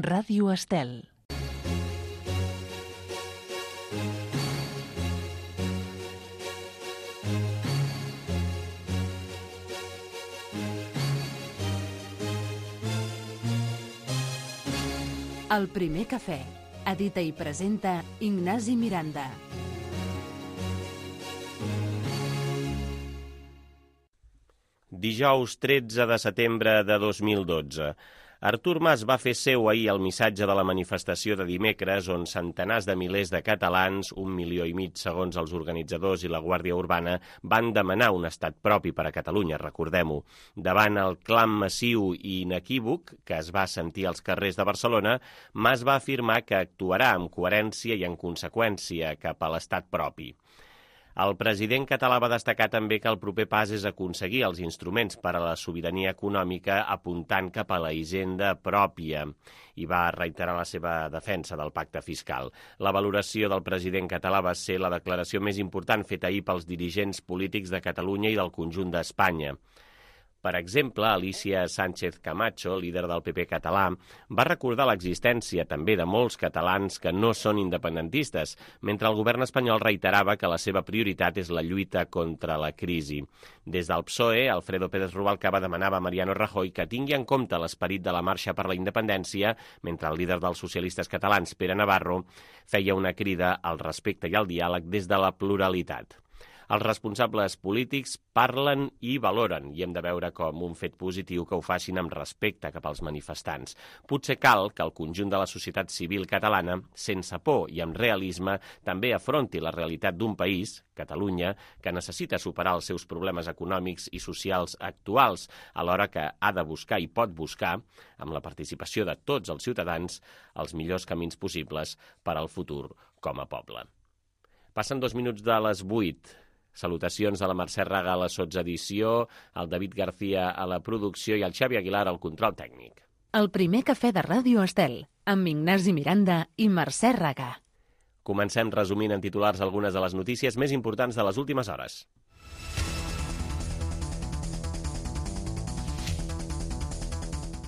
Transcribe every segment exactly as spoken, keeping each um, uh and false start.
Ràdio Estel. El primer cafè. Edita i presenta Ignasi Miranda. Dijous tretze de setembre de dos mil dotze. Artur Mas va fer seu ahir el missatge de la manifestació de dimecres on centenars de milers de catalans, un milió i mig segons els organitzadors i la Guàrdia Urbana, van demanar un estat propi per a Catalunya, recordem-ho. Davant el clam massiu i inequívoc que es va sentir als carrers de Barcelona, Mas va afirmar que actuarà amb coherència i en conseqüència cap a l'estat propi. El president català va destacar també que el proper pas és aconseguir els instruments per a la sobirania econòmica apuntant cap a la hisenda pròpia i va reiterar la seva defensa del pacte fiscal. La valoració del president català va ser la declaració més important feta ahir pels dirigents polítics de Catalunya i del conjunt d'Espanya. Per exemple, Alicia Sánchez Camacho, líder del P P català, va recordar l'existència també de molts catalans que no són independentistes, mentre el govern espanyol reiterava que la seva prioritat és la lluita contra la crisi. Des del P S O E, Alfredo Pérez Rubalcaba demanava a Mariano Rajoy que tingui en compte l'esperit de la marxa per la independència, mentre el líder dels socialistes catalans, Pere Navarro, feia una crida al respecte i al diàleg des de la pluralitat. Els responsables polítics parlen i valoren, i hem de veure com un fet positiu que ho facin amb respecte cap als manifestants. Potser cal que el conjunt de la societat civil catalana, sense por i amb realisme, també afronti la realitat d'un país, Catalunya, que necessita superar els seus problemes econòmics i socials actuals, alhora que ha de buscar i pot buscar, amb la participació de tots els ciutadans, els millors camins possibles per al futur com a poble. Passen dos minuts de les vuit. Salutacions de la Mercè Raga a la sotsedició, el David García a la producció i el Xavi Aguilar al control tècnic. El primer cafè de Ràdio Estel, amb Ignasi Miranda i Mercè Raga. Comencem resumint en titulars algunes de les notícies més importants de les últimes hores.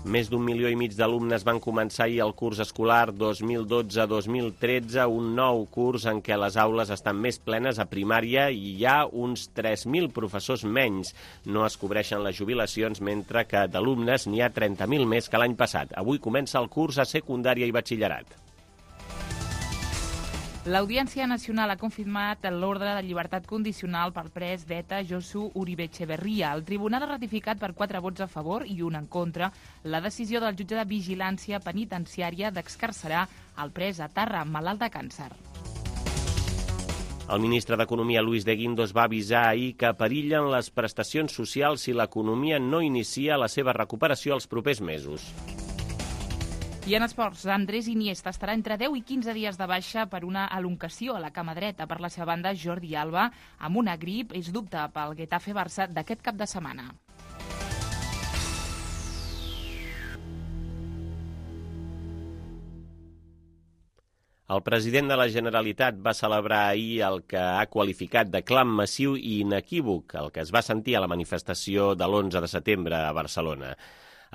Més d'un milió i mig d'alumnes van començar ahir el curs escolar dos mil dotze dos mil tretze, un nou curs en què les aules estan més plenes a primària i hi ha uns tres mil professors menys. No es cobreixen les jubilacions, mentre que d'alumnes n'hi ha trenta mil més que l'any passat. Avui comença el curs a secundària i batxillerat. L'Audiència Nacional ha confirmat l'ordre de llibertat condicional pel pres d'ETA Josu Uribe Etxeberria. El tribunal ha ratificat per quatre vots a favor i un en contra la decisió del jutge de vigilància penitenciària d'excarcerar el pres etarra malalt de càncer. El ministre d'Economia, Luis de Guindos, va avisar ahir que perillen les prestacions socials si l'economia no inicia la seva recuperació els propers mesos. I en esports, Andrés Iniesta estarà entre deu i quinze dies de baixa per una elongació a la cama dreta. Per la seva banda, Jordi Alba, amb una grip, és dubte pel Getafe-Barça d'aquest cap de setmana. El president de la Generalitat va celebrar ahir el que ha qualificat de clam massiu i inequívoc, el que es va sentir a la manifestació de l'onze de setembre a Barcelona.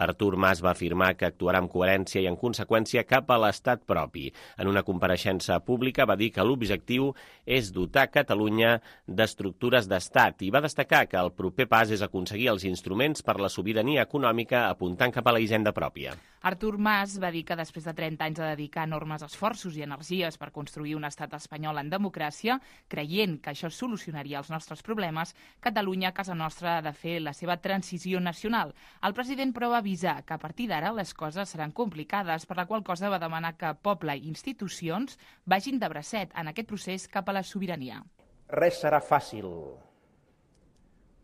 Artur Mas va afirmar que actuarà amb coherència i en conseqüència cap a l'estat propi. En una compareixença pública va dir que l'objectiu és dotar Catalunya d'estructures d'estat i va destacar que el proper pas és aconseguir els instruments per la sobirania econòmica apuntant cap a la hisenda pròpia. Artur Mas va dir que després de trenta anys de dedicar enormes esforços i energies per construir un estat espanyol en democràcia, creient que això solucionaria els nostres problemes, Catalunya, a casa nostra, ha de fer la seva transició nacional. El president, però, va avisar que a partir d'ara les coses seran complicades, per la qual cosa va demanar que poble i institucions vagin de bracet en aquest procés cap a la sobirania. Res serà fàcil,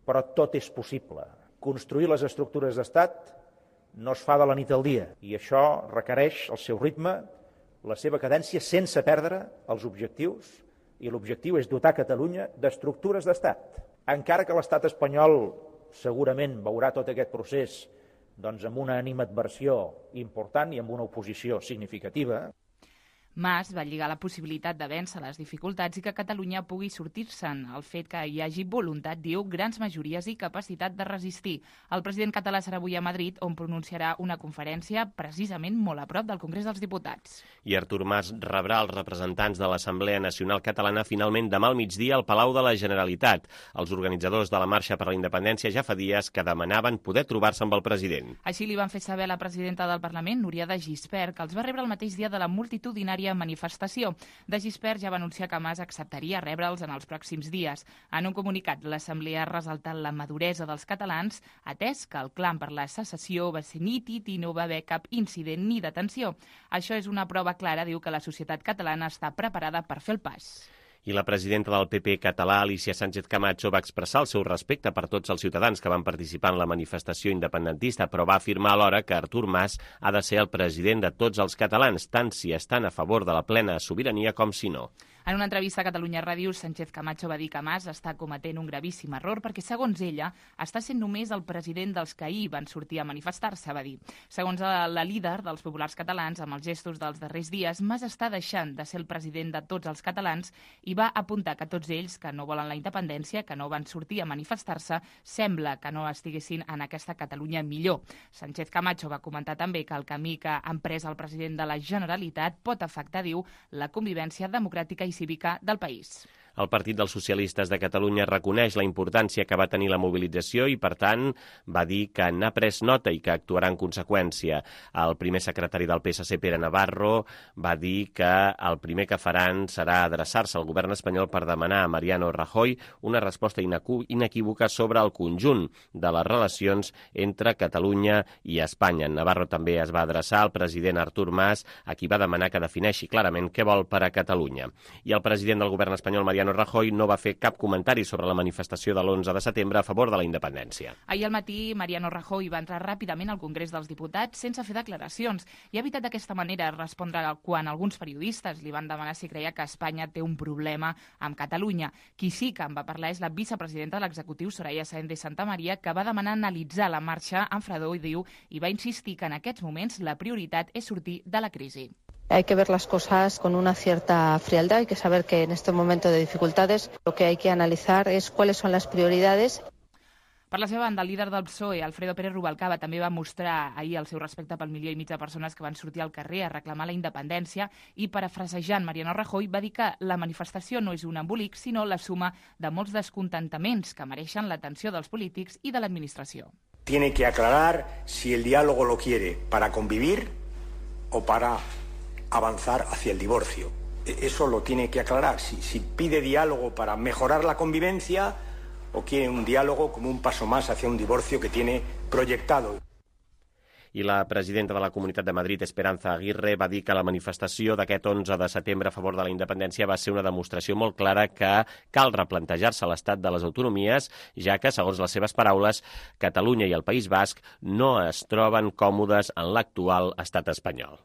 però tot és possible. Construir les estructures d'estat no es fa de la nit al dia i això requereix el seu ritme, la seva cadència, sense perdre els objectius, i l'objectiu és dotar Catalunya d'estructures d'estat. Encara que l'estat espanyol segurament veurà tot aquest procés doncs, amb una animadversió important i amb una oposició significativa. Mas va lligar la possibilitat de vèncer les dificultats i que Catalunya pugui sortir-se'n. El fet que hi hagi voluntat, diu, grans majories i capacitat de resistir. El president català serà avui a Madrid, on pronunciarà una conferència precisament molt a prop del Congrés dels Diputats. I Artur Mas rebrà els representants de l'Assemblea Nacional Catalana finalment demà al migdia al Palau de la Generalitat. Els organitzadors de la Marxa per la Independència ja fa dies que demanaven poder trobar-se amb el president. Així li van fer saber la presidenta del Parlament, Núria de Gispert, que els va rebre el mateix dia de la multitudinària manifestació. De Gispert ja va anunciar que Mas acceptaria rebre'ls en els pròxims dies. En un comunicat, l'Assemblea ha resaltat la maduresa dels catalans, atès que el clam per la secessió va ser nítid i no va haver cap incident ni detenció. Això és una prova clara, diu, que la societat catalana està preparada per fer el pas. I la presidenta del P P català, Alicia Sánchez Camacho, va expressar el seu respecte per tots els ciutadans que van participar en la manifestació independentista, però va afirmar alhora que Artur Mas ha de ser el president de tots els catalans, tant si estan a favor de la plena sobirania com si no. En una entrevista a Catalunya Ràdio, Sánchez Camacho va dir que Mas està cometent un gravíssim error perquè, segons ella, està sent només el president dels que ahir van sortir a manifestar-se, va dir. Segons la líder dels populars catalans, amb els gestos dels darrers dies, Mas està deixant de ser el president de tots els catalans i va apuntar que tots ells que no volen la independència, que no van sortir a manifestar-se, sembla que no estiguessin en aquesta Catalunya millor. Sánchez Camacho va comentar també que el camí que ha emprès el president de la Generalitat pot afectar, diu, la convivència democràtica i cívica del país. El Partit dels Socialistes de Catalunya reconeix la importància que va tenir la mobilització i, per tant, va dir que n'ha pres nota i que actuarà en conseqüència. El primer secretari del P S C, Pere Navarro, va dir que el primer que faran serà adreçar-se al govern espanyol per demanar a Mariano Rajoy una resposta inequívoca sobre el conjunt de les relacions entre Catalunya i Espanya. Navarro també es va adreçar al president Artur Mas, a qui va demanar que defineixi clarament què vol per a Catalunya. I el president del govern espanyol, Mariano Rajoy, no va fer cap comentari sobre la manifestació de l'onze de setembre a favor de la independència. Ahir al matí, Mariano Rajoy va entrar ràpidament al Congrés dels Diputats sense fer declaracions i ha evitat d'aquesta manera respondre quan alguns periodistes li van demanar si creia que Espanya té un problema amb Catalunya. Qui sí que en va parlar és la vicepresidenta de l'executiu, Soraya Sáenz de Santamaría, que va demanar analitzar la marxa amb fredor i diu i va insistir que en aquests moments la prioritat és sortir de la crisi. Hay que ver las cosas con una cierta frialdad. Hay que saber que en este momento de dificultades lo que hay que analizar es cuáles son las prioridades. Per la seva banda, el líder del P S O E, Alfredo Pérez Rubalcaba, també va mostrar ahir el seu respecte pel milió i mig de persones que van sortir al carrer a reclamar la independència i, parafrasejant Mariano Rajoy, va dir que la manifestació no és un embolic, sinó la suma de molts descontentaments que mereixen l'atenció dels polítics i de l'administració. Tiene que aclarar si el diálogo lo quiere para convivir o para avanzar hacia el divorcio. Eso lo tiene que aclarar. Si, si pide diálogo para mejorar la convivencia o quiere un diálogo como un paso más hacia un divorcio que tiene proyectado. I la presidenta de la Comunitat de Madrid, Esperanza Aguirre, va dir que la manifestació d'aquest onze de setembre a favor de la independència va ser una demostració molt clara que cal replantejar-se l'estat de les autonomies, ja que, segons les seves paraules, Catalunya i el País Basc no es troben còmodes en l'actual estat espanyol.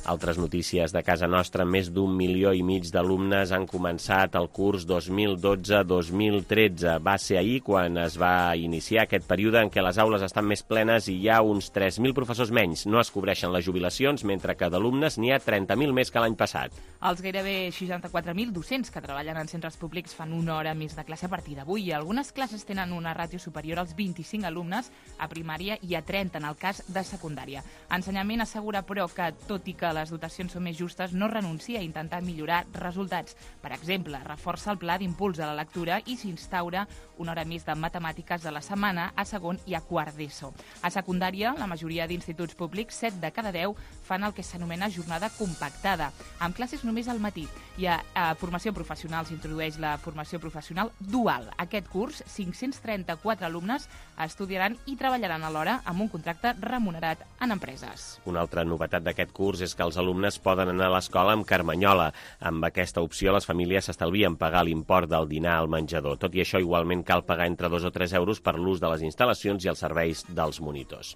Altres notícies de casa nostra, més d'un milió i mig d'alumnes han començat el curs dos mil dotze dos mil tretze. Va ser ahir quan es va iniciar aquest període en què les aules estan més plenes i hi ha uns tres mil professors menys. No es cobreixen les jubilacions, mentre que d'alumnes n'hi ha trenta mil més que l'any passat. Els gairebé seixanta-quatre mil docents que treballen en centres públics fan una hora més de classe a partir d'avui i algunes classes tenen una ràtio superior als vint-i-cinc alumnes a primària i a trenta en el cas de secundària. Ensenyament assegura, però, que tot i que les dotacions són més justes, no renuncia a intentar millorar resultats. Per exemple, reforça el pla d'impuls a la lectura i s'instaura una hora més de matemàtiques a la setmana a segon i a quart d'ESO. A secundària, la majoria d'instituts públics, set de cada deu, fan el que s'anomena jornada compactada, amb classes només al matí. I a, a formació professional s'introdueix la formació professional dual. Aquest curs, cinc-cents trenta-quatre alumnes estudiaran i treballaran alhora amb un contracte remunerat en empreses. Una altra novetat d'aquest curs és que els alumnes poden anar a l'escola amb carmanyola. Amb aquesta opció, les famílies s'estalvien pagar l'import del dinar al menjador. Tot i això, igualment cal pagar entre dos o tres euros per l'ús de les instal·lacions i els serveis dels monitors.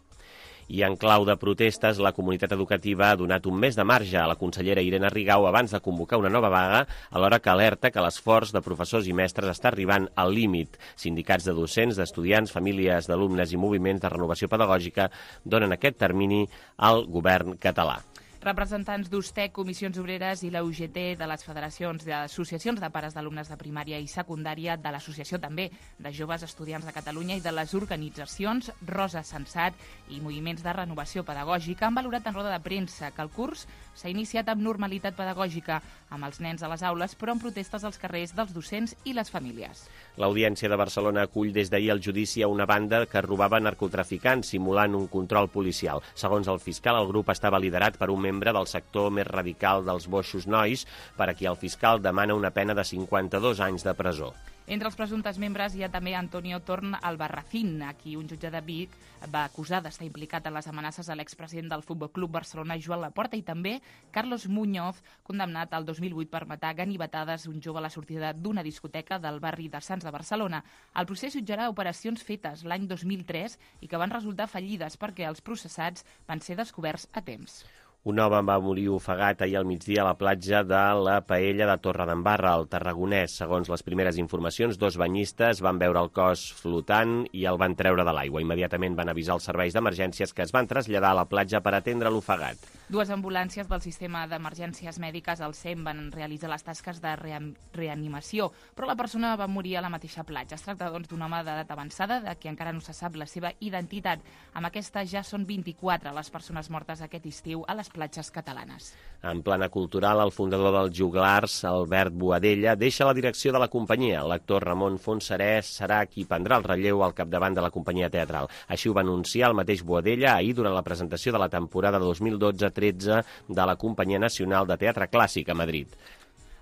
I en clau de protestes, la comunitat educativa ha donat un mes de marge a la consellera Irene Rigau abans de convocar una nova vaga, alhora que alerta que l'esforç de professors i mestres està arribant al límit. Sindicats de docents, d'estudiants, famílies d'alumnes i moviments de renovació pedagògica donen aquest termini al govern català. Representants d'U S T E C, Comissions Obreres i la U G T, de les federacions d'associacions de pares d'alumnes de primària i secundària, de l'Associació també de Joves Estudiants de Catalunya i de les organitzacions Rosa Sensat i Moviments de Renovació Pedagògica han valorat en roda de premsa que el curs s'ha iniciat amb normalitat pedagògica, amb els nens a les aules, però amb protestes als carrers dels docents i les famílies. L'Audiència de Barcelona acull des d'ahir el judici a una banda que robava narcotraficants simulant un control policial. Segons el fiscal, el grup estava liderat per un membre del sector més radical dels boixos nois, per a qui el fiscal demana una pena de cinquanta-dos anys de presó. Entre els presumptes membres hi ha també Antonio Torn Albarracín, a qui un jutge de Vic va acusar d'estar implicat en les amenaces a l'expresident del Futbol Club Barcelona, Joan Laporta, i també Carlos Muñoz, condemnat al dos mil vuit per matar ganivetades un jove a la sortida d'una discoteca del barri de Sants de Barcelona. El procés jutjarà operacions fetes l'any dos mil tres i que van resultar fallides perquè els processats van ser descoberts a temps. Un home va morir ofegat ahir al migdia a la platja de la Paella de Torredembarra, al Tarragonès. Segons les primeres informacions, dos banyistes van veure el cos flotant i el van treure de l'aigua. Immediatament van avisar els serveis d'emergències, que es van traslladar a la platja per atendre l'ofegat. Dues ambulàncies del sistema d'emergències mèdiques, el S E M, van realitzar les tasques de reanimació, però la persona va morir a la mateixa platja. Es tracta, doncs, d'un home d'edat avançada, de qui encara no se sap la seva identitat. Amb aquesta ja són vint-i-quatre les persones mortes aquest estiu a les platges catalanes. En plana cultural, el fundador dels Joglars, Albert Boadella, deixa la direcció de la companyia. L'actor Ramon Fontserè serà qui prendrà el relleu al capdavant de la companyia teatral. Així ho va anunciar el mateix Boadella ahir durant la presentació de la temporada dos mil dotze tretze de la Companyia Nacional de Teatre Clàssic a Madrid.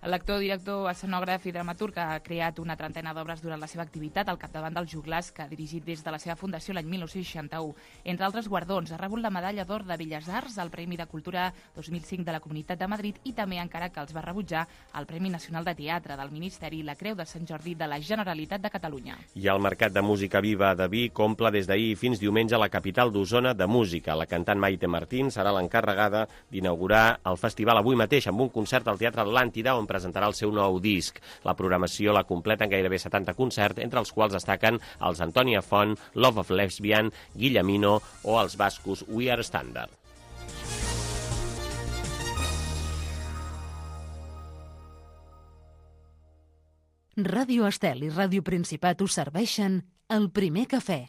L'actor, director, escenògraf i dramaturg ha creat una trentena d'obres durant la seva activitat al capdavant dels Joglars, que ha dirigit des de la seva fundació l'any mil nou-cents seixanta-u. Entre altres guardons, ha rebut la Medalla d'Or de Belles Arts, el Premi de Cultura dos mil cinc de la Comunitat de Madrid i també, encara que els va rebutjar, el Premi Nacional de Teatre del Ministeri i la Creu de Sant Jordi de la Generalitat de Catalunya. I el Mercat de Música Viva de Vic omple des d'ahir fins diumenge la capital d'Osona de música. La cantant Maite Martín serà l'encarregada d'inaugurar el festival avui mateix amb un concert al Teatre Atlàntida, on presentarà el seu nou disc. La programació la completen gairebé setanta concerts, entre els quals destaquen els Antònia Font, Love of Lesbian, Guillemino o els bascos We Are Standard. Ràdio Estel i Ràdio Principat us serveixen el primer cafè.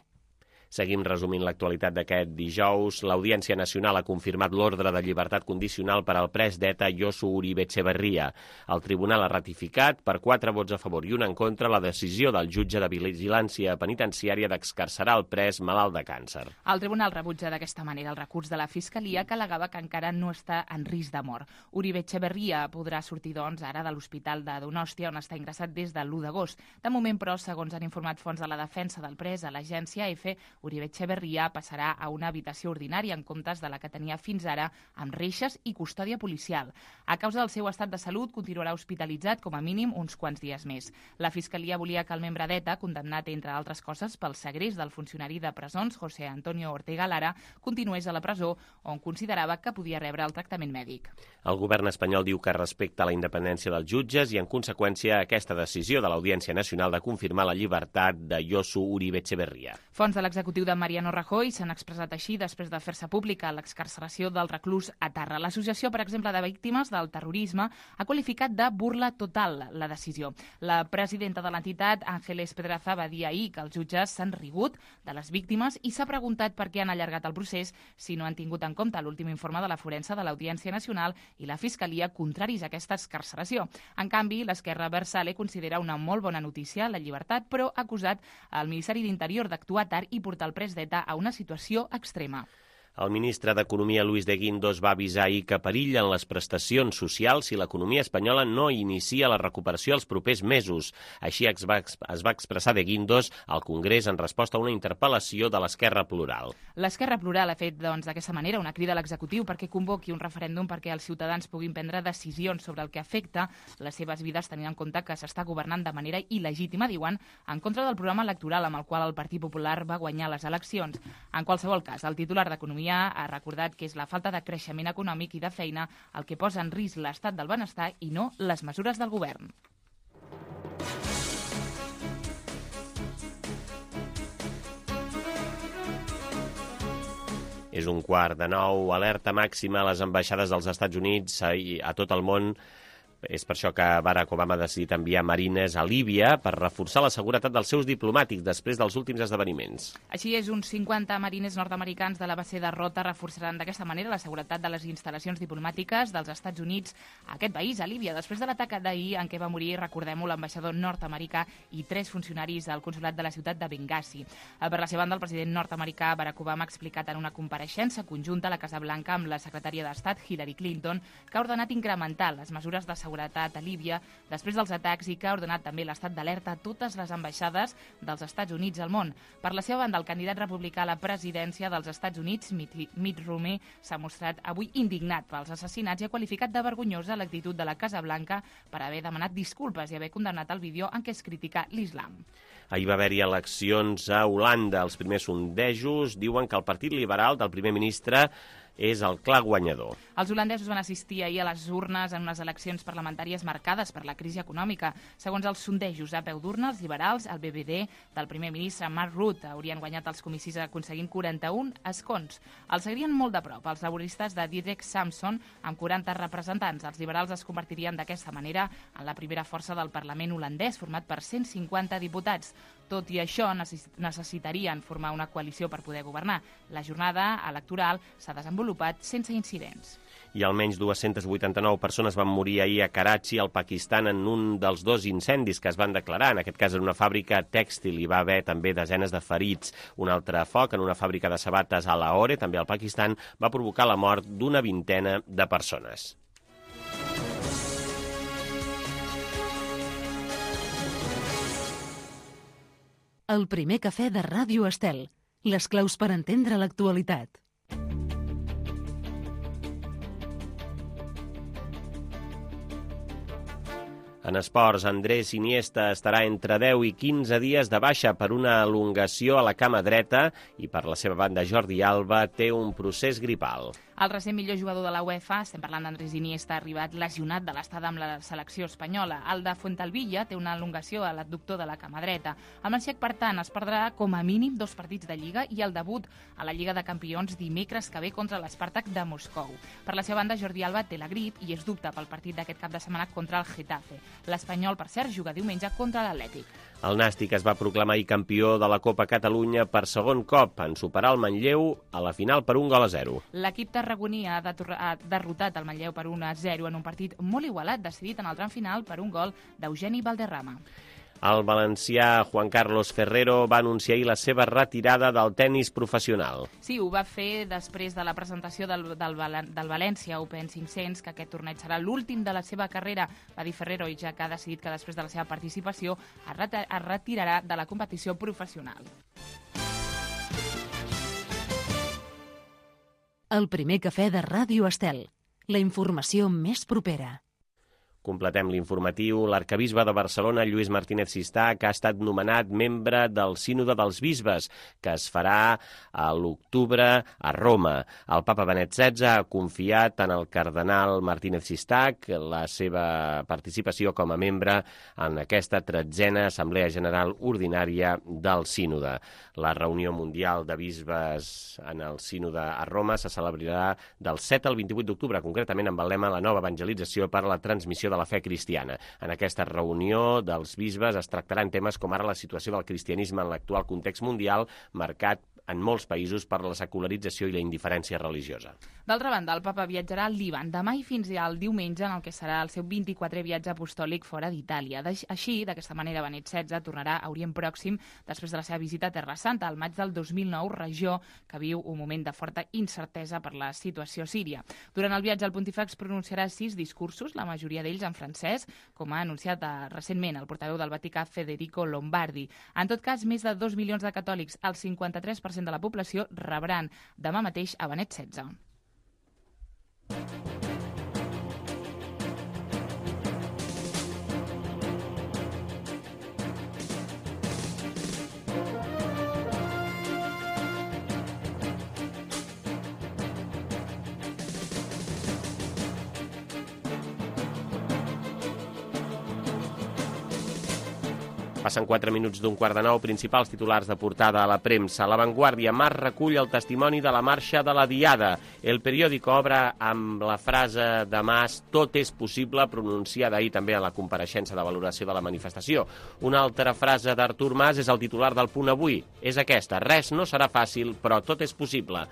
Seguim resumint l'actualitat d'aquest dijous. L'Audiència Nacional ha confirmat l'ordre de llibertat condicional per al pres d'ETA Josu Uribe Etxebarria. El tribunal ha ratificat per quatre vots a favor i un en contra la decisió del jutge de vigilància penitenciària d'excarcerar el pres malalt de càncer. El tribunal rebutja d'aquesta manera el recurs de la Fiscalia, que al·legava que encara no està en risc de mort. Uribe Etxebarria podrà sortir, doncs, ara de l'Hospital de Donòstia, on està ingressat des de l'u d'agost. De moment, però, segons han informat fonts de la defensa del pres a l'agència EFE, Uribe Etxebarria passarà a una habitació ordinària en comptes de la que tenia fins ara, amb reixes i custòdia policial. A causa del seu estat de salut, continuarà hospitalitzat com a mínim uns quants dies més. La Fiscalia volia que el membre d'ETA, condemnat, entre altres coses, pel segrest del funcionari de presons José Antonio Ortega Lara, continués a la presó, on considerava que podia rebre el tractament mèdic. El govern espanyol diu que respecta la independència dels jutges i, en conseqüència, aquesta decisió de l'Audiència Nacional de confirmar la llibertat de Josu Uribe Etxebarria. Fons de l'executiu de Mariano Rajoy s'han expressat així després de fer-se pública l'excarceració del reclús Atarra. L'Associació, per exemple, de víctimes del terrorisme ha qualificat de burla total la decisió. La presidenta de l'entitat, Ángeles Pedraza, va dir ahir que els jutges s'han rigut de les víctimes i s'ha preguntat per què han allargat el procés si no han tingut en compte l'últim informe de la forense de l'Audiència Nacional i la Fiscalia contraris a aquesta excarceració. En canvi, l'esquerra Versale considera una molt bona notícia la llibertat, però ha acusat el Ministeri d'Interior d'actuar tard i portar el pres d'ETA a una situació extrema. El ministre d'Economia, Luis de Guindos, va avisar ahir que perillen les prestacions socials si l'economia espanyola no inicia la recuperació els propers mesos. Així es va, es va expressar de Guindos al Congrés en resposta a una interpel·lació de l'Esquerra Plural. L'Esquerra Plural ha fet, doncs, d'aquesta manera una crida a l'executiu perquè convoqui un referèndum perquè els ciutadans puguin prendre decisions sobre el que afecta les seves vides, tenint en compte que s'està governant de manera il·legítima, diuen, en contra del programa electoral amb el qual el Partit Popular va guanyar les eleccions. En qualsevol cas, el titular d'Economia l'economia ha recordat que és la falta de creixement econòmic i de feina el que posa en risc l'estat del benestar i no les mesures del govern. És un quart de nou, alerta màxima a les ambaixades dels Estats Units i a tot el món. És per això que Barack Obama ha decidit enviar marines a Líbia per reforçar la seguretat dels seus diplomàtics després dels últims esdeveniments. Així és, uns cinquanta marines nord-americans de la base de Rota reforçaran d'aquesta manera la seguretat de les instal·lacions diplomàtiques dels Estats Units a aquest país, a Líbia, després de l'atac d'ahir en què va morir, recordem-ho, l'ambaixador nord-americà i tres funcionaris del consolat de la ciutat de Benghazi. Per la seva banda, el president nord-americà Barack Obama ha explicat en una compareixença conjunta a la Casa Blanca amb la secretària d'Estat Hillary Clinton que ha ordenat incrementar les mesures de seguretat seguretat a Líbia després dels atacs i que ha ordenat també l'estat d'alerta a totes les ambaixades dels Estats Units al món. Per la seva banda, el candidat republicà a la presidència dels Estats Units, Mitt Romney, s'ha mostrat avui indignat pels assassinats i ha qualificat de vergonyosa l'actitud de la Casa Blanca per haver demanat disculpes i haver condemnat el vídeo en què es critica l'islam. Ahir va haver-hi eleccions a Holanda. Els primers sondejos diuen que el Partit Liberal del primer ministre és el clar guanyador. Els holandesos van assistir ahir a les urnes en unes eleccions parlamentàries marcades per la crisi econòmica. Segons els sondejos a peu d'urna, els liberals, el B B D del primer ministre Mark Rutte, haurien guanyat els comicis aconseguint quaranta-un escons. Els seguirien molt de prop els laboristes de Diederik Samson amb quaranta representants. Els liberals es convertirien d'aquesta manera en la primera força del Parlament holandès, format per cent cinquanta diputats. Tot i això, necessitarien formar una coalició per poder governar. La jornada electoral s'ha desenvolupat sense incidents. I almenys dues-centes vuitanta-nou persones van morir ahir a Karachi, al Pakistan, en un dels dos incendis que es van declarar. En aquest cas, en una fàbrica tèxtil, hi va haver també desenes de ferits. Un altre foc en una fàbrica de sabates a Lahore, també al Pakistan, va provocar la mort d'una vintena de persones. El primer cafè de Ràdio Estel. Les claus per entendre l'actualitat. En esports, Andrés Iniesta estarà entre deu i quinze dies de baixa per una elongació a la cama dreta i per la seva banda Jordi Alba té un procés gripal. El recent millor jugador de la UEFA, estem parlant d'Andrés Iniesta, ha arribat lesionat de l'estada amb la selecció espanyola. El de Fuentalbilla té una elongació a l'adductor de la cama dreta. El manxec, per tant, es perdrà com a mínim dos partits de Lliga i el debut a la Lliga de Campions dimecres que ve contra l'Spartak de Moscou. Per la seva banda, Jordi Alba té la grip i és dubte pel partit d'aquest cap de setmana contra el Getafe. L'Espanyol, per cert, juga diumenge contra l'Atlètic. El Nàstic es va proclamar ahir campió de la Copa Catalunya per segon cop en superar el Manlleu a la final per un gol a zero. L'equip tarragoní ha derrotat el Manlleu per un a zero en un partit molt igualat, decidit en el tram final per un gol d'Eugeni Valderrama. El valencià Juan Carlos Ferrero va anunciar ahir la seva retirada del tennis professional. Sí, ho va fer després de la presentació del, del, del València Open cinc-cents, que aquest torneig serà l'últim de la seva carrera. Va dir Ferrero, i ja que ha decidit que després de la seva participació es retirarà de la competició professional. El primer cafè de Ràdio Estel. La informació més propera. Completem l'informatiu. L'arcabisbe de Barcelona, Lluís Martínez Sistach, ha estat nomenat membre del Sínode dels Bisbes, que es farà a l'octubre a Roma. El papa Benet setze ha confiat en el cardenal Martínez Sistach la seva participació com a membre en aquesta tretzena Assemblea General Ordinària del Sínode. La reunió mundial de bisbes en el Sínode a Roma se celebrarà del set al vint-i-vuit d'octubre, concretament amb el lema La nova evangelització per a la transmissió de la fe cristiana. En aquesta reunió dels bisbes es tractaran temes com ara la situació del cristianisme en l'actual context mundial, marcat en molts països per la secularització i la indiferència religiosa. D'altra banda, el papa viatjarà al Líban demà i fins al diumenge, en el que serà el seu vint-i-quatrè viatge apostòlic fora d'Itàlia. Així, d'aquesta manera, Benet setze tornarà a Orient Pròxim després de la seva visita a Terra Santa al maig del dos mil nou, regió que viu un moment de forta incertesa per la situació síria. Durant el viatge, el pontífex pronunciarà sis discursos, la majoria d'ells en francès, com ha anunciat recentment el portaveu del Vaticà, Federico Lombardi. En tot cas, més de dos milions de catòlics, el cinquanta-tres per cent de la població, rebran demà mateix a Benet setze. Passen quatre minuts d'un quart de nou, principals titulars de portada a la premsa. La Vanguardia, Mas recull el testimoni de la marxa de la Diada. El periòdico obre amb la frase de Mas «Tot és possible», pronunciada ahir també a la compareixença de valoració de la manifestació. Una altra frase d'Artur Mas és el titular del Punt Avui. És aquesta: res no serà fàcil, però tot és possible.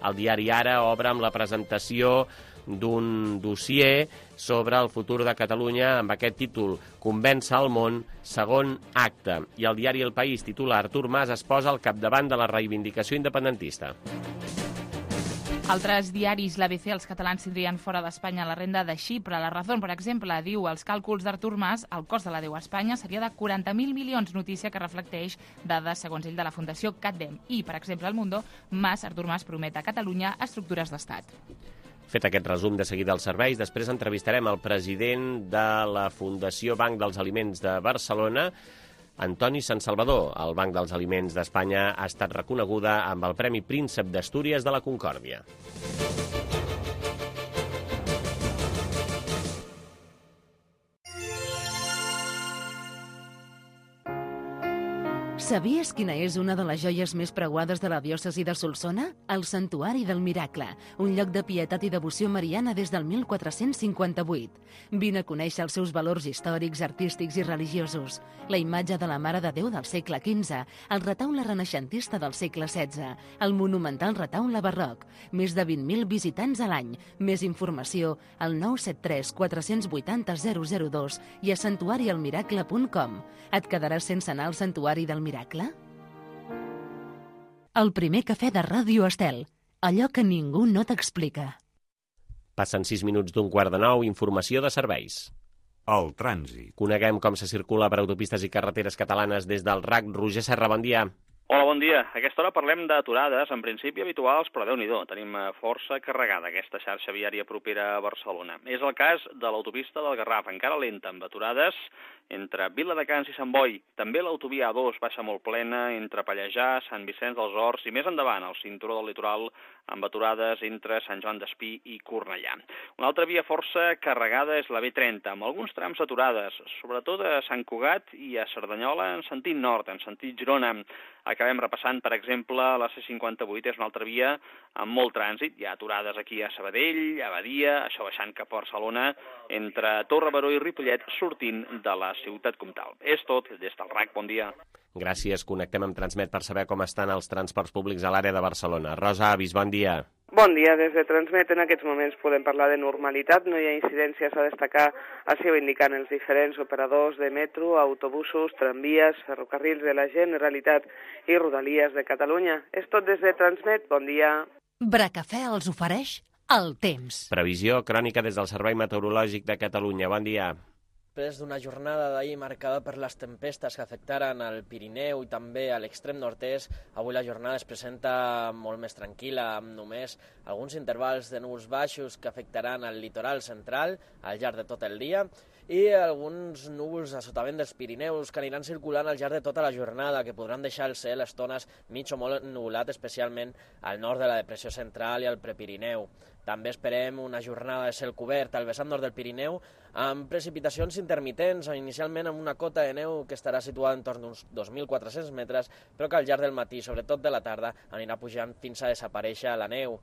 El diari Ara obre amb la presentació d'un dossier sobre el futur de Catalunya amb aquest títol: Convèncer el món, segon acte. I el diari El País titula: Artur Mas es posa al capdavant de la reivindicació independentista. Altres diaris, l'A B C, els catalans tindrien fora d'Espanya la renda de Xipre. La Razón, per exemple, diu els càlculs d'Artur Mas, el cost de la deu a Espanya seria de quaranta mil milions, notícia que reflecteix dades, segons ell, de la Fundació CatDem. I, per exemple, al Mundo, Mas, Artur Mas promet a Catalunya estructures d'estat. Fet aquest resum de seguida als serveis, després entrevistarem el president de la Fundació Banc dels Aliments de Barcelona, Antoni Sansalvador. El Banc dels Aliments d'Espanya ha estat reconeguda amb el Premi Príncep d'Astúries de la Concòrdia. Sabies quina és una de les joies més preuades de la diòcesi de Solsona? El Santuari del Miracle, un lloc de pietat i devoció mariana des del mil quatre-cents cinquanta-vuit. Vine a conèixer els seus valors històrics, artístics i religiosos. La imatge de la Mare de Déu del segle quinze, el retaule renaixentista del segle setze, el monumental retaule barroc. Més de vint mil visitants a l'any. Més informació al nou set tres quatre vuit zero zero zero dos i a santuari el miracle punt com. Et quedaràs sense anar al Santuari del Miracle? El primer cafè de Ràdio Estel. Allò que ningú no t'explica. Passen sis minuts d'un quart de nou, informació de serveis. El trànsit. Coneguem com se circula per autopistes i carreteres catalanes des del R A C. Roger Serra, bon dia. Hola, bon dia. A aquesta hora parlem d'aturades, en principi habituals, però Déu-n'hi-do, tenim força carregada aquesta xarxa viària propera a Barcelona. És el cas de l'autopista del Garraf, encara lenta, amb aturades entre Viladecans i Sant Boi. També l'autovia A dos baixa molt plena entre Pallejà, Sant Vicenç dels Horts i més endavant, el cinturó del litoral, amb aturades entre Sant Joan d'Espí i Cornellà. Una altra via força carregada és la B trenta, amb alguns trams aturades, sobretot a Sant Cugat i a Cerdanyola en sentit nord, en sentit Girona. Acabem repassant, per exemple, la C cinquanta-vuit és una altra via amb molt trànsit. Hi ha aturades aquí a Sabadell, a Badia, això baixant cap a Barcelona, entre Torre Baró i Ripollet, sortint de la ciutat comtal. És tot des del R A C. Bon dia. Gràcies. Connectem amb Transmet per saber com estan els transports públics a l'àrea de Barcelona. Rosa Avis, bon dia. Bon dia, des de Transmet. En aquests moments podem parlar de normalitat, no hi ha incidències a destacar, així ho indiquen els diferents operadors de metro, autobusos, tramvies, ferrocarrils de la Generalitat i Rodalies de Catalunya. És tot des de Transmet. Bon dia. Bracafè els ofereix el temps. Previsió crònica des del Servei Meteorològic de Catalunya. Bon dia. Després d'una jornada d'ahir marcada per les tempestes que afectaren el Pirineu i també a l'extrem nord-est, avui la jornada es presenta molt més tranquil·la, amb només alguns intervals de núvols baixos que afectaran el litoral central al llarg de tot el dia i alguns núvols a sotavent dels Pirineus que aniran circulant al llarg de tota la jornada, que podran deixar el cel a estones mig o molt ennuvolat, especialment al nord de la depressió central i al Prepirineu. També esperem una jornada de cel cobert al vessant nord del Pirineu, amb precipitacions intermitents, inicialment amb una cota de neu que estarà situada entorn d'uns dos mil quatre-cents metres, però que al llarg del matí, sobretot de la tarda, anirà pujant fins a desaparèixer la neu.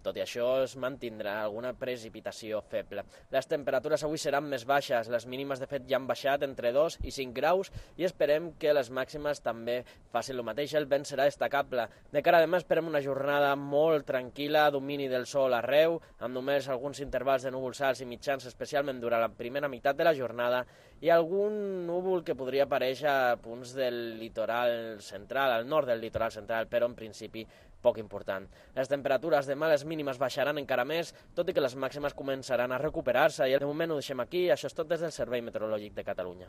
Tot i això, es mantindrà alguna precipitació feble. Les temperatures avui seran més baixes, les mínimes de fet ja han baixat entre dos i cinc graus i esperem que les màximes també facin el mateix. El vent serà destacable. De cara a demà esperem una jornada molt tranquil·la, domini del sol arreu, amb només alguns intervals de núvols alts i mitjans, especialment durant la primera meitat de la jornada, i algun núvol que podria aparèixer a punts del litoral central, al nord del litoral central, però en principi poc important. Les temperatures demà, les mínimes baixaran encara més, tot i que les màximes començaran a recuperar-se, i de moment ho deixem aquí. Això és tot des del Servei Meteorològic de Catalunya.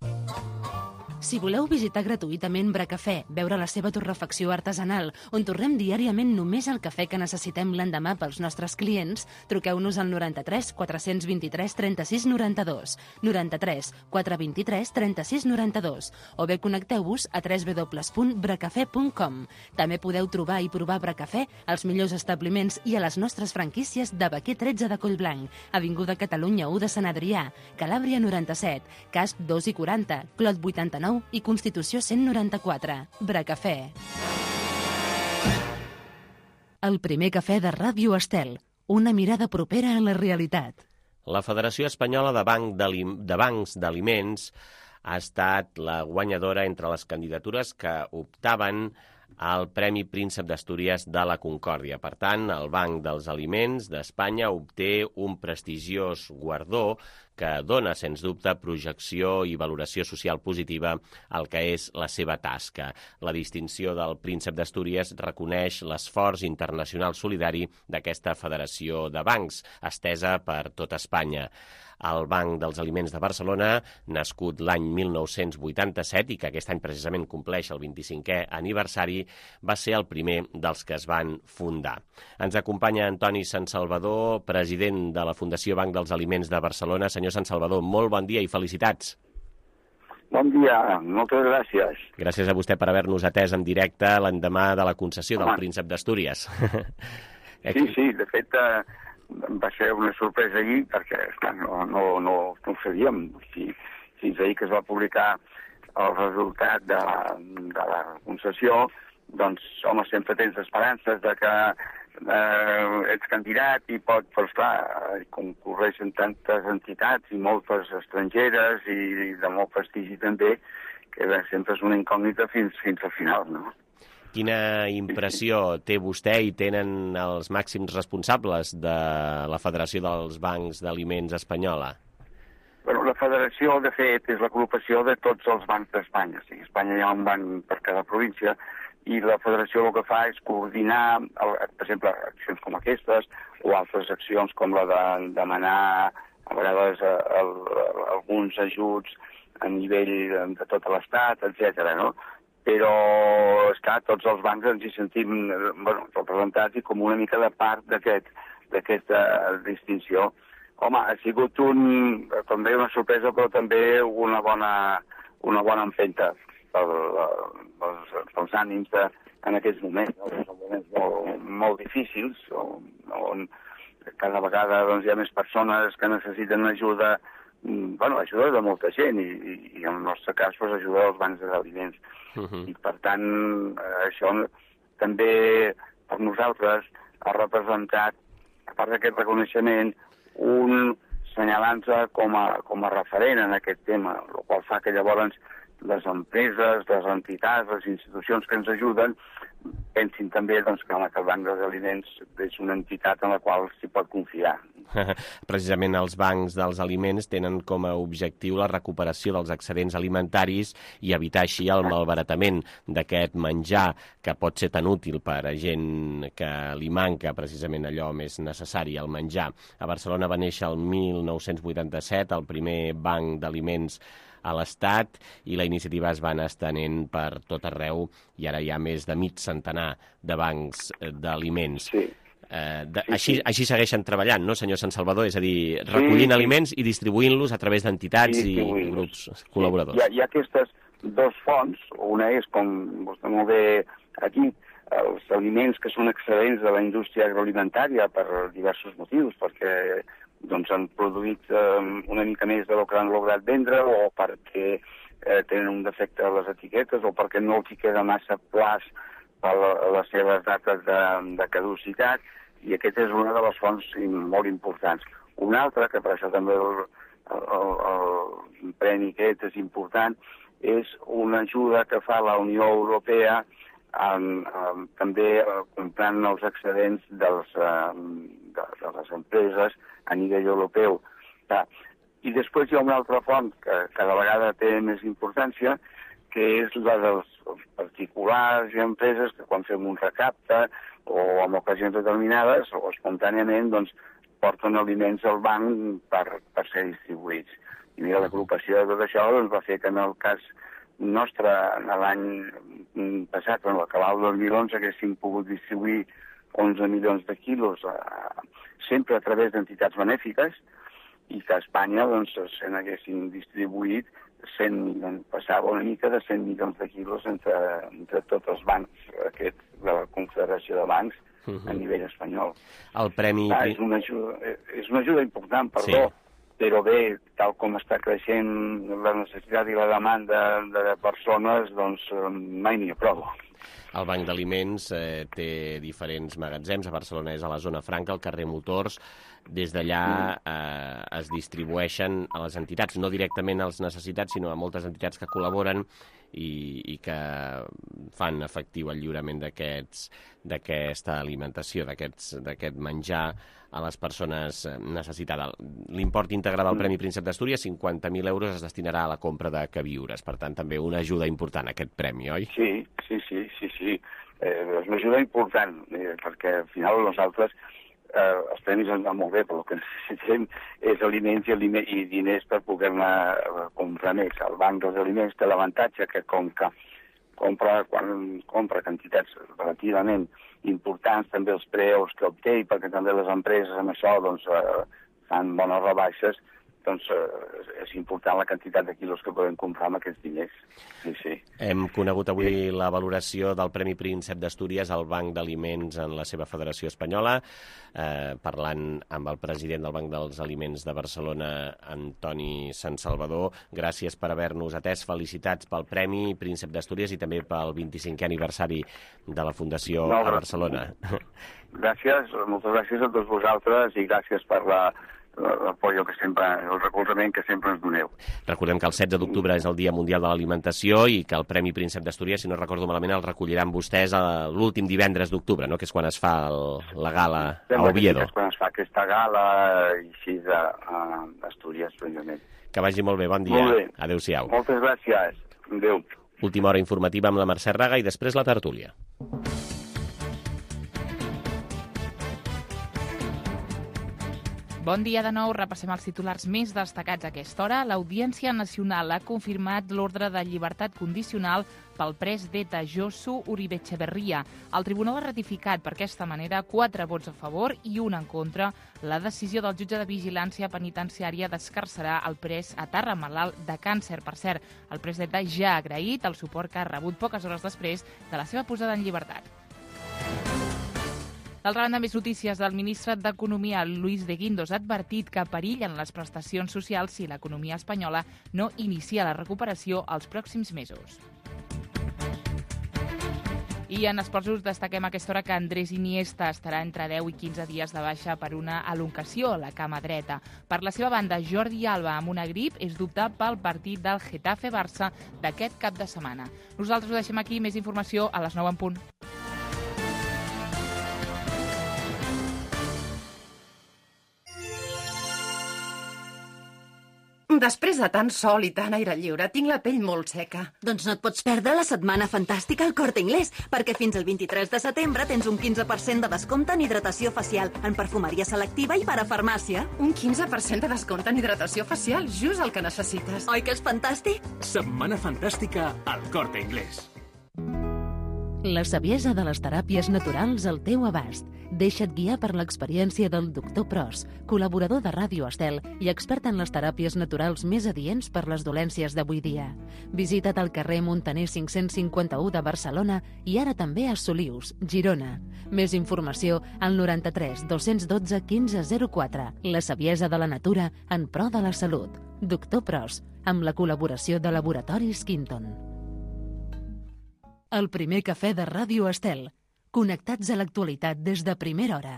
Si voleu visitar gratuïtament Bracafè, veure la seva torrefacció artesanal, on torrem diàriament només el cafè que necessitem l'endemà pels nostres clients, truqueu-nos al noranta-tres quatre vint-i-tres trenta-sis noranta-dos, noranta-tres quatre vint-i-tres trenta-sis noranta-dos, o bé connecteu-vos a w w w punt bracafè punt com. També podeu trobar i provar Bracafè als millors establiments i a les nostres franquícies de Baquer tretze de Collblanc, Avinguda Catalunya u de Sant Adrià, Calàbria noranta-set, Casc dos i quaranta, Clot vuitanta-nou nou i Constitució cent noranta-quatre. Bracafè. El primer cafè de Ràdio Estel. Una mirada propera a la realitat. La Federació Espanyola de, Banc de Bancs d'Aliments ha estat la guanyadora entre les candidatures que optaven al Premi Príncep d'Astúries de la Concòrdia. Per tant, el Banc dels Aliments d'Espanya obté un prestigiós guardó que dona, sens dubte, projecció i valoració social positiva al que és la seva tasca. La distinció del Príncep d'Astúries reconeix l'esforç internacional solidari d'aquesta federació de bancs, estesa per tot Espanya. El Banc dels Aliments de Barcelona, nascut l'any mil nou-cents vuitanta-set i que aquest any precisament compleix el vint-i-cinquè aniversari, va ser el primer dels que es van fundar. Ens acompanya Antoni Sansalvador, president de la Fundació Banc dels Aliments de Barcelona. Senyor Sansalvador, molt bon dia i felicitats. Bon dia, moltes gràcies. Gràcies a vostè per haver-nos atès en directe l'endemà de la concessió del Príncep d'Astúries. Sí, sí, de fet eh, va ser una sorpresa ahir perquè esclar, no, no, no, no ho sabíem. Si, fins ahir que es va publicar el resultat de, de la concessió, doncs, home, sempre tens esperances de que eh, ets candidat i pot, però esclar, concorreixen tantes entitats i moltes estrangeres i de molt prestigi també, que bé, sempre és una incògnita fins, fins al final, no? Quina impressió té vostè i tenen els màxims responsables de la Federació dels Bancs d'Aliments Espanyola? Bueno, la federació, de fet, és l'agrupació de tots els bancs d'Espanya. O sigui, a Espanya hi ha un banc per cada província i la federació el que fa és coordinar, per exemple, accions com aquestes o altres accions com la de demanar a vegades el, alguns ajuts a nivell de tot l'Estat, etcètera, no? Però, esclar, tots els bancs ens hi sentim bueno, representats i com una mica de part d'aquesta distinció. Home, ha sigut un, com deia, una sorpresa, però també una bona, una bona empenta per, pels, pels ànims de, en aquests moments. No? Són moments molt, molt difícils, on, on cada vegada doncs, hi ha més persones que necessiten ajuda, bueno, ajuda de molta gent i, i, i en el nostre cas pues, ajuda dels bancs d'aliments. Uh-huh. I per tant, això també per nosaltres ha representat, a part d'aquest reconeixement, un senyalant-se com, a, com a referent en aquest tema, el qual fa que llavors les empreses, les entitats, les institucions que ens ajuden pensin també doncs, que el Banc dels Aliments és una entitat en la qual s'hi pot confiar. Precisament els bancs dels aliments tenen com a objectiu la recuperació dels excedents alimentaris i evitar així el malbaratament d'aquest menjar que pot ser tan útil per a gent que li manca precisament allò més necessari, el menjar. A Barcelona va néixer el mil nou-cents vuitanta-set el primer banc d'aliments a l'Estat i la iniciativa es va anar estenent per tot arreu i ara hi ha més de mig centenar de bancs d'aliments. Sí. Eh, de, sí, així, sí. així segueixen treballant, no, senyor Sansalvador? És a dir, recollint sí, aliments i distribuint-los a través d'entitats i grups col·laboradors. Sí. Hi, ha, hi ha aquestes dos fonts. Una és, com vostè molt bé aquí, els aliments que són excel·lents de la indústria agroalimentària per diversos motius, perquè doncs, han produït eh, una mica més del que han lograt vendre o perquè eh, tenen un defecte a les etiquetes o perquè no els hi queda massa plaç per les seves dates de, de caducitat, i aquesta és una de les fonts molt importants. Una altra, que per això també el, el, el premi aquest és important, és una ajuda que fa la Unió Europea amb, amb, també comprant els excedents dels, de, de les empreses a nivell europeu. I després hi ha una altra font que cada vegada té més importància, que és la dels particulars i empreses que quan fem un recapte o en ocasions determinades o espontàniament doncs, porten aliments al banc per, per ser distribuïts. I mira, l'agrupació de tot això doncs, va fer que en el cas nostre, l'any passat, en l'acabar el dos mil onze, haguéssim pogut distribuir onze milions de quilos eh, sempre a través d'entitats benèfiques i que a Espanya doncs, se n'haguessin distribuït cent milions, passava una mica de cent milions de quilos entre, entre tots els bancs aquest, de la Confederació de Bancs uh-huh. a nivell espanyol. El premi... Ah, és, una ajuda, és una ajuda important, perdó, sí. però bé, tal com està creixent la necessitat i la demanda de persones, doncs mai n'hi ha prou. El Banc d'Aliments eh, té diferents magatzems. A Barcelona és a la zona franca, al carrer Motors. Des d'allà eh, es distribueixen a les entitats, no directament als necessitats, sinó a moltes entitats que col·laboren i, i que fan efectiu el lliurament d'aquests d'aquesta alimentació, d'aquest menjar a les persones necessitades. L'import íntegre del Premi Príncep d'Astúries, cinquanta mil euros, es destinarà a la compra de queviures. Per tant, també una ajuda important, aquest premi, oi? Sí, sí, sí, sí, sí. Eh, és una ajuda important, eh, perquè al final nosaltres eh, els premis ens van molt bé, però el que necessitem és aliments i, aliment, i diners per poder-ne comprar més. El Banc dels Aliments té l'avantatge que com que compra, quan compra quantitats relativament importants, també els preus que obté, i perquè també les empreses amb això doncs, eh, fan bones rebaixes, doncs eh, és important la quantitat de quilos que podem comprar amb aquests diners. Sí, sí. Hem conegut avui sí. la valoració del Premi Príncep d'Astúries al Banc d'Aliments en la seva federació espanyola, eh, parlant amb el president del Banc dels Aliments de Barcelona, Antoni Sansalvador. Gràcies per haver-nos atès. Felicitats pel Premi Príncep d'Astúries i també pel vint-i-cinquè aniversari de la Fundació no, a Barcelona. Gràcies, moltes gràcies a tots vosaltres i gràcies per la l'apoyo que sempre, el recolzament que sempre ens doneu. Recordem que el setze d'octubre és el Dia Mundial de l'Alimentació i que el Premi Príncep d'Astúries, si no recordo malament, el recolliran vostès l'últim divendres d'octubre, no? Que és quan es fa el, la gala a Oviedo. Sí, és quan es fa aquesta gala i així d'Astúries, precisament. Que vagi molt bé, bon dia. Molt bé. Adéu-siau. Moltes gràcies. Adéu. Última hora informativa amb la Mercè Raga i després la tertúlia. Bon dia de nou. Repassem els titulars més destacats a aquesta hora. L'Audiència Nacional ha confirmat l'ordre de llibertat condicional pel pres d'E T A Josu Uribe Etxeberria. El tribunal ha ratificat per aquesta manera quatre vots a favor i un en contra la decisió del jutge de vigilància penitenciària d'escarcerar el pres a Tarra malalt de càncer. Per cert, el pres d'E T A ja ha agraït el suport que ha rebut poques hores després de la seva posada en llibertat. D'altra banda, més notícies. El ministre d'Economia, Luis de Guindos, ha advertit que perillen les prestacions socials si l'economia espanyola no inicia la recuperació els pròxims mesos. I en esports us destaquem a aquesta hora que Andrés Iniesta estarà entre deu i quinze dies de baixa per una elongació a la cama dreta. Per la seva banda, Jordi Alba, amb una grip, és dubte pel partit del Getafe-Barça d'aquest cap de setmana. Nosaltres ho deixem aquí. Més informació a les nou en punt. Després de tant sol i tant aire lliure, tinc la pell molt seca. Doncs no et pots perdre la setmana fantàstica al Corte Inglés, perquè fins al vint-i-tres de setembre tens un quinze per cent de descompte en hidratació facial, en perfumeria selectiva i parafarmàcia. Un quinze per cent de descompte en hidratació facial, just el que necessites. Oi que és fantàstic? Setmana fantàstica al Corte Inglés. La saviesa de les teràpies naturals al teu abast. Deixa't guiar per l'experiència del doctor Pros, col·laborador de Ràdio Estel i expert en les teràpies naturals més adients per les dolències d'avui dia. Visita't al carrer Montaner cinc-cents cinquanta-u de Barcelona i ara també a Solius, Girona. Més informació al noranta-tres dos-cents dotze quinze zero quatre. La saviesa de la natura en pro de la salut. Doctor Pros, amb la col·laboració de Laboratoris Quinton. El primer cafè de Ràdio Estel. Connectats a l'actualitat des de primera hora.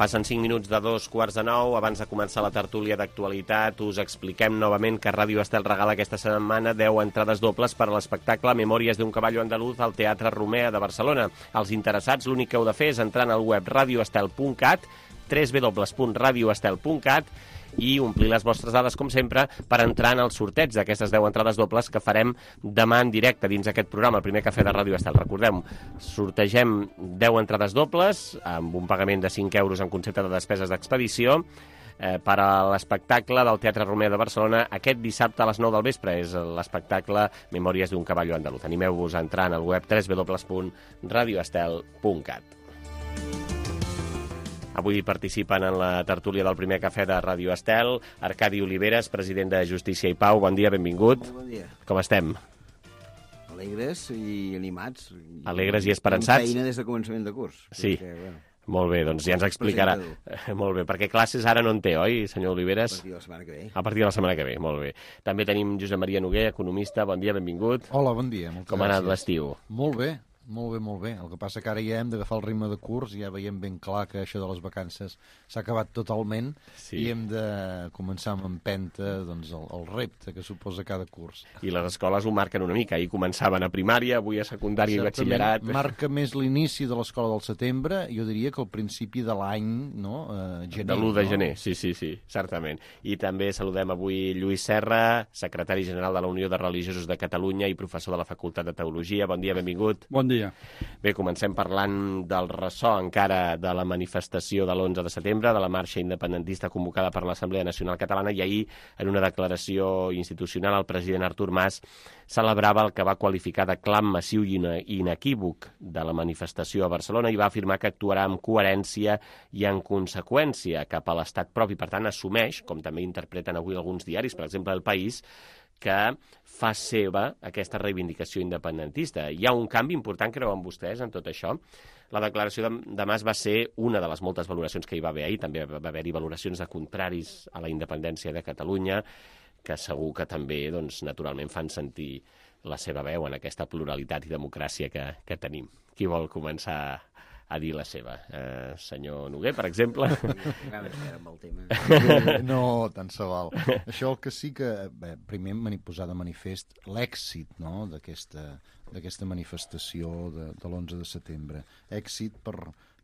Passen cinc minuts de dos quarts de nou. Abans de començar la tertúlia d'actualitat, us expliquem novament que Ràdio Estel regala aquesta setmana deu entrades dobles per a l'espectacle Memòries d'un caballo andaluz al Teatre Romea de Barcelona. Els interessats, l'únic que heu de fer és entrar al web radioestel punt cat, w w w punt radioestel punt cat, i omplir les vostres dades, com sempre, per entrar en el sorteig d'aquestes deu entrades dobles que farem demà en directe dins aquest programa, el primer cafè de Ràdio Estel. Recordem, sortegem deu entrades dobles amb un pagament de cinc euros en concepte de despeses d'expedició eh, per a l'espectacle del Teatre Romea de Barcelona aquest dissabte a les nou del vespre. És l'espectacle Memòries d'un caballo andaluz. Animeu-vos a entrar en el web w w w punt radioestel punt cat. Avui participen en la tertúlia del primer cafè de Ràdio Estel Arcadi Oliveres, president de Justícia i Pau. Bon dia, benvingut. Molt bon dia. Com estem? Alegres i animats. Alegres i esperançats? Amb feina des de començament de curs. Sí. Perquè, bueno, molt bé, doncs ja ens explicarà. Molt bé, perquè classes ara no en té, oi, senyor Oliveres? A partir de la setmana que ve. A partir de la setmana que ve, molt bé. També tenim Josep Maria Noguer, economista. Bon dia, benvingut. Hola, bon dia. Moltes Com ha anat gràcies. l'estiu? Molt bé. Molt bé, molt bé. El que passa que ara ja hem d'agafar el ritme de curs, ja veiem ben clar que això de les vacances s'ha acabat totalment sí. i hem de començar amb empenta doncs, el, el repte que suposa cada curs. I les escoles ho marquen una mica. Ahir començaven a primària, avui a secundària i batxillerat. Marca més l'inici de l'escola del setembre, jo diria que el principi de l'any, no? Eh, gener. De l'u de no? gener, sí, sí, sí, certament. I també saludem avui Lluís Serra, secretari general de la Unió de Religiosos de Catalunya i professor de la Facultat de Teologia. Bon dia, benvingut. Bon dia. Bé, comencem parlant del ressò encara de la manifestació de l'onze de setembre, de la marxa independentista convocada per l'Assemblea Nacional Catalana, i ahir, en una declaració institucional, el president Artur Mas celebrava el que va qualificar de clam massiu i inequívoc de la manifestació a Barcelona i va afirmar que actuarà amb coherència i en conseqüència cap a l'estat propi. Per tant, assumeix, com també interpreten avui alguns diaris, per exemple El País, que fa seva aquesta reivindicació independentista. Hi ha un canvi important, creuen vostès, en tot això? La declaració de, de Mas va ser una de les moltes valoracions que hi va haver ahir. També va haver-hi valoracions de contraris a la independència de Catalunya, que segur que també, doncs, naturalment, fan sentir la seva veu en aquesta pluralitat i democràcia que, que tenim. Qui vol començar a dir la seva? Eh, senyor Noguer, per exemple? No, tant se val. Això el que sí que... Bé, primer m'han posat de manifest l'èxit, no?, d'aquesta d'aquesta manifestació de, de l'onze de setembre. Èxit per,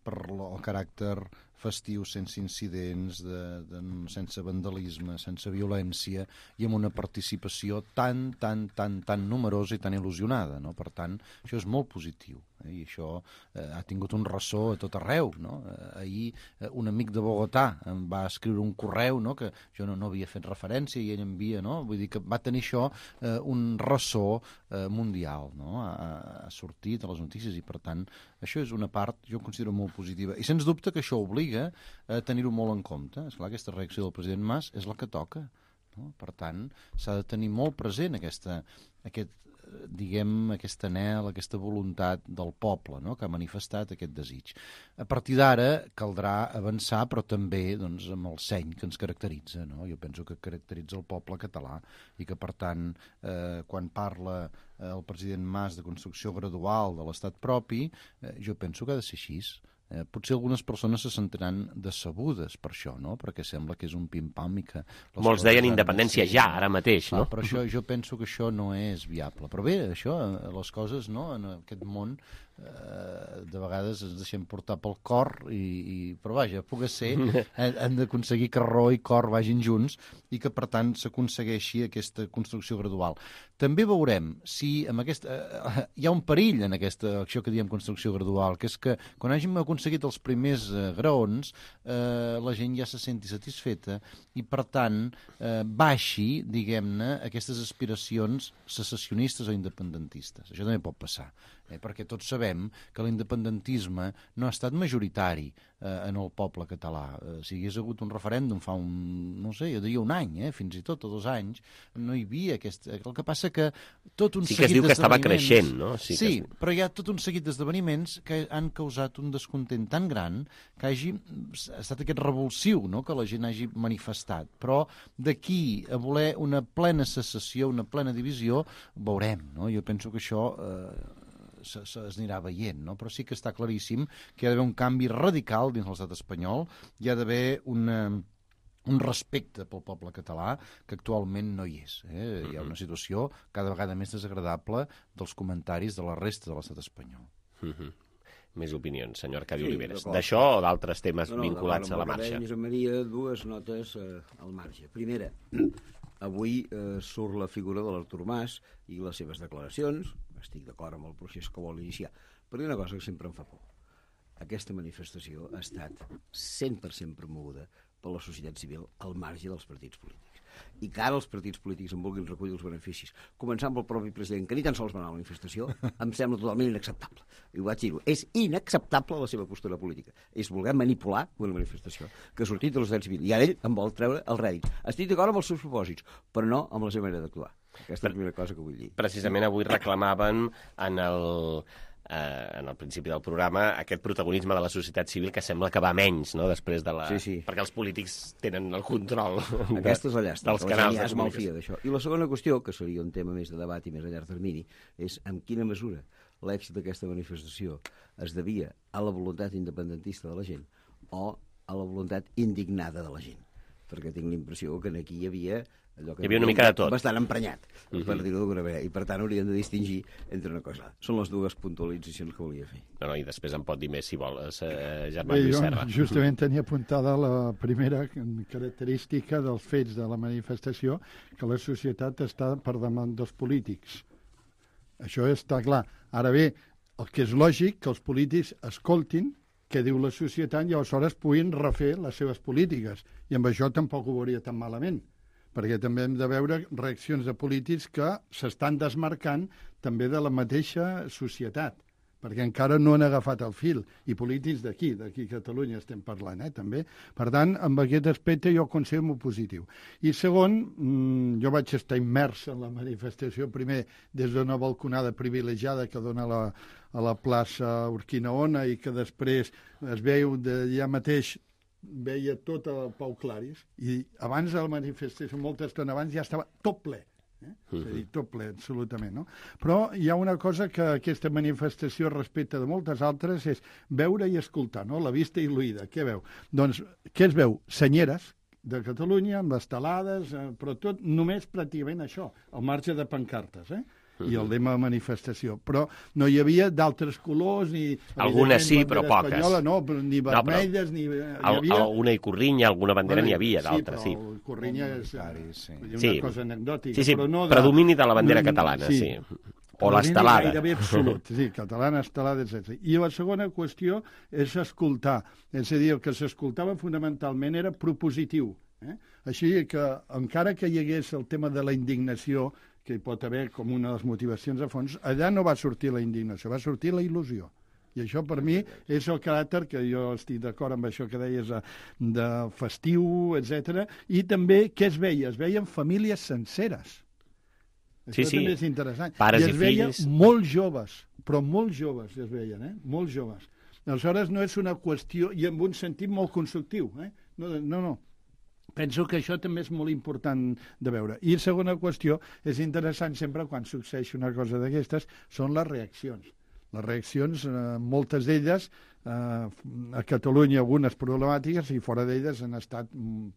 per el caràcter festiu, sense incidents, de, de, sense vandalisme, sense violència, i amb una participació tan, tan, tan, tan numerosa i tan il·lusionada, no? Per tant, això és molt positiu. Eh? I això eh, ha tingut un ressò a tot arreu, no? Eh, ahir eh, un amic de Bogotà em va escriure un correu, no?, que jo no, no havia fet referència i ell envia, no? Vull dir que va tenir això eh, un ressò eh, mundial, no? Ha, ha sortit a les notícies i, per tant, això és una part, jo considero molt positiva. I sens dubte que això obliga a tenir-ho molt en compte. Esclar, aquesta reacció del president Mas és la que toca, no? Per tant, s'ha de tenir molt present aquesta, aquest, diguem, aquest anhel, aquesta voluntat del poble, no?, que ha manifestat aquest desig. A partir d'ara caldrà avançar, però també, doncs, amb el seny que ens caracteritza, no? Jo penso que caracteritza el poble català i que, per tant, eh, quan parla eh, el president Mas de construcció gradual de l'estat propi, eh, jo penso que ha de ser així. Eh, potser algunes persones se sentiran decebudes per això, no?, perquè sembla que és un pim-pam i que... Molts deien independència sí, ja, ara mateix, no? Ah, però això, jo penso que això no és viable. Però bé, això, les coses, no?, en aquest món eh, de vegades ens deixem portar pel cor i, i però vaja, pugui ser, hem d'aconseguir que raó i cor vagin junts i que per tant s'aconsegueixi aquesta construcció gradual. També veurem si amb aquesta, eh, hi ha un perill en aquesta acció que diem construcció gradual, que és que quan hàgim aconseguit els primers eh, graons eh, la gent ja se senti satisfeta i per tant eh, baixi, diguem-ne, aquestes aspiracions secessionistes o independentistes. Això també pot passar. Eh, perquè tots sabem que l'independentisme no ha estat majoritari eh, en el poble català. Eh, si hi hagués hagut un referèndum fa un, no sé, jo diria un any, eh, fins i tot, o dos anys, no hi havia aquest... El que passa que tot un sí seguit d'esdeveniments... Sí que es diu que estava creixent, no? Sí, sí que... però hi ha tot un seguit d'esdeveniments que han causat un descontent tan gran que hagi estat aquest revulsiu, no?, que la gent hagi manifestat. Però d'aquí a voler una plena secessió, una plena divisió, veurem, no? Jo penso que això... Eh, s'anirà veient, no? Però sí que està claríssim que hi ha d'haver un canvi radical dins l'estat espanyol, hi ha d'haver una, un respecte pel poble català que actualment no hi és. Eh? Hi ha una situació cada vegada més desagradable dels comentaris de la resta de l'estat espanyol. Mm-hmm. Més opinions, senyor Arcadi Sí, Oliveres. d'acord. D'això o d'altres temes No, no, vinculats a la d'acord amb el que marxa? deia Josep Maria, dues notes eh, al marge. Primera, avui eh, surt la figura de l'Artur Mas i les seves declaracions. Estic d'acord amb el procés que vol iniciar. Però hi ha una cosa que sempre em fa por. Aquesta manifestació ha estat cent per cent promoguda per la societat civil al marge dels partits polítics. I que ara els partits polítics en vulguin recollir els beneficis, començant pel propi president, que ni tan sols va anar a la manifestació, em sembla totalment inacceptable. I ho vaig dir-ho. És inacceptable la seva postura política. És voler manipular una manifestació que ha sortit de la societat civil. I ara ell en vol treure el rèdit. Estic d'acord amb els seus propòsits, però no amb la seva manera d'actuar. Aquesta és la primera cosa que vull dir. Precisament avui reclamaven en el... Eh, en el principi del programa, aquest protagonisme de la societat civil que sembla que va menys, no?, després de la... Sí, sí. Perquè els polítics tenen el control de, Aquesta és la llàstima, dels canals de es malfia comunicació. d'això. I la segona qüestió, que seria un tema més de debat i més a llarg termini, és en quina mesura l'èxit d'aquesta manifestació es devia a la voluntat independentista de la gent o a la voluntat indignada de la gent. Perquè tinc la impressió que aquí hi havia allò que hi havia una mica de tot. Bastant emprenyat, uh-huh. per dir-ho d'alguna manera. I per tant hauríem de distingir entre una cosa. Són les dues puntualitzacions que volia fer. No, no, i després en pot dir més si vols, eh, Germán Bé, Lluís jo Serra. justament tenia apuntada la primera característica dels fets de la manifestació, que la societat està per damunt dels polítics. Això està clar. Ara bé, el que és lògic que els polítics escoltin què diu la societat i aleshores puguin refer les seves polítiques. I amb això tampoc ho veuria tan malament, perquè també hem de veure reaccions de polítics que s'estan desmarcant també de la mateixa societat, perquè encara no han agafat el fil, i polítics d'aquí, d'aquí a Catalunya estem parlant, eh, també. Per tant, amb aquest aspecte jo considero molt positiu. I segon, mmm, jo vaig estar immers en la manifestació, primer des d'una balconada privilegiada que dona la, a la plaça Urquinaona i que després es veu d'allà mateix, veia tot el Pau Claris, i abans de la manifestació, molta estona abans, ja estava tot ple. Eh? Uh-huh. És a dir, tot ple, absolutament. No? Però hi ha una cosa que aquesta manifestació respecte de moltes altres és veure i escoltar, no? La vista i l'oïda. Què veu? Doncs, què es veu? Senyeres de Catalunya, amb estelades, eh, però tot només pràcticament això, al marge de pancartes, eh? I el lema de manifestació. Però no hi havia d'altres colors, ni... Algunes sí, però poques. Espanyola, no, ni vermelles, no, ni... Hi havia... Alguna i Corrinya, alguna bandera bueno, n'hi havia, d'altres, sí. Sí, però Corrinya és sí. una sí. cosa anecdòtica. Sí, sí, però no de... predomini de la bandera catalana, sí. sí. O l'estelada. Gairebé absolut, sí, catalana, estelada, etcètera. I la segona qüestió és escoltar. És a dir, el que s'escoltava fonamentalment era propositiu. Eh? Així que, encara que hi hagués el tema de la indignació, que hi pot haver com una de les motivacions a fons, allà no va sortir la indignació, va sortir la il·lusió. I això per mi és el caràcter, que jo estic d'acord amb això que deies de, de festiu, etcètera. I també què es veia? Es veien famílies senceres. Sí, això sí. també és interessant. Pares I es i veien fills. molt joves, però molt joves es veien, eh? Molt joves. Aleshores no és una qüestió, i en un sentit molt constructiu, eh? No, no, no. Penso que això també és molt important de veure. I segona qüestió, és interessant sempre quan succeeix una cosa d'aquestes, són les reaccions. Les reaccions, eh, moltes d'elles, eh, a Catalunya algunes problemàtiques i fora d'elles han estat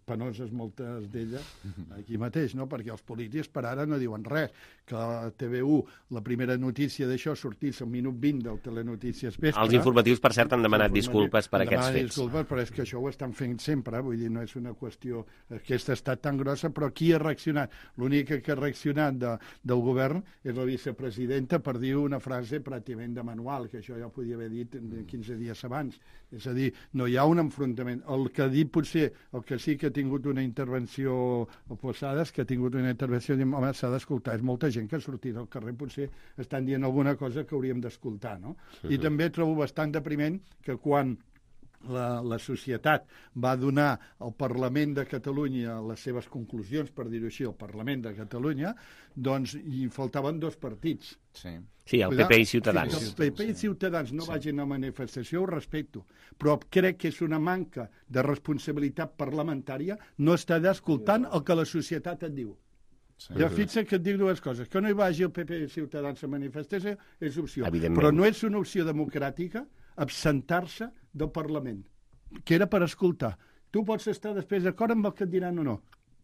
penoses moltes d'elles aquí mateix, no? Perquè els polítics per ara no diuen res. Que a T V u la primera notícia d'això sortís al minut vint del Telenotícies Vespre. Els informatius, per cert, han demanat disculpes per aquests fets. Disculpes, però és que això ho estan fent sempre, vull dir, no és una qüestió... Aquesta ha estat tan grossa, però qui ha reaccionat? L'única que ha reaccionat de, del govern és la vicepresidenta per dir una frase pràcticament de manual, que això ja ho podia haver dit quinze dies abans. És a dir, no hi ha un enfrontament. El que ha dit potser, el que sí que ha tingut una intervenció oposada, és que ha tingut una intervenció, home, s'ha d'escoltar. És molta gent que ha sortit al carrer, potser estan dient alguna cosa que hauríem d'escoltar, no? Uh-huh. I també trobo bastant depriment que quan la, la societat va donar al Parlament de Catalunya les seves conclusions, per dir-ho així, al Parlament de Catalunya, doncs hi faltaven dos partits. Sí, sí, el P P i Ciutadans. El P P i Ciutadans no sí. vagin a manifestació, ho respecto, però crec que és una manca de responsabilitat parlamentària no estar escoltant el que la societat et diu. Sí. Ja fixa que et dic dues coses. Que no hi vagi el P P i Ciutadans a manifestació és opció. Però no és una opció democràtica absentar-se del Parlament, que era per escoltar. Tu pots estar després d'acord amb el que et diran o no,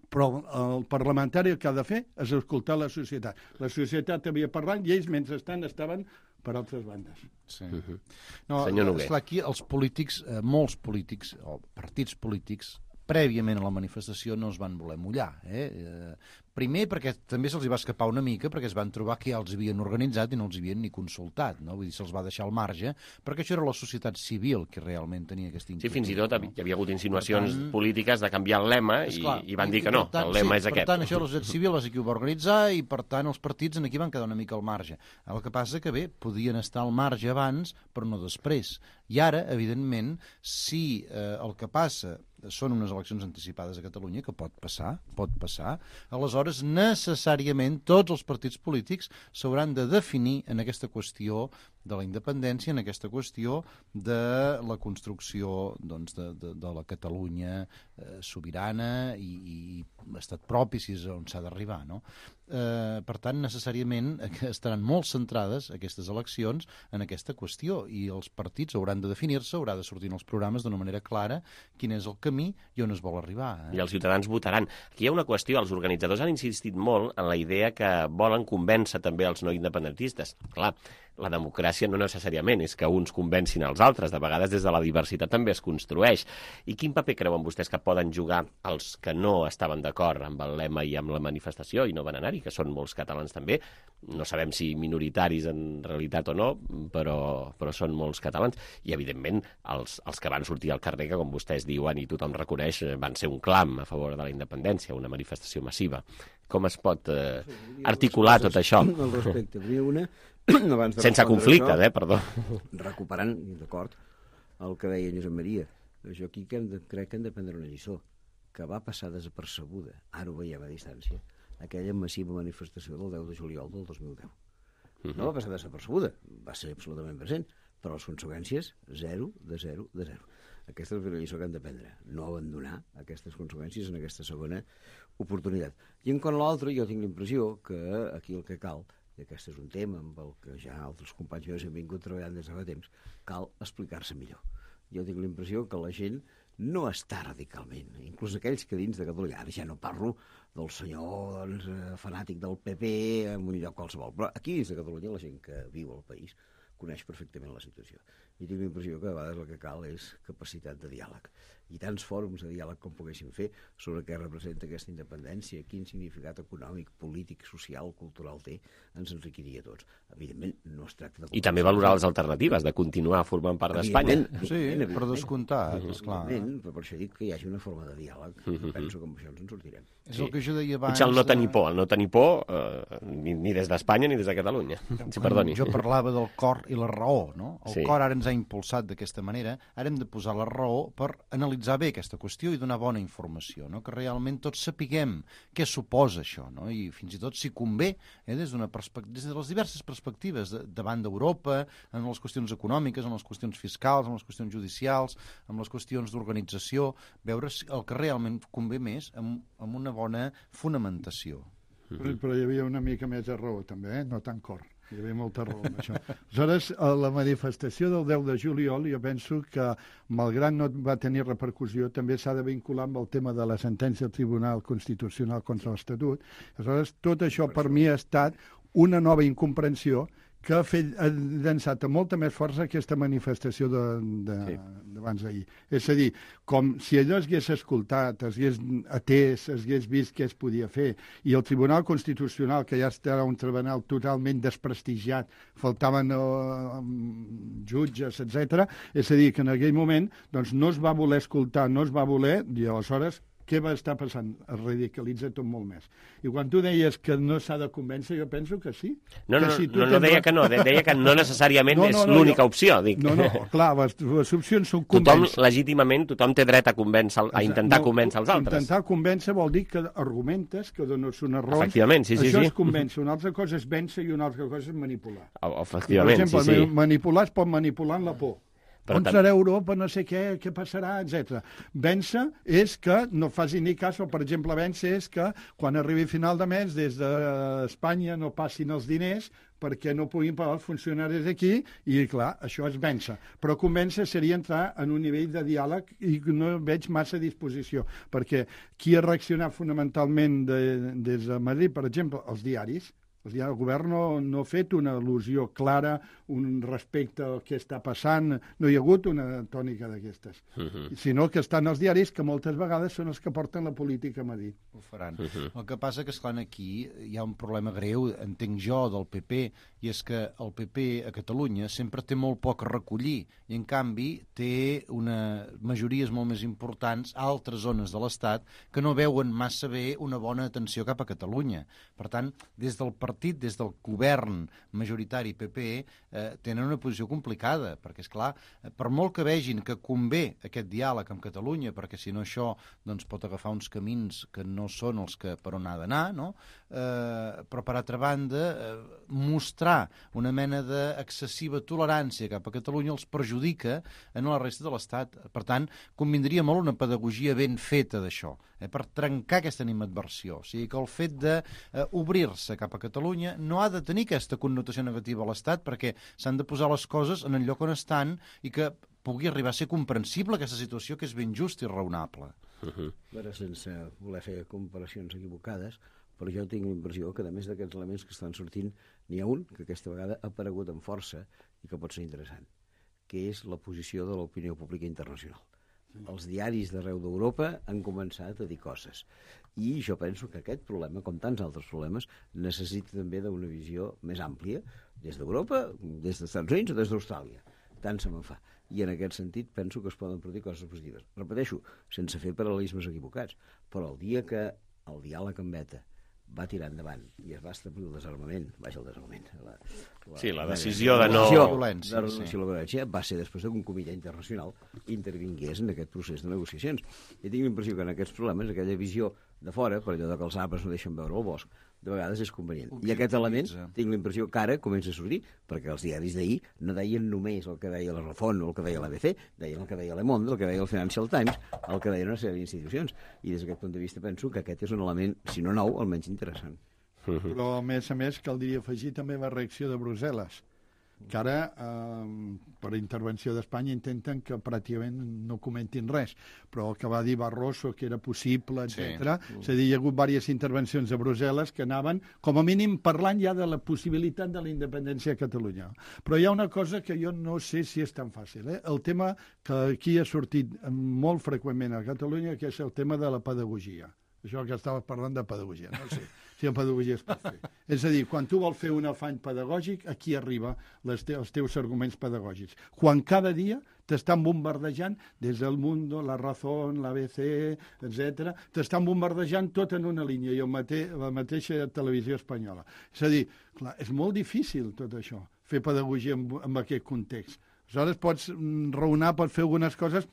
però el parlamentari el que ha de fer és escoltar la societat. La societat havia parlat i ells, mentrestant, estaven per altres bandes. Sí. Uh-huh. No, esclar, aquí els polítics, eh, molts polítics, o partits polítics, prèviament a la manifestació no es van voler mullar. Eh? Eh, primer perquè també se'ls va escapar una mica, perquè es van trobar que ja els havien organitzat i no els havien ni consultat, no? Vull dir, se'ls va deixar al marge, perquè això era la societat civil que realment tenia aquesta inquietud. Sí, fins i tot no? Hi havia hagut insinuacions tant, polítiques de canviar el lema i, clar, i van dir que no, tant, el lema sí, és aquest. Per tant, això la societat civil és qui ho va organitzar i, per tant, els partits en aquí van quedar una mica al marge. El que passa que, bé, podien estar al marge abans, però no després. I ara, evidentment, si eh, el que passa són unes eleccions anticipades a Catalunya, que pot passar, pot passar, aleshores necessàriament tots els partits polítics s'hauran de definir en aquesta qüestió de la independència, en aquesta qüestió de la construcció doncs, de, de, de la Catalunya eh, sobirana i, i estat propi, si és on s'ha d'arribar, no? Eh, per tant, necessàriament estaran molt centrades aquestes eleccions en aquesta qüestió i els partits hauran de definir-se, haurà de sortir en els programes d'una manera clara quin és el camí i on es vol arribar. Eh? I els ciutadans votaran. Aquí hi ha una qüestió, els organitzadors han insistit molt en la idea que volen convèncer també els no independentistes. Clar, la democràcia no necessàriament és que uns convencin els altres, de vegades des de la diversitat també es construeix. I quin paper creuen vostès que poden jugar els que no estaven d'acord amb el lema i amb la manifestació i no van anar-hi, que són molts catalans també, no sabem si minoritaris en realitat o no, però, però són molts catalans, i evidentment els, els que van sortir al carrer, que com vostès diuen i tothom reconeix, van ser un clam a favor de la independència, una manifestació massiva. Com es pot eh, articular tot això? Al respecte, n'hi ha una abans de sense conflicte, això, eh, perdó. Recuperant, d'acord, el que deia Josep Maria. Jo aquí que hem de, crec que hem de prendre una lliçó, que va passar desapercebuda, ara ho veiem a distància, aquella massiva manifestació del deu de juliol del dos mil deu. Uh-huh. No va passar desapercebuda, va ser absolutament present, però les conseqüències, zero de zero de zero. Aquesta és una lliçó que hem de prendre, no abandonar aquestes conseqüències en aquesta segona oportunitat. I en quant a l'altre, jo tinc la impressió que aquí el que cal, i aquest és un tema amb el que ja altres companys meus han vingut treballant des de fa temps, cal explicar-se millor. Jo tinc la impressió que la gent no està radicalment, inclús aquells que dins de Catalunya, ara ja no parlo del senyor doncs, fanàtic del P P en un lloc qualsevol, però aquí dins de Catalunya la gent que viu al país coneix perfectament la situació. I tinc la impressió que a vegades el que cal és capacitat de diàleg. I tants fòrums de diàleg com poguéssim fer sobre què representa aquesta independència, quin significat econòmic, polític, social, cultural té, ens enriquiria a tots. Evidentment, no es tracta de... I també valorar les alternatives, de continuar formant part d'Espanya. Sí, per descomptar, esclar. Però per això dic que hi hagi una forma de diàleg. Penso que amb això ens en sortirem. És el que jo deia abans... Potser el no tenir por, el no tenir por eh, ni, ni des d'Espanya ni des de Catalunya. Si perdoni. Jo parlava del cor i la raó, no? El sí. cor ara ens ha impulsat d'aquesta manera, ara hem de posar la raó per analitzar bé aquesta qüestió i donar bona informació, no? Que realment tots sapiguem què suposa això, no? I fins i tot si convé, eh, des d'una perspectiva, des de les diverses perspectives, de, davant d'Europa, en les qüestions econòmiques, en les qüestions fiscals, en les qüestions judicials, en les qüestions d'organització, veure el que realment convé més amb, amb una bona fonamentació. Però, però hi havia una mica més de raó, també, eh? No tant cor. Hi havia molta raó amb això. Aleshores, a la manifestació del deu de juliol, jo penso que, malgrat no va tenir repercussió, també s'ha de vincular amb el tema de la sentència del Tribunal Constitucional contra l'Estatut. Aleshores, tot això per mi ha estat una nova incomprensió que ha, fet, ha llançat amb molta més força aquesta manifestació d'abans d'ahir. És a dir, com si allò es hagués escoltat, es hagués atès, es hagués vist què es podia fer, i el Tribunal Constitucional, que ja està un tribunal totalment desprestigiat, faltaven uh, jutges, etcètera, és a dir, que en aquell moment doncs, no es va voler escoltar, no es va voler, i aleshores què va estar passant? Es radicalitza tot molt més. I quan tu deies que no s'ha de convèncer, jo penso que sí. No, no, que si no, no, no deia que no, deia que no necessàriament no, no, és no, l'única jo... opció. Dic. No, no, clar, les, les opcions són convèncer. Tothom, legítimament, tothom té dret a, convèncer, a intentar no, convèncer els altres. Intentar convèncer vol dir que argumentes, que dones unes raons. Efectivament, sí, sí. Això sí. és convèncer, una altra cosa és vèncer i una altra cosa és manipular. Efectivament, per exemple, sí, sí. manipular es pot manipular en la por. on serà Europa, no sé què, què passarà, etcètera. Vèncer és que no faci ni cas, o per exemple, vèncer és que quan arribi final de mes des d'Espanya no passin els diners perquè no puguin pagar els funcionaris aquí, i clar, això és vèncer. Però convèncer seria entrar en un nivell de diàleg i no veig massa disposició, perquè qui ha reaccionat fonamentalment de, des de Madrid, per exemple, els diaris. El govern no, no ha fet una al·lusió clara, un respecte al que està passant, no hi ha hagut una tònica d'aquestes, uh-huh. sinó que estan els diaris que moltes vegades són els que porten la política a Madrid. Ho faran. Uh-huh. El que passa que, esclar, aquí hi ha un problema greu, entenc jo, del P P, i és que el P P a Catalunya sempre té molt poc a recollir, i en canvi té una majories molt més importants a altres zones de l'Estat que no veuen massa bé una bona atenció cap a Catalunya. Per tant, des del partit partit, des del govern majoritari P P, eh, tenen una posició complicada, perquè, és clar, per molt que vegin que convé aquest diàleg amb Catalunya, perquè si no això doncs, pot agafar uns camins que no són els que per on ha d'anar, no? eh, però per altra banda, eh, mostrar una mena d'excessiva tolerància cap a Catalunya els perjudica en la resta de l'Estat. Per tant, convindria molt una pedagogia ben feta d'això, eh, per trencar aquesta animadversió. O sigui que el fet d'obrir-se eh, cap a Catalunya no ha de tenir aquesta connotació negativa a l'Estat, perquè s'han de posar les coses en el lloc on estan i que pugui arribar a ser comprensible aquesta situació, que és ben just i raonable. Uh-huh. Ara, sense voler fer comparacions equivocades, però jo tinc la impressió que, a més d'aquests elements que estan sortint, n'hi ha un que aquesta vegada ha aparegut amb força i que pot ser interessant, que és la posició de l'opinió pública internacional. Els diaris d'arreu d'Europa han començat a dir coses. I jo penso que aquest problema, com tants altres problemes, necessita també d'una visió més àmplia, des d'Europa, des dels Estats Units o des d'Austràlia. Tant se me'n fa. I en aquest sentit penso que es poden produir coses positives. Repeteixo, sense fer paral·lelismes equivocats, però el dia que el diàleg amb ETA va tirar endavant i es va establir el desarmament, vaja, el desarmament, la, la, sí, la decisió de no... La violència, de sí. La violència va ser després que un comitè internacional intervingués en aquest procés de negociacions. I tinc l'impressió que en aquests problemes, aquella visió de fora, per allò que els arbres no deixen veure el bosc, de vegades és convenient. I aquest element, tinc la impressió que ara comença a sortir, perquè els diaris d'ahir no deien només el que deia la Razón o el que deia l'A B C, deien el que deia Le Monde, el que deia el Financial Times, el que deien una sèrie d'institucions. I des d'aquest punt de vista penso que aquest és un element, si no nou, almenys interessant. Però, a més a més, caldria afegir també la reacció de Brussel·les, que ara, eh, per intervenció d'Espanya, intenten que pràcticament no comentin res, però el que va dir Barroso, que era possible, etcètera. Sí. És a dir, hi ha hagut diverses intervencions a Brussel·les que anaven, com a mínim, parlant ja de la possibilitat de la independència a Catalunya. Però hi ha una cosa que jo no sé si és tan fàcil. Eh? El tema que aquí ha sortit molt freqüentment a Catalunya, que és el tema de la pedagogia. Això que estaves parlant de pedagogia, no sé si en pedagogia es pot fer. És a dir, quan tu vols fer un afany pedagògic, aquí arriba les te els teus arguments pedagògics. Quan cada dia t'estan bombardejant des del Mundo, la Razón, la B C, etcètera, t'estan bombardejant tot en una línia, i el mate la mateixa televisió espanyola. És a dir, clar, és molt difícil tot això, fer pedagogia en, en aquest context. Aleshores pots raonar, pots fer algunes coses,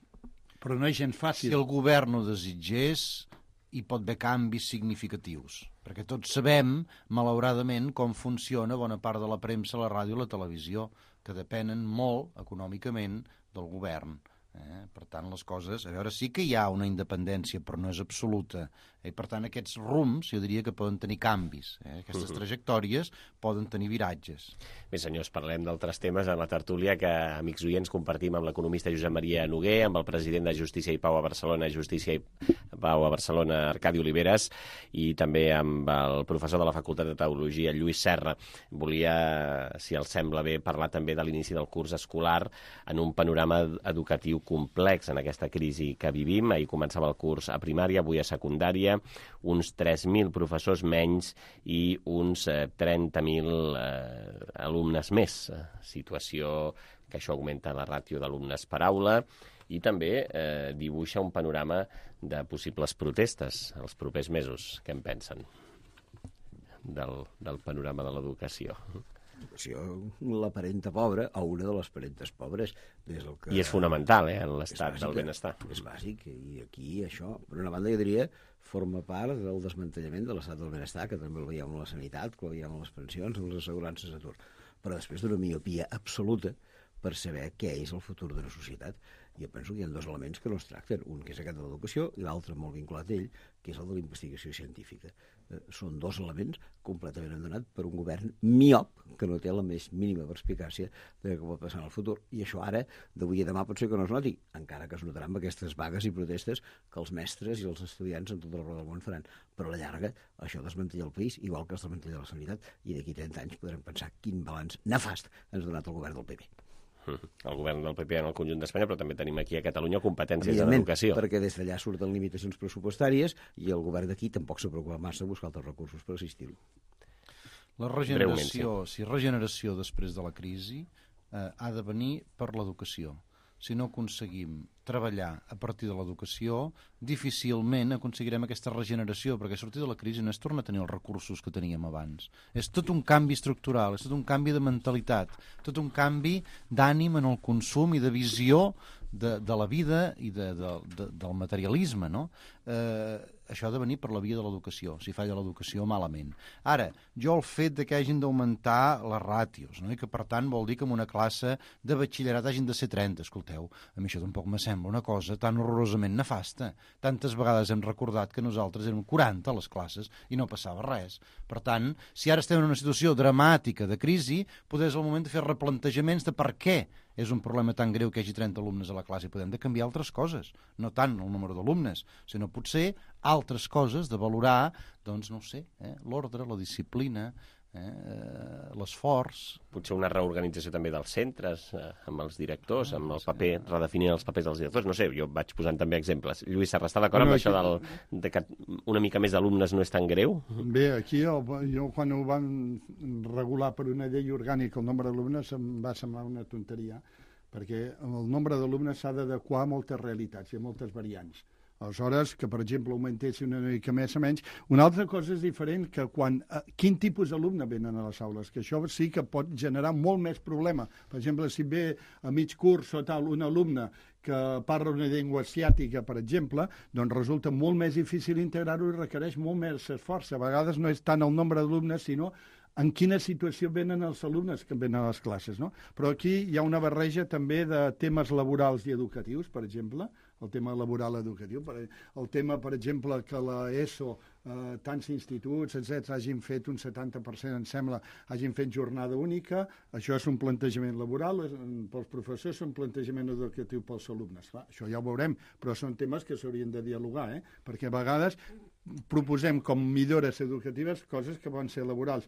però no és gens fàcil. Si el govern ho desitgés, hi pot haver canvis significatius, perquè tots sabem, malauradament, com funciona bona part de la premsa, la ràdio i la televisió, que depenen molt, econòmicament, del govern. Eh? Per tant, les coses... A veure, sí que hi ha una independència, però no és absoluta. I, per tant, aquests rums, jo diria que poden tenir canvis. Eh? Aquestes uh-huh. trajectòries poden tenir viratges. Bé, senyors, parlem d'altres temes en la tertúlia que, amics oients, compartim amb l'economista Josep Maria Noguer, amb el president de Justícia i Pau a Barcelona, Justícia i Pau a Barcelona, Arcadi Oliveres, i també amb el professor de la Facultat de Teologia, Lluís Serra. Volia, si els sembla bé, parlar també de l'inici del curs escolar en un panorama educatiu complex en aquesta crisi que vivim. Ahir començava el curs a primària, avui a secundària, uns tres mil professors menys i uns eh, trenta mil eh, alumnes més. Situació que això augmenta la ràtio d'alumnes per aula i també eh, dibuixa un panorama de possibles protestes els propers mesos. Què en pensen del, del panorama de l'educació? La parenta pobra, o una de les parentes pobres. Des del que... I és fonamental, eh, en l'estat del benestar. És bàsic, i aquí això, per una banda, jo diria, forma part del desmantellament de l'estat del benestar, que també el veiem en la sanitat, que el veiem en les pensions, en les assegurances d'atur. Però després d'una miopia absoluta per saber què és el futur de la societat. Jo penso que hi ha dos elements que no es tracten, un que és aquest de l'educació i l'altre molt vinculat a ell, que és el de la investigació científica. Eh, són dos elements completament abandonats per un govern miop que no té la més mínima perspicàcia de què pot passar en el futur. I això ara, d'avui a demà, pot ser que no es noti, encara que es notarà amb aquestes vagues i protestes que els mestres i els estudiants en tot el del món faran. Però a la llarga això desmantella el país, igual que es desmantella la sanitat, i d'aquí trenta anys podrem pensar quin balanç nefast ens ha donat el govern del P P. El govern del P P en el conjunt d'Espanya, però també tenim aquí a Catalunya competències en educació. Perquè des d'allà surten limitacions pressupostàries i el govern d'aquí tampoc s'ha preocupat massa de buscar altres recursos per assistir-ho. La regeneració, sí. si regeneració després de la crisi eh, ha de venir per l'educació. Si no aconseguim treballar a partir de l'educació, difícilment aconseguirem aquesta regeneració, perquè sortir de la crisi no és tornar a tenir els recursos que teníem abans. És tot un canvi estructural, és tot un canvi de mentalitat, tot un canvi d'ànim en el consum i de visió de, de la vida i de, de, de, del materialisme, no? Eh, això ha de venir per la via de l'educació. Si falla l'educació, malament. Ara, jo el fet de que hagin d'augmentar les ràtios, no? I que per tant vol dir que en una classe de batxillerat hagin de ser trenta, escolteu, a mi això tampoc me sembla una cosa tan horrorosament nefasta. Tantes vegades hem recordat que nosaltres érem quaranta a les classes i no passava res. Per tant, si ara estem en una situació dramàtica de crisi, potser és el moment de fer replantejaments de per què és un problema tan greu que hi hagi trenta alumnes a la classe. Podem de canviar altres coses, no tant el número d'alumnes, sinó potser altres coses, de valorar, doncs, no ho sé, eh, l'ordre, la disciplina, eh, l'esforç. Potser una reorganització també dels centres, eh, amb els directors, amb el paper, redefinir els papers dels directors. No sé, jo vaig posant també exemples. Lluís Serra, està d'acord amb això del, de que una mica més d'alumnes no és tan greu? Bé, aquí el, jo quan ho van regular per una llei orgànica el nombre d'alumnes em va semblar una tonteria, perquè el nombre d'alumnes s'ha d'adequar a moltes realitats i a moltes variants. Aleshores, que, per exemple, augmentessin una mica més o menys. Una altra cosa és diferent que quan, eh, quin tipus d'alumne venen a les aules, que això sí que pot generar molt més problema. Per exemple, si ve a mig curs o tal un alumne que parla una llengua asiàtica, per exemple, doncs resulta molt més difícil integrar-ho i requereix molt més esforç. A vegades no és tant el nombre d'alumnes, sinó en quina situació venen els alumnes que venen a les classes, no? Però aquí hi ha una barreja també de temes laborals i educatius, per exemple, el tema laboral educatiu, el tema, per exemple, que l'ESO, eh, tants instituts, etcètera, hagin fet un setanta per cent, em sembla, hagin fet jornada única, això és un plantejament laboral, pels professors és un plantejament educatiu pels alumnes. Clar, això ja ho veurem, però són temes que s'haurien de dialogar, eh? Perquè a vegades proposem com millores educatives coses que poden ser laborals.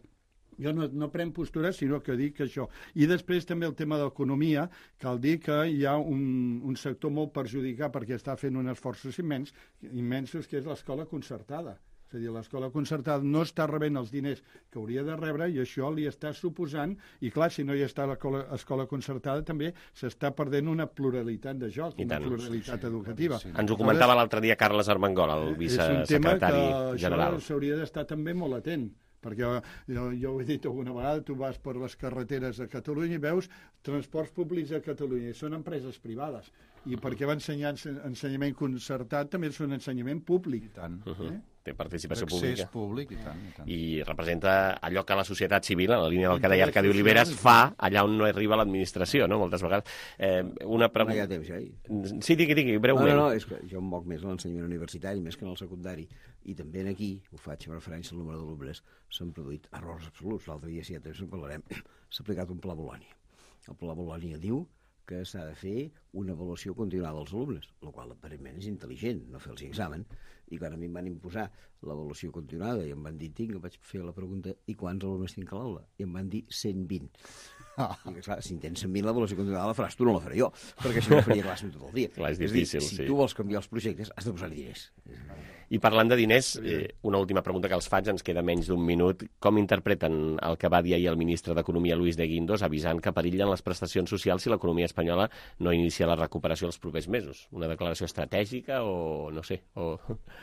Jo no, no prenc postures, sinó que dic això. I després també el tema de l'economia, cal dir que hi ha un, un sector molt perjudicat perquè està fent un esforços immens, immensos, que és l'escola concertada. És a dir, l'escola concertada no està rebent els diners que hauria de rebre i això li està suposant, i clar, si no hi està l'escola concertada també s'està perdent una pluralitat de joc, una pluralitat educativa. Sí. Ens ho comentava l'altre dia Carles Armengol, el vicesecretari general. És un tema que s'hauria d'estar també molt atent, perquè jo, jo ho he dit alguna vegada, tu vas per les carreteres de Catalunya i veus transports públics a Catalunya, i són empreses privades, i perquè va ensenyar ensenyament concertat també és un ensenyament públic. I tant. Uh-huh. eh? Té participació pública. Accés públic, i tant, i tant. I representa allò que la societat civil, en la línia del que deia Arcadi Oliveres, fa allà on no arriba l'administració, no?, moltes vegades. Eh, una pregunta... No hi ha temps, ja. Eh? Sí, digui, digui, breument. No, no, no, és que jo em moc més en l'ensenyament universitari, més que en el secundari, i també aquí, ho faig amb referència al número d'alumnes, s'han produït errors absoluts. L'altre dia, si ja temps en parlarem, s'ha aplicat un pla Bolònia. El pla Bolònia diu que s'ha de fer una avaluació continuada dels alumnes, el qual aparentment és intel·ligent, no fer els examen, i quan a mi em van imposar l'avaluació continuada i em van dir, tinc, em vaig fer la pregunta, i quants alumnes tinc a l'aula? I em van dir cent vint. Ah. I clar, si en tens cent vint l'avaluació continuada la faràs tu, no la faré jo, perquè si no faria classe tot el dia. Clar, és difícil, és dir, si sí. tu vols canviar els projectes, has de posar-hi diners. I parlant de diners, eh, una última pregunta que els faig, ens queda menys d'un minut. Com interpreten el que va dir ahir el ministre d'Economia, Luis de Guindos, avisant que perillen les prestacions socials si l'economia espanyola no inicia la recuperació els propers mesos? Una declaració estratègica o no sé? O...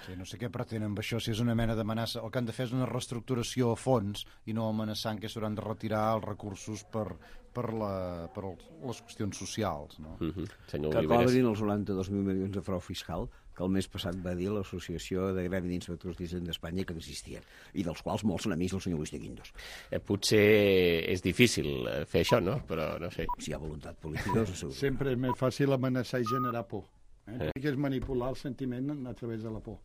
Sí, no sé què pretenen amb això, si és una mena d'amenaça. El que han de fer és una reestructuració a fons i no amenaçant que s'hauran de retirar els recursos per, per, la, per les qüestions socials. No? Mm-hmm. Senyor que Oliveres. cobrin els noranta-dos mil milions de frau fiscal que el mes passat va dir l'Associació de Gremi d'Inspectors d'Hisenda d'Espanya que existien, i dels quals molts són amics del senyor Luis de Guindos. Eh, potser és difícil fer això, no? Però no sé. Si hi ha voluntat política, us asseguro. Sempre és més fàcil amenaçar i generar por. Eh? Que és manipular el sentiment a través de la por.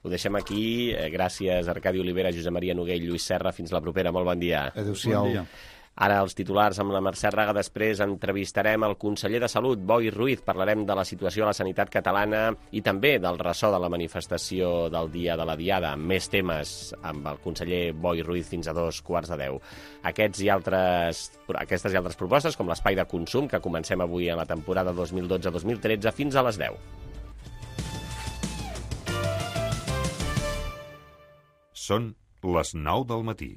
Ho deixem aquí. Gràcies, Arcadi Olivera, Josep Maria Noguell, Lluís Serra. Fins la propera. Molt bon dia. Adéu-siau. Bon dia. Ara els titulars amb la Mercè Raga. Després entrevistarem el conseller de Salut, Boi Ruiz. Parlarem de la situació a la sanitat catalana i també del ressò de la manifestació del dia de la Diada. Més temes amb el conseller Boi Ruiz fins a dos quarts de deu. Aquests i altres, aquestes i altres propostes, com l'espai de consum, que comencem avui a la temporada dos mil dotze dos mil tretze, fins a les deu. Són les nou del matí.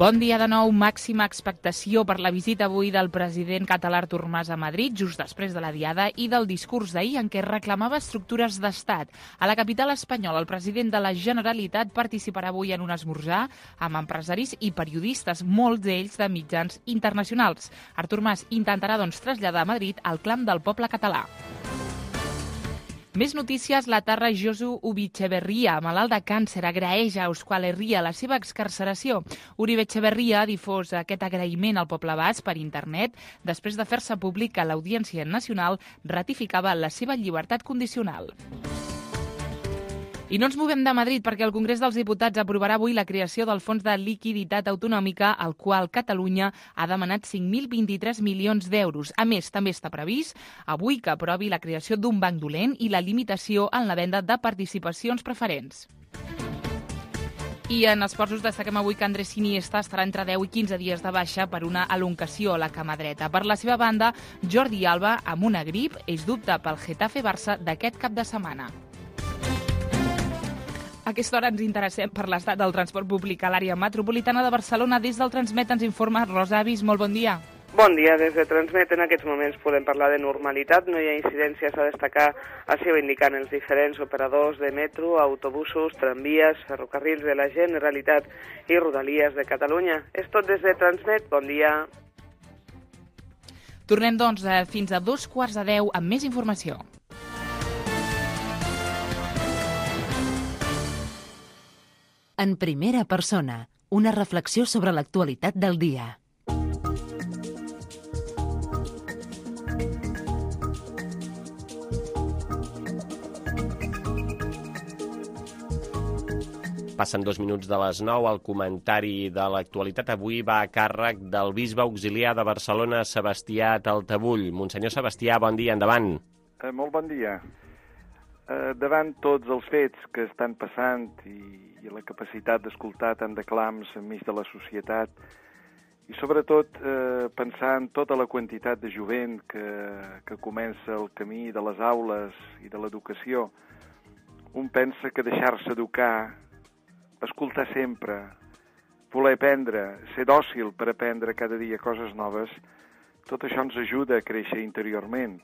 Bon dia de nou. Màxima expectació per la visita avui del president català Artur Mas a Madrid, just després de la Diada, i del discurs d'ahir en què reclamava estructures d'estat. A la capital espanyola, el president de la Generalitat participarà avui en un esmorzar amb empresaris i periodistes, molts d'ells de mitjans internacionals. Artur Mas intentarà, doncs, traslladar a Madrid el clam del poble català. Més notícies. La Tarra Josu Ubitxeberria, malalt de càncer, agraeix a Euskal Herria la seva excarceració. Uribe Etxeberria ha difós aquest agraïment al poble basc per internet després de fer-se públic que l'Audiència Nacional ratificava la seva llibertat condicional. I no ens movem de Madrid perquè el Congrés dels Diputats aprovarà avui la creació del Fons de Liquiditat Autonòmica, al qual Catalunya ha demanat cinc mil vint-i-tres milions d'euros. A més, també està previst avui que aprovi la creació d'un banc dolent i la limitació en la venda de participacions preferents. I en esports us destaquem avui que Andrés Iniesta estarà entre deu i quinze dies de baixa per una elongació a la cama dreta. Per la seva banda, Jordi Alba, amb una grip, és dubte pel Getafe-Barça d'aquest cap de setmana. A aquesta hora ens interessem per l'estat del transport públic a l'àrea metropolitana de Barcelona. Des del Transmet ens informa Rosa Avis. Molt bon dia. Bon dia, des de Transmet en aquests moments podem parlar de normalitat, no hi ha incidències a destacar, així ho indiquen els diferents operadors de metro, autobusos, tramvies, ferrocarrils de la Generalitat i Rodalies de Catalunya. És tot des de Transmet, bon dia. Tornem, doncs, fins a dos quarts de deu amb més informació. En primera persona, una reflexió sobre l'actualitat del dia. Passen dos minuts de les nou. El comentari de l'actualitat avui va a càrrec del bisbe auxiliar de Barcelona, Sebastià Taltabull. Monsenyor Sebastià, bon dia, endavant. Eh, molt bon dia. Eh, davant tots els fets que estan passant i, i la capacitat d'escoltar tant de clams enmig de la societat i sobretot eh, pensar en tota la quantitat de jovent que, que comença el camí de les aules i de l'educació, un pensa que deixar-se educar, escoltar sempre, voler aprendre, ser dòcil per aprendre cada dia coses noves, tot això ens ajuda a créixer interiorment.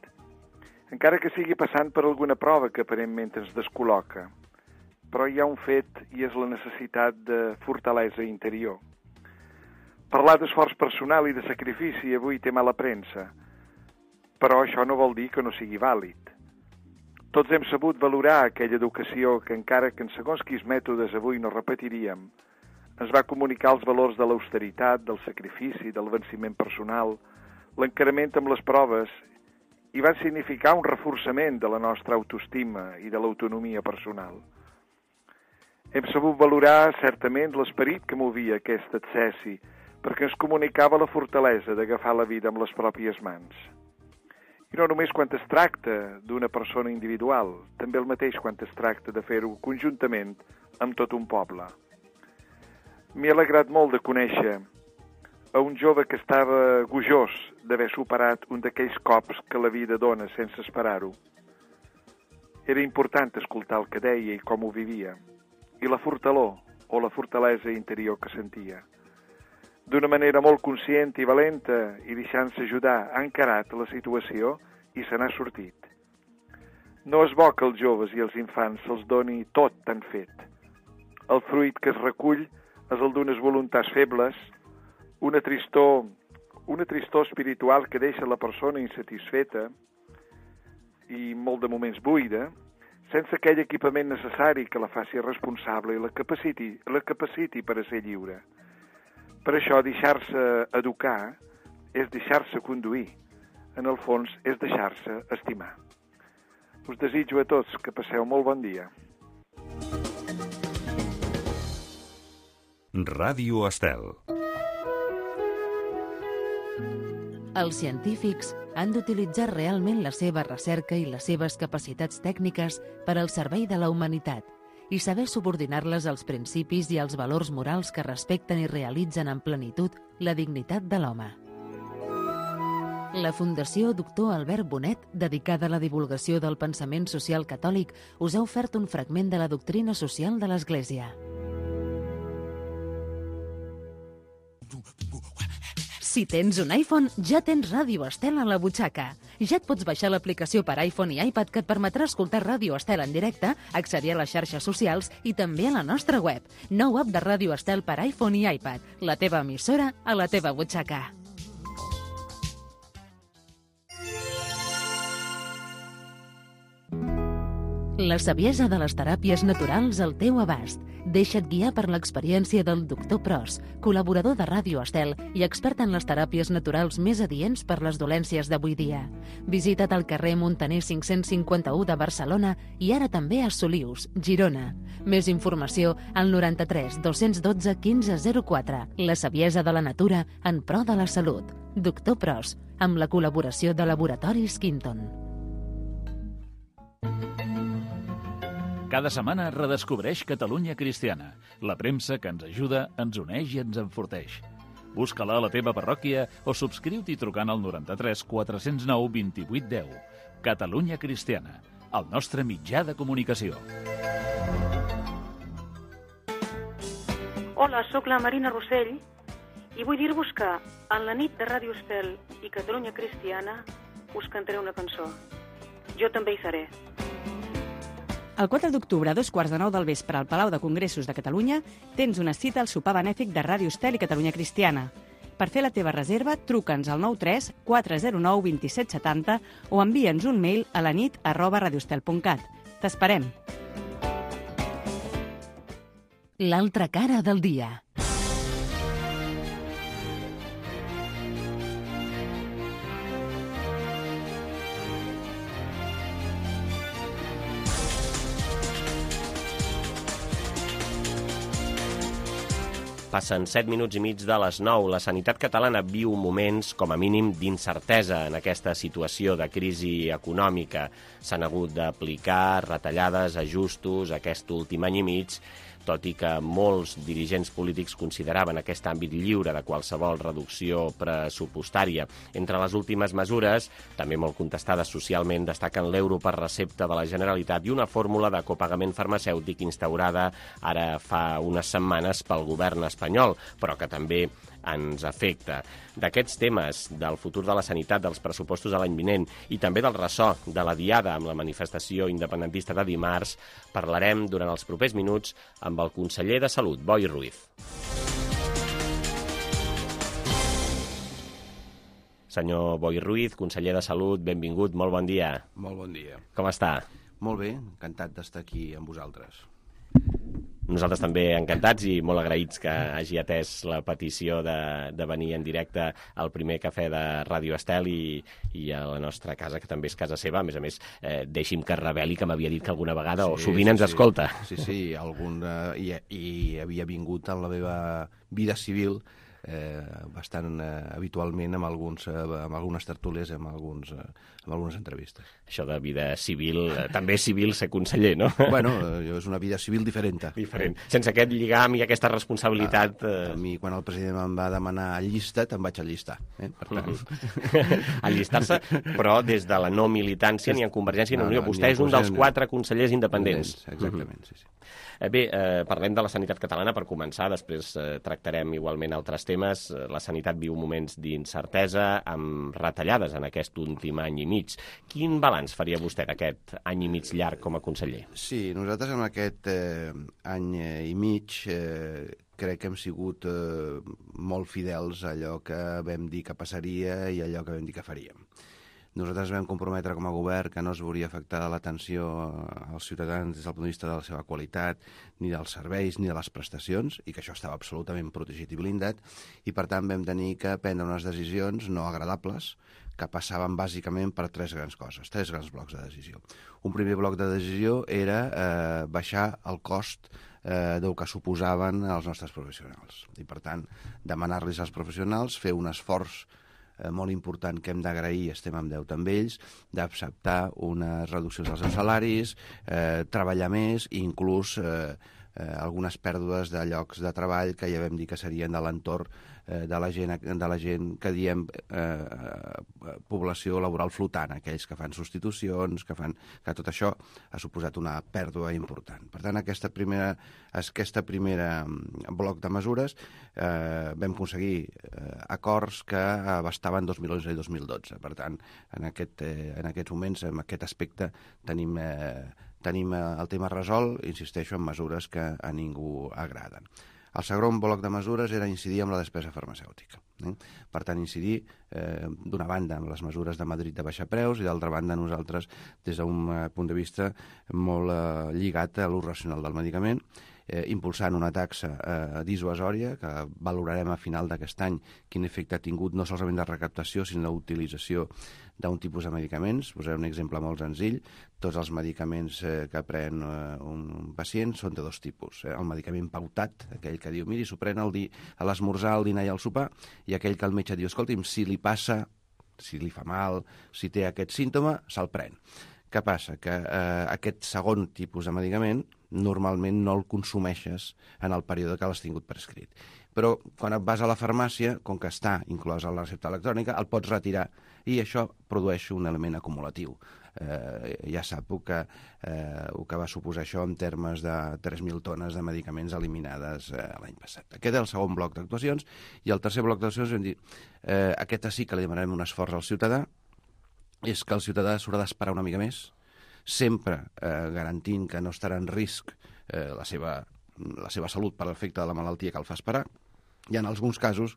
Encara que sigui passant per alguna prova que aparentment ens descol·loca. Però hi ha un fet i és la necessitat de fortalesa interior. Parlar d'esforç personal i de sacrifici avui té mala premsa, però això no vol dir que no sigui vàlid. Tots hem sabut valorar aquella educació que, encara que en segons quins mètodes avui no repetiríem, ens va comunicar els valors de l'austeritat, del sacrifici, del venciment personal, l'encarament amb les proves, i van significar un reforçament de la nostra autoestima i de l'autonomia personal. Hem sabut valorar certament l'esperit que movia aquest accessi, perquè ens comunicava la fortalesa d'agafar la vida amb les pròpies mans. I no només quan es tracta d'una persona individual, també el mateix quan es tracta de fer-ho conjuntament amb tot un poble. M'he alegrat molt de conèixer a un jove que estava gojós d'haver superat un d'aquells cops que la vida dona sense esperar-ho. Era important escoltar el que deia i com ho vivia, i la fortalor o la fortalesa interior que sentia. D'una manera molt conscient i valenta i deixant-se ajudar, ha encarat la situació i se n'ha sortit. No és bo que els joves i els infants se'ls doni tot tan fet. El fruit que es recull és el d'unes voluntats febles, una tristor, una tristor espiritual que deixa la persona insatisfeta i molt de moments buida, sense aquell equipament necessari que la faci responsable i la capaciti, la capaciti per a ser lliure. Per això, deixar-se educar és deixar-se conduir. En el fons, és deixar-se estimar. Us desitjo a tots que passeu molt bon dia. Ràdio Estel. Els científics han d'utilitzar realment la seva recerca i les seves capacitats tècniques per al servei de la humanitat i saber subordinar-les als principis i als valors morals que respecten i realitzen en plenitud la dignitat de l'home. La Fundació Doctor Albert Bonet, dedicada a la divulgació del pensament social catòlic, us ha ofert un fragment de la doctrina social de l'Església. Si tens un iPhone, ja tens Ràdio Estel a la butxaca. Ja et pots baixar l'aplicació per iPhone i iPad que et permetrà escoltar Ràdio Estel en directe, accedir a les xarxes socials i també a la nostra web. Nou app de Ràdio Estel per iPhone i iPad. La teva emissora a la teva butxaca. La saviesa de les teràpies naturals al teu abast. Deixa't guiar per l'experiència del doctor Pros, col·laborador de Ràdio Estel i expert en les teràpies naturals més adients per les dolències d'avui dia. Visita't al carrer Montaner cinc-cents cinquanta-u de Barcelona i ara també a Solius, Girona. Més informació al noranta-tres dos-cents dotze quinze zero quatre. La saviesa de la natura en pro de la salut. Doctor Pros, amb la col·laboració de Laboratoris Quinton. Cada setmana redescobreix Catalunya Cristiana, la premsa que ens ajuda, ens uneix i ens enforteix. Busca-la a la teva parròquia o subscriu-t'hi trucant al noranta-tres quatre-cents nou vint-i-vuit deu. Catalunya Cristiana, el nostre mitjà de comunicació. Hola, sóc la Marina Rossell i vull dir-vos que en la nit de Ràdio Estel i Catalunya Cristiana us cantaré una cançó. Jo també hi seré. El quatre d'octubre, a dos quarts de nou del vespre, al Palau de Congressos de Catalunya, tens una cita al sopar benèfic de Ràdio Estel i Catalunya Cristiana. Per fer la teva reserva, truca'ns al nou tres quatre zero nou dos set set zero o envia'ns un mail a la nit arroba radioestel punt cat. T'esperem. L'altra cara del dia. Passen set minuts i mig de les nou. La sanitat catalana viu moments, com a mínim, d'incertesa en aquesta situació de crisi econòmica. S'han hagut d'aplicar retallades, ajustos, aquest últim any i mig, tot i que molts dirigents polítics consideraven aquest àmbit lliure de qualsevol reducció pressupostària. Entre les últimes mesures, també molt contestades socialment, destaquen l'euro per recepta de la Generalitat i una fórmula de copagament farmacèutic instaurada ara fa unes setmanes pel govern espanyol, però que també ens afecta. D'aquests temes, del futur de la sanitat, dels pressupostos de l'any vinent i també del ressò de la diada amb la manifestació independentista de dimarts, parlarem durant els propers minuts amb el conseller de Salut, Boi Ruiz. Senyor Boi Ruiz, conseller de Salut, benvingut, molt bon dia. Molt bon dia. Com està? Molt bé, encantat d'estar aquí amb vosaltres. Nosaltres també encantats i molt agraïts que hagi atès la petició de, de venir en directe al primer cafè de Ràdio Estel i, i a la nostra casa, que també és casa seva. A més a més, eh, deixi'm que reveli que m'havia dit que alguna vegada sí, o sovint sí, ens escolta. Sí, sí, algun, eh, i, i havia vingut en la meva vida civil eh, bastant eh, habitualment amb, alguns, eh, amb algunes tertúlies, amb, alguns, eh, amb algunes entrevistes. Això de vida civil, eh, també és civil ser conseller, no? Bueno, eh, és una vida civil diferent. Diferent. Sense aquest lligam i aquesta responsabilitat... A, a mi, quan el president em va demanar llista, te'n vaig allistar. Eh? Per tant... Allistar-se, però des de la no militància ni en Convergència ni en Unió. Vostè és un dels quatre consellers independents. Exactament, sí, sí. Bé, eh, parlem de la sanitat catalana per començar, després eh, tractarem igualment altres temes. problemes. La sanitat viu moments d'incertesa, amb retallades en aquest últim any i mig. Quin balanç faria vostè d'aquest any i mig llarg com a conseller? Sí, nosaltres en aquest eh, any i mig eh, crec que hem sigut eh, molt fidels a allò que vam dir que passaria i allò que vam dir que faríem. Nosaltres vam comprometre com a govern que no es veuria afectada l'atenció als ciutadans des del punt de vista de la seva qualitat, ni dels serveis, ni de les prestacions, i que això estava absolutament protegit i blindat, i per tant vam tenir que prendre unes decisions no agradables, que passaven bàsicament per tres grans coses, tres grans blocs de decisió. Un primer bloc de decisió era eh, baixar el cost eh, del que suposaven els nostres professionals. I per tant, demanar-los als professionals fer un esforç Eh, molt important que hem d'agrair, estem en deute amb ells, d'acceptar unes reduccions dels seus salaris, eh, treballar més i inclús eh, eh, algunes pèrdues de llocs de treball que ja vam dir que serien de l'entorn eh, de, la gent, de la gent que diem eh, població laboral flotant, aquells que fan substitucions, que fan que tot això ha suposat una pèrdua important. Per tant, aquesta primera, aquesta primera bloc de mesures eh, vam aconseguir eh, acords que abastaven dos mil onze i dos mil dotze. Per tant, en, aquest, eh, en aquests moments, en aquest aspecte, tenim... Eh, Tenim el tema resolt, insisteixo, en mesures que a ningú agraden. El segon bloc de mesures era incidir en la despesa farmacèutica. Eh? Per tant, incidir, eh, d'una banda, en les mesures de Madrid de baixar preus i d'altra banda, nosaltres, des d'un eh, punt de vista molt eh, lligat a l'ús racional del medicament, eh, impulsant una taxa eh, dissuasòria que valorarem a final d'aquest any quin efecte ha tingut no solament de recaptació, sinó d'utilització d'un tipus de medicaments. Posaré un exemple molt senzill. Tots els medicaments eh, que pren eh, un pacient són de dos tipus. Eh? El medicament pautat, aquell que diu, miri, s'ho pren al di a l'esmorzar, al dinar i al sopar, i aquell que el metge diu, escolti'm, si li passa, si li fa mal, si té aquest símptoma, se'l pren. Què passa? Que eh, aquest segon tipus de medicament normalment no el consumeixes en el període que l'has tingut prescrit. Però quan et vas a la farmàcia, com que està inclòs a la recepta electrònica, el pots retirar i això produeix un element acumulatiu. Eh, ja sap el que, eh, el que va suposar això en termes de tres mil tones de medicaments eliminades eh, l'any passat. Aquest és el segon bloc d'actuacions, i el tercer bloc d'actuacions hem dit, eh, aquest sí que li demanarem un esforç al ciutadà, és que el ciutadà s'haurà d'esperar una mica més, sempre eh, garantint que no estarà en risc eh, la, seva, la seva salut per l'efecte de la malaltia que el fa esperar, i en alguns casos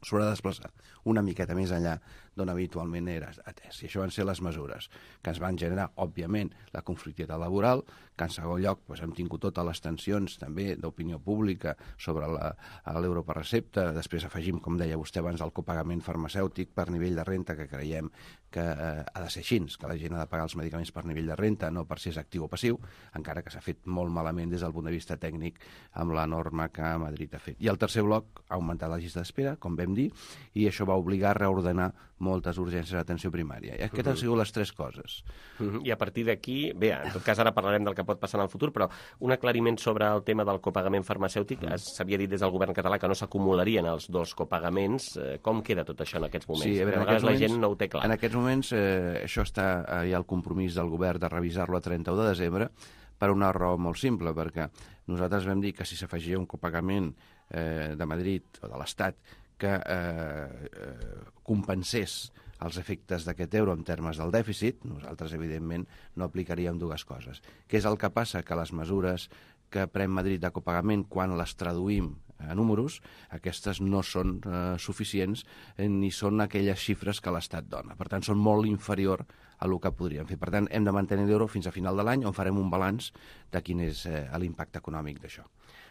s'haurà de desplaçar una miqueta més enllà d'on habitualment era atès. I això van ser les mesures que ens van generar, òbviament, la conflictivitat laboral, que en segon lloc doncs, hem tingut totes les tensions també d'opinió pública sobre l'euro per recepta. Després afegim, com deia vostè abans, el copagament farmacèutic per nivell de renta, que creiem que eh, ha de ser així, que la gent ha de pagar els medicaments per nivell de renta, no per si és actiu o passiu, encara que s'ha fet molt malament des del punt de vista tècnic amb la norma que Madrid ha fet. I el tercer bloc ha augmentat la llista d'espera, com vam dir, i això va obligar a reordenar moltes urgències d'atenció primària. I aquestes uh -huh. han sigut les tres coses. Uh -huh. I a partir d'aquí, bé, en tot cas ara parlarem del que pot passar en el futur, però un aclariment sobre el tema del copagament farmacèutic. Uh -huh. S'havia dit des del govern català que no s'acumularien els dos copagaments. Com queda tot això en aquests moments? Sí, a veure, a vegades la moments, gent no ho té clar. En aquests moments eh, això està, eh, hi ha el compromís del govern de revisar-lo a trenta-u de desembre, per una raó molt simple, perquè nosaltres vam dir que si s'afegia un copagament eh, de Madrid o de l'Estat que eh, eh, compensés els efectes d'aquest euro en termes del dèficit, nosaltres, evidentment, no aplicaríem dues coses. Què és el que passa? Que les mesures que pren Madrid de copagament, quan les traduïm a números, aquestes no són eh, suficients eh, ni són aquelles xifres que l'Estat dona. Per tant, són molt inferior a el que podríem fer. Per tant, hem de mantenir l'euro fins a final de l'any, on farem un balanç de quin és eh, l'impacte econòmic d'això.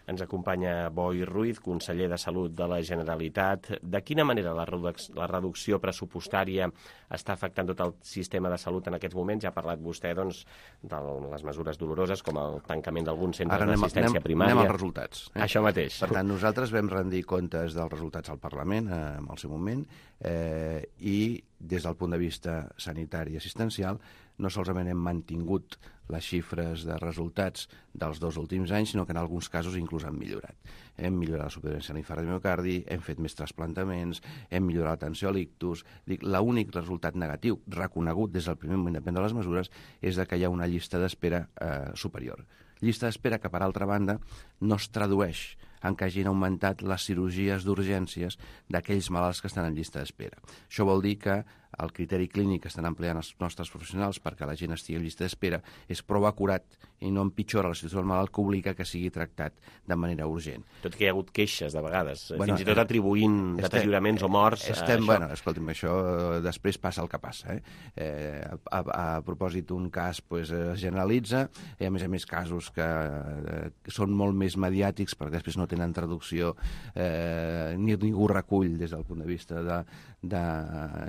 Ens acompanya Boi Ruiz, conseller de Salut de la Generalitat. De quina manera la, reduc la reducció pressupostària està afectant tot el sistema de salut en aquests moments? Ja ha parlat vostè doncs, de les mesures doloroses, com el tancament d'alguns centres d'assistència primària. Anem als resultats. Eh? Això mateix. Per tant, nosaltres vam rendir comptes dels resultats al Parlament eh, en el seu moment eh, i des del punt de vista sanitari i assistencial no solament hem mantingut les xifres de resultats dels dos últims anys, sinó que en alguns casos inclús han millorat. Hem millorat la supervivència a l'infart de miocardi, hem fet més trasplantaments, hem millorat l'atenció a l'ictus. L'únic resultat negatiu reconegut des del primer moment de prendre les mesures és que hi ha una llista d'espera eh, superior. Llista d'espera que, per altra banda, no es tradueix en què hagin augmentat les cirurgies d'urgències d'aquells malalts que estan en llista d'espera. Això vol dir que el criteri clínic que estan empleant els nostres professionals perquè la gent estigui en llista d'espera és prou acurat i no empitjora la situació del malalt que obliga que sigui tractat de manera urgent. Tot que hi ha hagut queixes, de vegades, bueno, fins i tot atribuint deterioraments o morts estem, a això. Bueno, escolti'm, això eh, després passa el que passa. Eh? Eh, a, a, a propòsit d'un cas pues, es generalitza, i a més a més casos que eh, són molt més mediàtics perquè després no tenen traducció, eh, ni ningú recull des del punt de vista de, de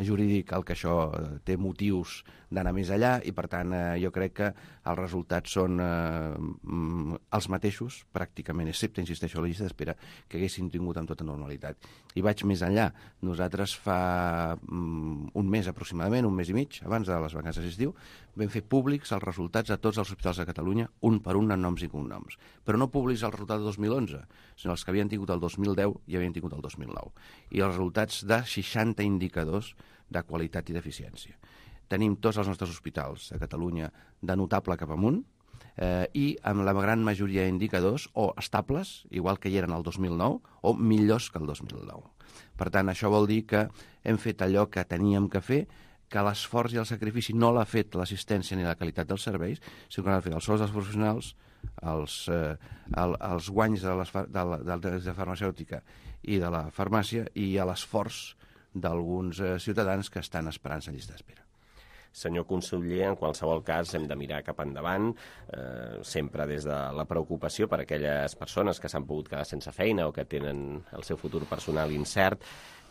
jurídic el que això té motius d'anar més allà i, per tant, eh, jo crec que els resultats són eh, els mateixos, pràcticament, excepte, insisteixo, la llista d'espera, que haguessin tingut amb tota normalitat. I vaig més enllà. Nosaltres fa um, un mes aproximadament, un mes i mig, abans de les vacances d'estiu, vam fer públics els resultats a tots els hospitals de Catalunya, un per un, en noms i cognoms. Però no públics els resultats del dos mil onze, sinó els que havien tingut el dos mil deu i havien tingut el dos mil nou. I els resultats de seixanta indicadors de qualitat i d'eficiència. Tenim tots els nostres hospitals de Catalunya de notable cap amunt eh, i amb la gran majoria d'indicadors o estables, igual que hi eren el dos mil nou, o millors que el dos mil nou. Per tant, això vol dir que hem fet allò que teníem que fer, que l'esforç i el sacrifici no l'ha fet l'assistència ni la qualitat dels serveis, sinó que l'han fet els sous dels professionals, els, eh, el, els guanys de, les, de, la, de la farmacèutica i de la farmàcia i a l'esforç d'alguns eh, ciutadans que estan esperant la llista d'espera. Senyor conseller, en qualsevol cas hem de mirar cap endavant, eh, sempre des de la preocupació per aquelles persones que s'han pogut quedar sense feina o que tenen el seu futur personal incert.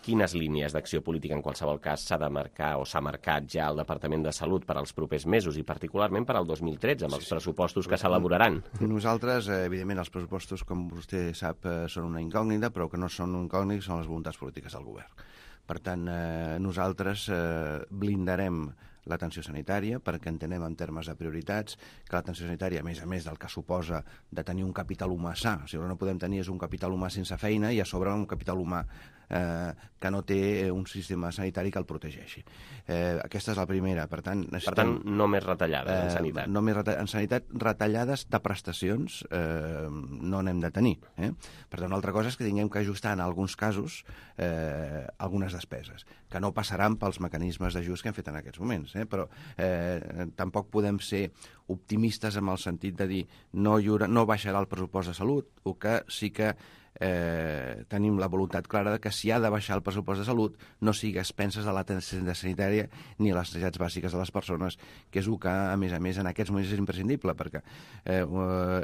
Quines línies d'acció política en qualsevol cas s'ha de marcar o s'ha marcat ja el Departament de Salut per als propers mesos i particularment per al dos mil tretze, amb els pressupostos que s'elaboraran? Nosaltres, evidentment, els pressupostos, com vostè sap, són una incògnita, però que no són incògnites, són les voluntats polítiques del govern. Per tant, eh, nosaltres eh, blindarem l'atenció sanitària perquè entenem en termes de prioritats que l'atenció sanitària, a més a més del que suposa de tenir un capital humà sa, o sigui, el que no podem tenir és un capital humà sense feina i a sobre un capital humà eh, que no té un sistema sanitari que el protegeixi. Eh, aquesta és la primera. Per tant, per tant no més retallades eh, en sanitat. No més reta en sanitat, retallades de prestacions eh, no n'hem de tenir. Eh? Per tant, una altra cosa és que tinguem que ajustar en alguns casos eh, algunes despeses, que no passaran pels mecanismes d'ajust que hem fet en aquests moments. Eh? Però eh, tampoc podem ser optimistes en el sentit de dir no, lliure, no baixarà el pressupost de salut, o que sí que eh, tenim la voluntat clara de que si ha de baixar el pressupost de salut no sigui a expenses de l'atenció sanitària ni a les necessitats bàsiques de les persones, que és el que, a més a més, en aquests moments és imprescindible, perquè eh,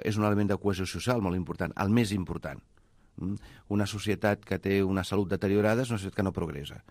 és un element de cohesió social molt important, el més important. Una societat que té una salut deteriorada és una societat que no progressa.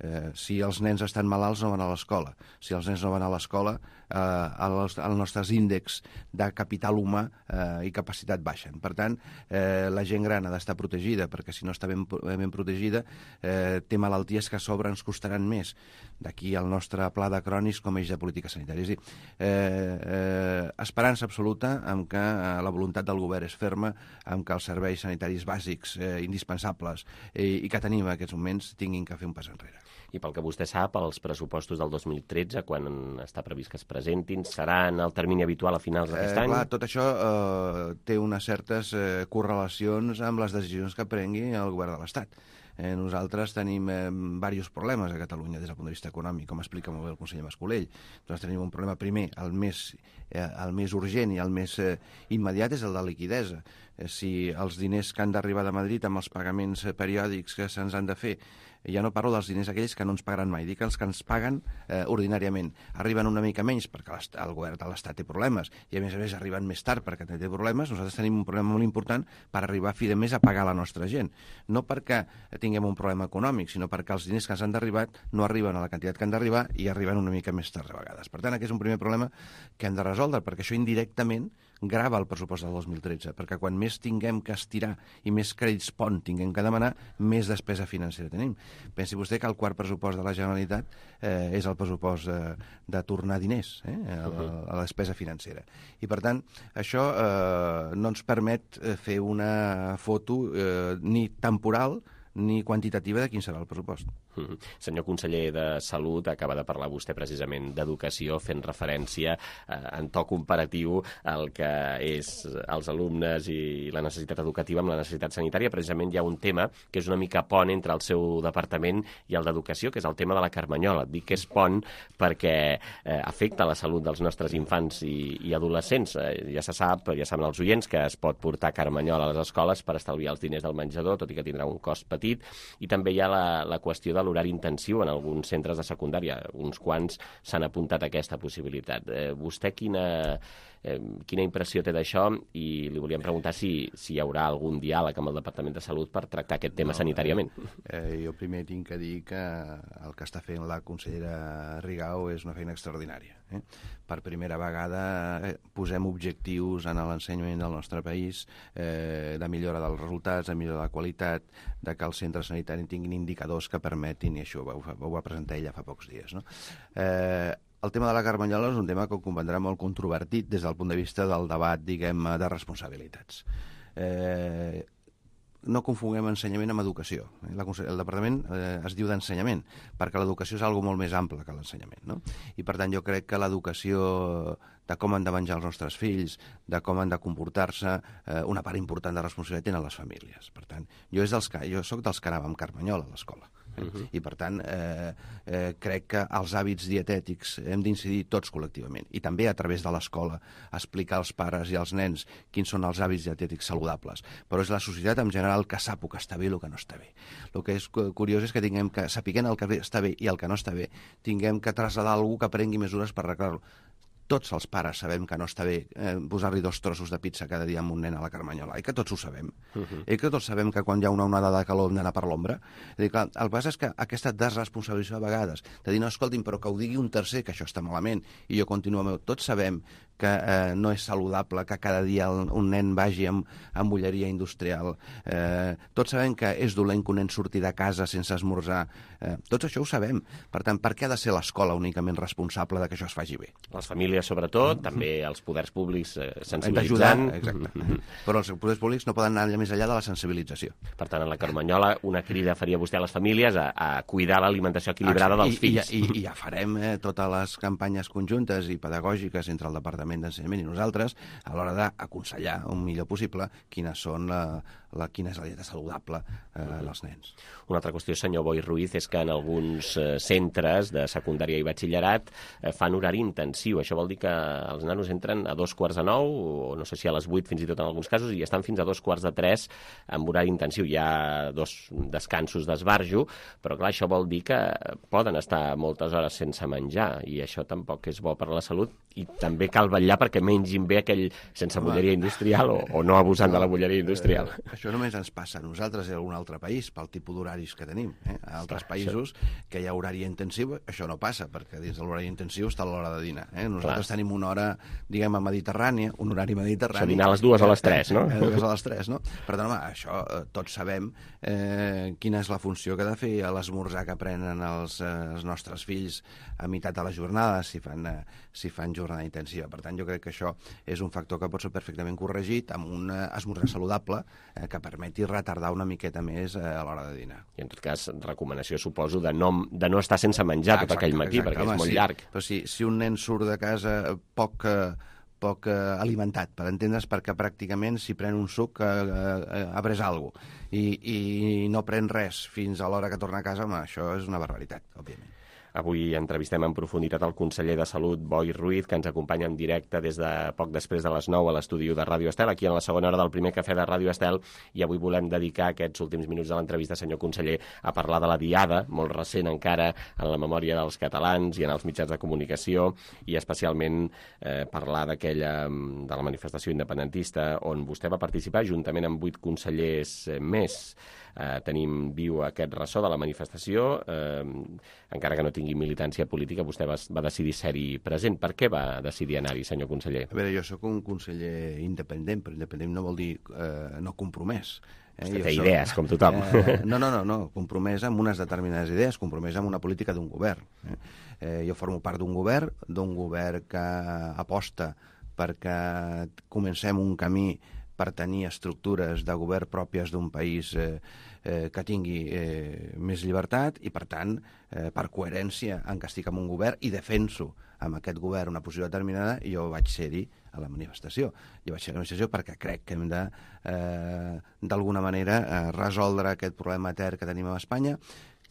Eh, si els nens estan malalts no van a l'escola. Si els nens no van a l'escola, eh, els, els nostres índexs de capital humà eh, i capacitat baixen. Per tant, eh, la gent gran ha d'estar protegida, perquè si no està ben, ben protegida eh, té malalties que a sobre ens costaran més. D'aquí el nostre pla de crònics com a eix de política sanitària. És a dir, eh, eh, esperança absoluta amb que eh, la voluntat del govern és ferma, amb que els serveis sanitaris bàsics, eh, indispensables eh, i que tenim en aquests moments tinguin que fer un pas enrere. I pel que vostè sap, els pressupostos del dos mil tretze, quan està previst que es presentin, seran el termini habitual a finals d'aquest eh, any? Clar, tot això eh, té unes certes eh, correlacions amb les decisions que prengui el govern de l'Estat. Eh, nosaltres tenim eh, diversos problemes a Catalunya des del punt de vista econòmic, com explica molt bé el conseller Mascolell. Nosaltres tenim un problema primer, el més, eh, el més urgent i el més eh, immediat és el de liquidesa. Eh, si els diners que han d'arribar de Madrid amb els pagaments eh, periòdics que se'ns han de fer, ja no parlo dels diners aquells que no ens pagaran mai, dic els que ens paguen eh, ordinàriament. Arriben una mica menys perquè el govern de l'Estat té problemes i a més a més arriben més tard perquè té problemes. Nosaltres tenim un problema molt important per arribar a fi de mes a pagar la nostra gent. No perquè tinguem un problema econòmic, sinó perquè els diners que ens han d'arribar no arriben a la quantitat que han d'arribar i arriben una mica més tard a vegades. Per tant, aquest és un primer problema que hem de resoldre, perquè això indirectament grava el pressupost del dos mil tretze, perquè quan més tinguem que estirar i més crèdits pont tinguem que demanar, més despesa financera tenim. Pensi vostè que el quart pressupost de la Generalitat eh, és el pressupost eh, de tornar diners eh, a, la, a la despesa financera. I, per tant, això eh, no ens permet fer una foto eh, ni temporal ni quantitativa de quin serà el pressupost. Mm-hmm. Senyor conseller de Salut, acaba de parlar vostè precisament d'educació, fent referència eh, en to comparatiu al que és els alumnes i la necessitat educativa amb la necessitat sanitària. Precisament hi ha un tema que és una mica pont entre el seu departament i el d'educació, que és el tema de la carmanyola. Dic que és pont perquè eh, afecta la salut dels nostres infants i, i adolescents. Eh, ja se sap, ja saben els oients, que es pot portar carmanyola a les escoles per estalviar els diners del menjador, tot i que tindrà un cost petit. I també hi ha la, la qüestió de l'horari intensiu en alguns centres de secundària. Uns quants s'han apuntat a aquesta possibilitat. Eh, vostè quina, eh, quina impressió té d'això? I li volíem preguntar si, si hi haurà algun diàleg amb el Departament de Salut per tractar aquest tema no, sanitàriament. Eh, jo primer tinc que dir que el que està fent la consellera Rigau és una feina extraordinària. Eh? Per primera vegada eh, posem objectius en l'ensenyament del nostre país eh, de millora dels resultats, de millora de la qualitat, de que els centres sanitaris tinguin indicadors que permetin, i això ho, ho va presentar ella fa pocs dies, no? Eh, el tema de la carmanyola és un tema que comprendrà molt controvertit des del punt de vista del debat, diguem, de responsabilitats. Eh, no confonguem ensenyament amb educació. La, el departament eh, es diu d'ensenyament, perquè l'educació és algo molt més ample que l'ensenyament, no? I per tant jo crec que l'educació de com han de menjar els nostres fills, de com han de comportar-se, eh, una part important de responsabilitat tenen les famílies. Per tant, jo, és dels que, jo soc dels que anava amb carmanyola a l'escola. Eh? Uh-huh. I per tant eh, eh, crec que els hàbits dietètics hem d'incidir tots col·lectivament i també a través de l'escola explicar als pares i als nens quins són els hàbits dietètics saludables, però és la societat en general que sap el que està bé i el que no està bé. El que és curiós és que tinguem que, sapiguent el que està bé i el que no està bé, tinguem que traslladar a algú que prengui mesures per arreglar-lo. Tots els pares sabem que no està bé eh, posar-li dos trossos de pizza cada dia amb un nen a la carmanyola, i que tots ho sabem. Uh-huh. I que tots sabem que quan hi ha una onada de calor hem d'anar per l'ombra. El que passa és que aquesta desresponsabilització a vegades, de dir, no, escolti'm, però que ho digui un tercer, que això està malament, i jo continuo amb... Tots sabem que eh, no és saludable que cada dia un nen vagi amb, amb bulleria industrial. Eh, tots sabem que és dolent que un nen surti de casa sense esmorzar. Eh, tots això ho sabem. Per tant, per què ha de ser l'escola únicament responsable de que això es faci bé? Les famílies, sobretot, mm-hmm. també els poders públics eh, sensibilitzant. Exacte. Mm-hmm. Però els poders públics no poden anar més enllà de la sensibilització. Per tant, en la carmanyola, una crida faria vostè a les famílies a, a cuidar l'alimentació equilibrada dels I, fills. I, i, i ja farem eh, totes les campanyes conjuntes i pedagògiques entre el Departament d'Ensenyament i nosaltres a l'hora d'aconsellar el millor possible quines són la, la, quina és la dieta saludable eh, uh-huh. dels nens. Una altra qüestió, senyor Boi Ruiz, és que en alguns eh, centres de secundària i batxillerat eh, fan horari intensiu. Això vol dir que els nanos entren a dos quarts de nou, o no sé si a les vuit fins i tot en alguns casos, i estan fins a dos quarts de tres amb horari intensiu. Hi ha dos descansos d'esbarjo, però clar, això vol dir que poden estar moltes hores sense menjar, i això tampoc és bo per a la salut, i també cal vetllar perquè mengin bé aquell sense bulleria industrial o, o no abusant no, de la bulleria industrial. Eh, això només ens passa a nosaltres i a algun altre país pel tipus d'horaris que tenim. Eh? A altres països que hi ha horari intensiu, això no passa, perquè dins de l'horari intensiu està l'hora de dinar. Eh? Nosaltres Clar. tenim una hora, diguem, mediterrània, un horari mediterrani. Això dinar a les dues a les tres, no? A les dues a les tres, no? Per tant, home, això eh, tots sabem eh, quina és la funció que ha de fer a l'esmorzar que prenen els, eh, els nostres fills a meitat de la jornada, si fan, eh, si fan jornada intensiva. Per tant, jo crec que això és un factor que pot ser perfectament corregit amb un esmorzar saludable eh, que permeti retardar una miqueta més eh, a l'hora de dinar. I en tot cas, recomanació, suposo, de no, de no estar sense menjar ah, exacte, tot aquell matí, exacte, perquè home, és molt sí. llarg. Però si, si un nen surt de casa poc... Eh, poc eh, alimentat, per entendre's, perquè pràcticament si pren un suc eh, eh, ha pres alguna cosa i, i no pren res fins a l'hora que torna a casa, home, això és una barbaritat, òbviament. Avui entrevistem en profunditat el conseller de Salut, Boi Ruiz, que ens acompanya en directe des de poc després de les nou a l'estudi de Ràdio Estel, aquí en la segona hora del primer cafè de Ràdio Estel, i avui volem dedicar aquests últims minuts de l'entrevista, senyor conseller, a parlar de la diada, molt recent encara en la memòria dels catalans i en els mitjans de comunicació, i especialment eh, parlar d'aquella, de la manifestació independentista, on vostè va participar juntament amb vuit consellers eh, més. Eh, tenim viu aquest ressò de la manifestació, eh, encara que no tingui militància política, vostè va, va decidir ser-hi present. Per què va decidir anar-hi, senyor conseller? A veure, jo sóc un conseller independent, però independent no vol dir eh, no compromès. Eh? Vostè té idees, soc, com tothom. Eh, no, no, no, no, compromès amb unes determinades idees, compromès amb una política d'un govern. Eh? Eh, jo formo part d'un govern, d'un govern que aposta perquè comencem un camí per tenir estructures de govern pròpies d'un país eh, eh, que tingui eh, més llibertat i, per tant, eh, per coherència en què estic en un govern i defenso amb aquest govern una posició determinada, jo vaig ser-hi a la manifestació. Jo vaig ser a la manifestació perquè crec que hem de, eh, d'alguna manera, eh, resoldre aquest problema etern que tenim a Espanya,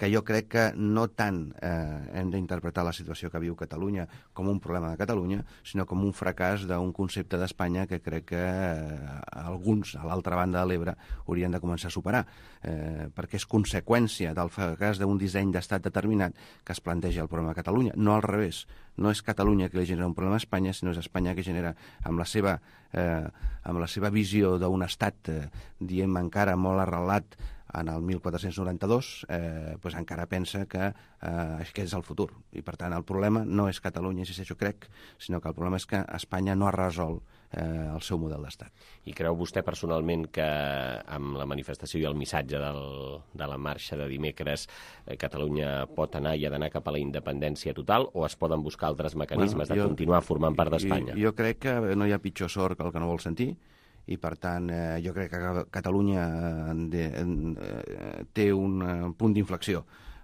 que jo crec que no tant eh, hem d'interpretar la situació que viu Catalunya com un problema de Catalunya, sinó com un fracàs d'un concepte d'Espanya que crec que eh, alguns, a l'altra banda de l'Ebre, haurien de començar a superar, eh, perquè és conseqüència del fracàs d'un disseny d'estat determinat que es planteja el problema de Catalunya, no al revés. No és Catalunya que li genera un problema a Espanya, sinó és Espanya que genera, amb la seva, eh, amb la seva visió d'un estat, eh, diem encara molt arrelat en el mil quatre-cents noranta-dos, eh, pues encara pensa que eh, aquest és el futur. I, per tant, el problema no és Catalunya, insisteixo, crec, sinó que el problema és que Espanya no ha resolt eh, el seu model d'estat. I creu vostè personalment que amb la manifestació i el missatge del, de la marxa de dimecres eh, Catalunya pot anar i ha d'anar cap a la independència total o es poden buscar altres mecanismes bueno, jo, de continuar formant part d'Espanya? Jo, jo crec que no hi ha pitjor sort que el que no vol sentir, i, per tant, eh, jo crec que Catalunya de, eh, té un eh, punt d'inflexió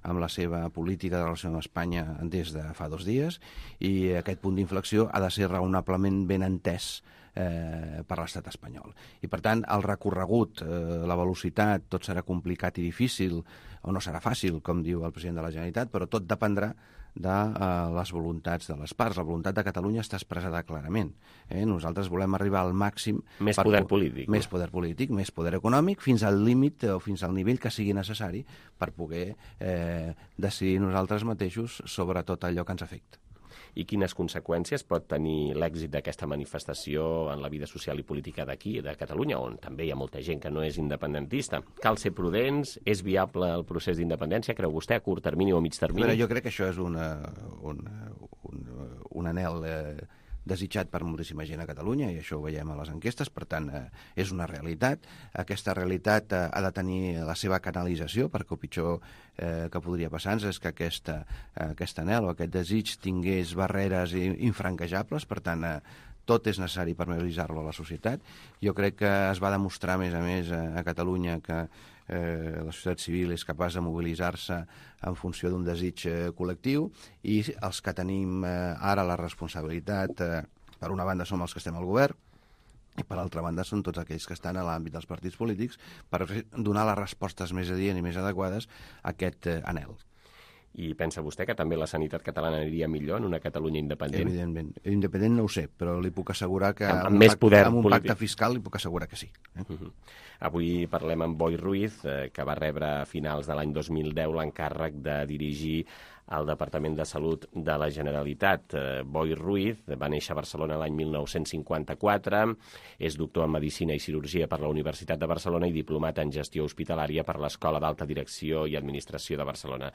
amb la seva política de relació amb Espanya des de fa dos dies, i aquest punt d'inflexió ha de ser raonablement ben entès eh, per l'estat espanyol. I, per tant, el recorregut, eh, la velocitat, tot serà complicat i difícil, o no serà fàcil, com diu el president de la Generalitat, però tot dependrà de uh, les voluntats de les parts. La voluntat de Catalunya està expressada clarament. Eh? Nosaltres volem arribar al màxim... Més poder polític. Més poder polític, més poder econòmic, fins al límit o fins al nivell que sigui necessari per poder eh, decidir nosaltres mateixos sobre tot allò que ens afecta. I quines conseqüències pot tenir l'èxit d'aquesta manifestació en la vida social i política d'aquí, de Catalunya, on també hi ha molta gent que no és independentista? Cal ser prudents? És viable el procés d'independència? Creu vostè a curt termini o a mig termini? Però jo crec que això és una, un, un, un anhel eh, desitjat per moltíssima gent a Catalunya, i això ho veiem a les enquestes, per tant, eh, és una realitat. Aquesta realitat eh, ha de tenir la seva canalització, perquè el pitjor eh, que podria passar-nos és que aquesta, eh, aquest anhel o aquest desig tingués barreres infranquejables, per tant, eh, tot és necessari per mobilitzar-lo a la societat. Jo crec que es va demostrar, a més a més, a Catalunya que eh, la societat civil és capaç de mobilitzar-se en funció d'un desig eh, col·lectiu, i els que tenim eh, ara la responsabilitat, eh, per una banda som els que estem al govern, i per altra banda són tots aquells que estan a l'àmbit dels partits polítics per donar les respostes més adients i més adequades a aquest eh, anhel. I pensa vostè que també la sanitat catalana aniria millor en una Catalunya independent? Evidentment. Independent no ho sé, però li puc assegurar que amb, amb, amb, més un, poder pacte, amb un polític. pacte fiscal li puc assegurar que sí. Eh? Uh -huh. Avui parlem amb Boi Ruiz, eh, que va rebre a finals de l'any dos mil deu l'encàrrec de dirigir al Departament de Salut de la Generalitat. Eh, Boi Ruiz va néixer a Barcelona l'any mil nou-cents cinquanta-quatre, és doctor en Medicina i Cirurgia per la Universitat de Barcelona i diplomat en Gestió Hospitalària per l'Escola d'Alta Direcció i Administració de Barcelona.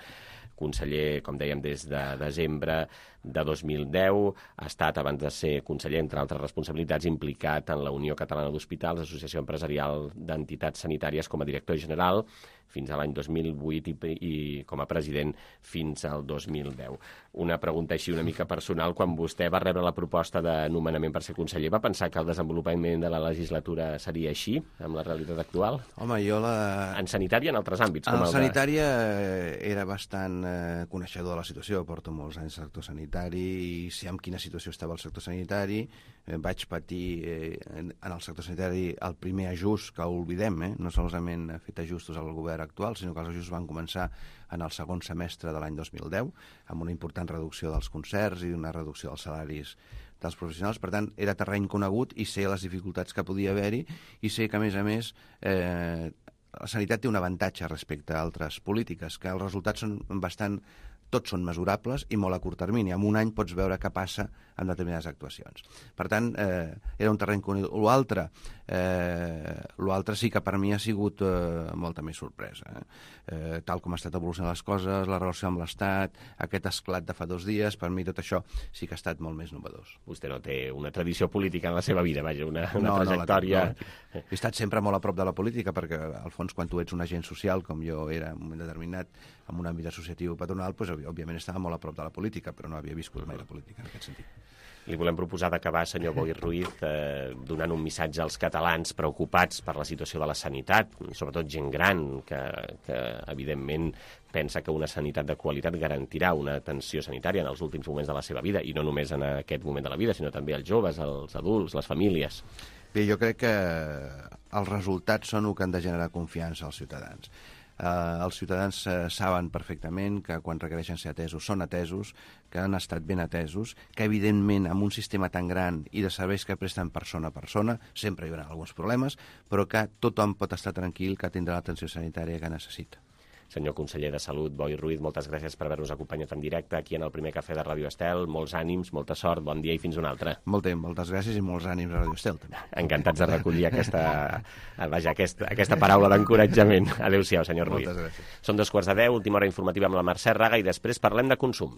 Conseller, com dèiem, des de desembre de dos mil deu, ha estat, abans de ser conseller, entre altres responsabilitats, implicat en la Unió Catalana d'Hospitals, Associació Empresarial d'Entitats Sanitàries, com a director general, fins a l'any dos mil vuit i, i com a president fins al dos mil deu. Una pregunta així una mica personal. Quan vostè va rebre la proposta de nomenament per ser conseller, va pensar que el desenvolupament de la legislatura seria així, amb la realitat actual? Home, jo la... En sanitari i en altres àmbits? Com en el sanitària de... era bastant eh, coneixedor de la situació. Porto molts anys al sector sanitari i sé en quina situació estava el sector sanitari. Eh, vaig patir eh, en, en el sector sanitari el primer ajust, que ho oblidem, eh? No solament ha fet ajustos al govern actual, sinó que els ajustos van començar en el segon semestre de l'any dos mil deu, amb una important reducció dels concerts i una reducció dels salaris dels professionals. Per tant, era terreny conegut i sé les dificultats que podia haver-hi, i sé que, a més a més, eh, la sanitat té un avantatge respecte a altres polítiques, que els resultats són bastant... tots són mesurables i molt a curt termini. En un any pots veure què passa en determinades actuacions. Per tant, eh, era un terreny conegut. L'altre eh, l'altre sí que per mi ha sigut eh, molta més sorpresa. Eh? Eh, tal com ha estat evolucionant les coses, la relació amb l'Estat, aquest esclat de fa dos dies, per mi tot això sí que ha estat molt més novedós. Vostè no té una tradició política en la seva vida, vaja, una, una no, trajectòria... No, no, no. He estat sempre molt a prop de la política, perquè al fons quan tu ets un agent social, com jo era en un moment determinat, en un àmbit associatiu patronal, doncs, òbviament estava molt a prop de la política, però no havia viscut mai la política en aquest sentit. Li volem proposar d'acabar, senyor Boi Ruiz, eh, donant un missatge als catalans preocupats per la situació de la sanitat, sobretot gent gran, que, que evidentment pensa que una sanitat de qualitat garantirà una atenció sanitària en els últims moments de la seva vida, i no només en aquest moment de la vida, sinó també als joves, als adults, les famílies. Bé, jo crec que els resultats són el que han de generar confiança als ciutadans. Uh, els ciutadans uh, saben perfectament que quan requereixen ser atesos són atesos, que han estat ben atesos, que evidentment amb un sistema tan gran i de serveis que presten persona a persona sempre hi haurà alguns problemes, però que tothom pot estar tranquil que tindrà l'atenció sanitària que necessita. Senyor conseller de Salut, Boi Ruiz, moltes gràcies per haver-nos acompanyat en directe aquí en el primer cafè de Ràdio Estel. Molts ànims, molta sort, bon dia i fins una altra. Molt bé, moltes gràcies i molts ànims a Ràdio Estel, també. Encantats de recollir aquesta, vaja, aquesta, aquesta paraula d'encoratjament. Adéu-siau, senyor Ruiz. Moltes gràcies. Són dos quarts de deu, última hora informativa amb la Mercè Raga i després parlem de consum.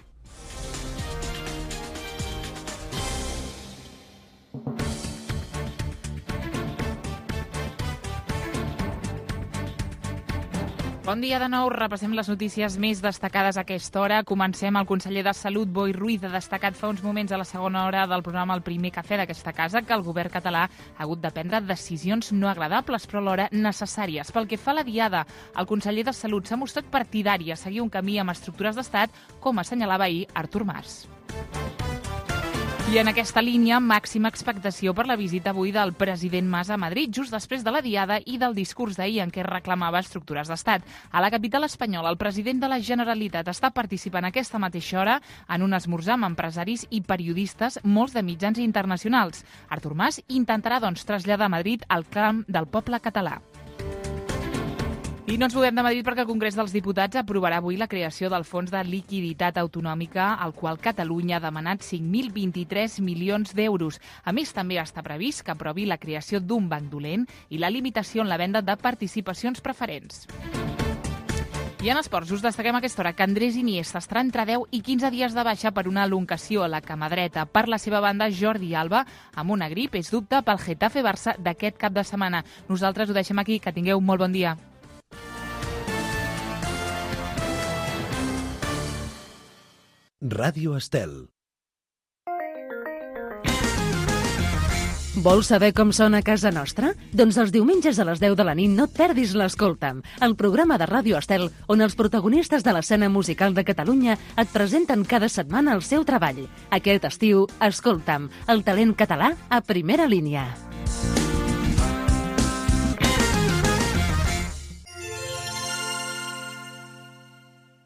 Bon dia de nou, repassem les notícies més destacades a aquesta hora. Comencem. El conseller de Salut, Boi Ruiz, ha destacat fa uns moments a la segona hora del programa El primer cafè d'aquesta casa que el govern català ha hagut de prendre decisions no agradables, però alhora necessàries. Pel que fa a la diada, el conseller de Salut s'ha mostrat partidari a seguir un camí amb estructures d'estat, com assenyalava ahir Artur Mas. I en aquesta línia, màxima expectació per la visita avui del president Mas a Madrid, just després de la diada i del discurs d'ahir en què reclamava estructures d'estat. A la capital espanyola, el president de la Generalitat està participant a aquesta mateixa hora en un esmorzar amb empresaris i periodistes, molts de mitjans internacionals. Artur Mas intentarà, doncs, traslladar a Madrid el clam del poble català. I no ens movem de Madrid perquè el Congrés dels Diputats aprovarà avui la creació del Fons de Liquiditat Autonòmica, al qual Catalunya ha demanat cinc mil vint-i-tres milions d'euros. A més, també està previst que aprovi la creació d'un banc dolent i la limitació en la venda de participacions preferents. I en esports us destaquem a aquesta hora que Andrés Iniesta estarà entre deu i quinze dies de baixa per una elongació a la cama dreta. Per la seva banda, Jordi Alba, amb una grip, és dubte pel Getafe-Barça d'aquest cap de setmana. Nosaltres ho deixem aquí. Que tingueu molt bon dia. Ràdio Estel. Vols saber com sona a casa nostra? Doncs els diumenges a les deu de la nit no et perdis l'Escolta'm, el programa de Ràdio Estel on els protagonistes de l'escena musical de Catalunya et presenten cada setmana el seu treball. Aquest estiu, Escolta'm, el talent català a primera línia.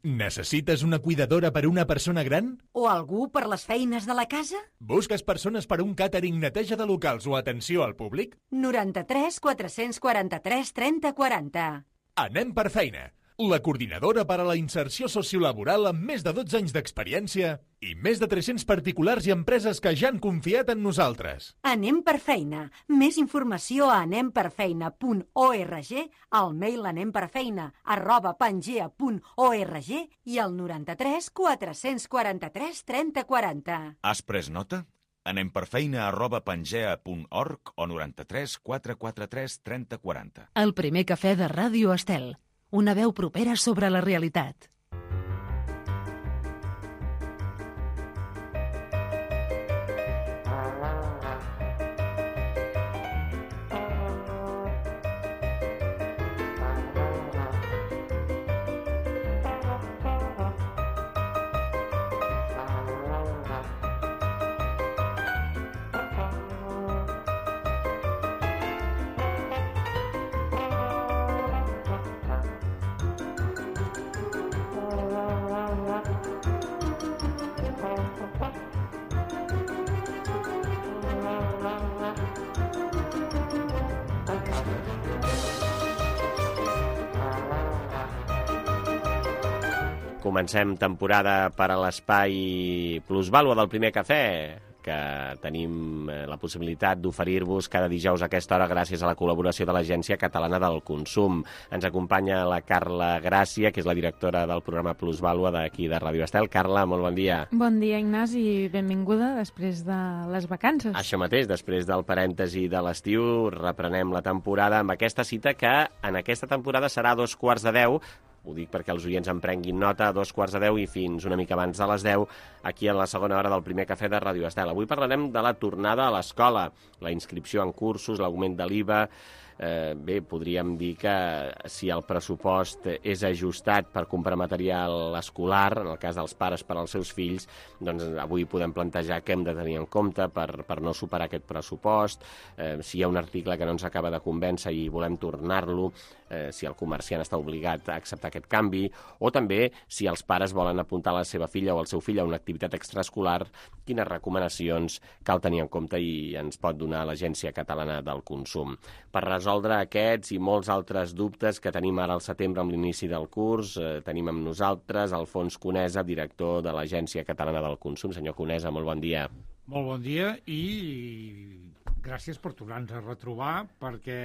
Necessites una cuidadora per a una persona gran? O algú per les feines de la casa? Busques persones per a un càtering, neteja de locals o atenció al públic? noranta-tres quatre-cents quaranta-tres trenta quaranta. Anem per feina. La coordinadora per a la inserció sociolaboral amb més de dotze anys d'experiència i més de tres-cents particulars i empreses que ja han confiat en nosaltres. Anem per feina. Més informació a anem per feina punt org, al mail anemperfeina arroba pangea punt org i al noranta-tres quatre-cents quaranta-tres trenta quaranta. Has pres nota? Anem per feina arroba pangea punt org o noranta-tres quatre quatre tres trenta quaranta. El primer cafè de Ràdio Estel. Una veu propera sobre la realitat. Comencem temporada per a l'espai Plusvàlua del primer cafè, que tenim la possibilitat d'oferir-vos cada dijous a aquesta hora gràcies a la col·laboració de l'Agència Catalana del Consum. Ens acompanya la Carla Gràcia, que és la directora del programa Plusvàlua d'aquí de Ràdio Estel. Carla, molt bon dia. Bon dia, Ignasi, i benvinguda després de les vacances. Això mateix, després del parèntesi de l'estiu, reprenem la temporada amb aquesta cita que en aquesta temporada serà a dos quarts de deu, ho dic perquè els oients en prenguin nota, a dos quarts de deu i fins una mica abans de les deu, aquí en la segona hora del primer cafè de Ràdio Estel. Avui parlarem de la tornada a l'escola, la inscripció en cursos, l'augment de l'I V A. Eh, bé, podríem dir que si el pressupost és ajustat per comprar material escolar, en el cas dels pares per als seus fills, doncs avui podem plantejar què hem de tenir en compte per, per no superar aquest pressupost, eh, si hi ha un article que no ens acaba de convèncer i volem tornar-lo, eh, si el comerciant està obligat a acceptar aquest canvi, o també si els pares volen apuntar la seva filla o el seu fill a una activitat extraescolar, quines recomanacions cal tenir en compte i ens pot donar l'Agència Catalana del Consum. Per resoldre aquests i molts altres dubtes que tenim ara al setembre amb l'inici del curs, eh, tenim amb nosaltres Alfons Conesa, director de l'Agència Catalana del Consum. Senyor Conesa, molt bon dia. Molt bon dia i gràcies per tornar-nos a retrobar, perquè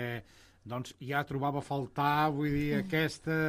doncs, ja trobava a faltar, vull dir, aquesta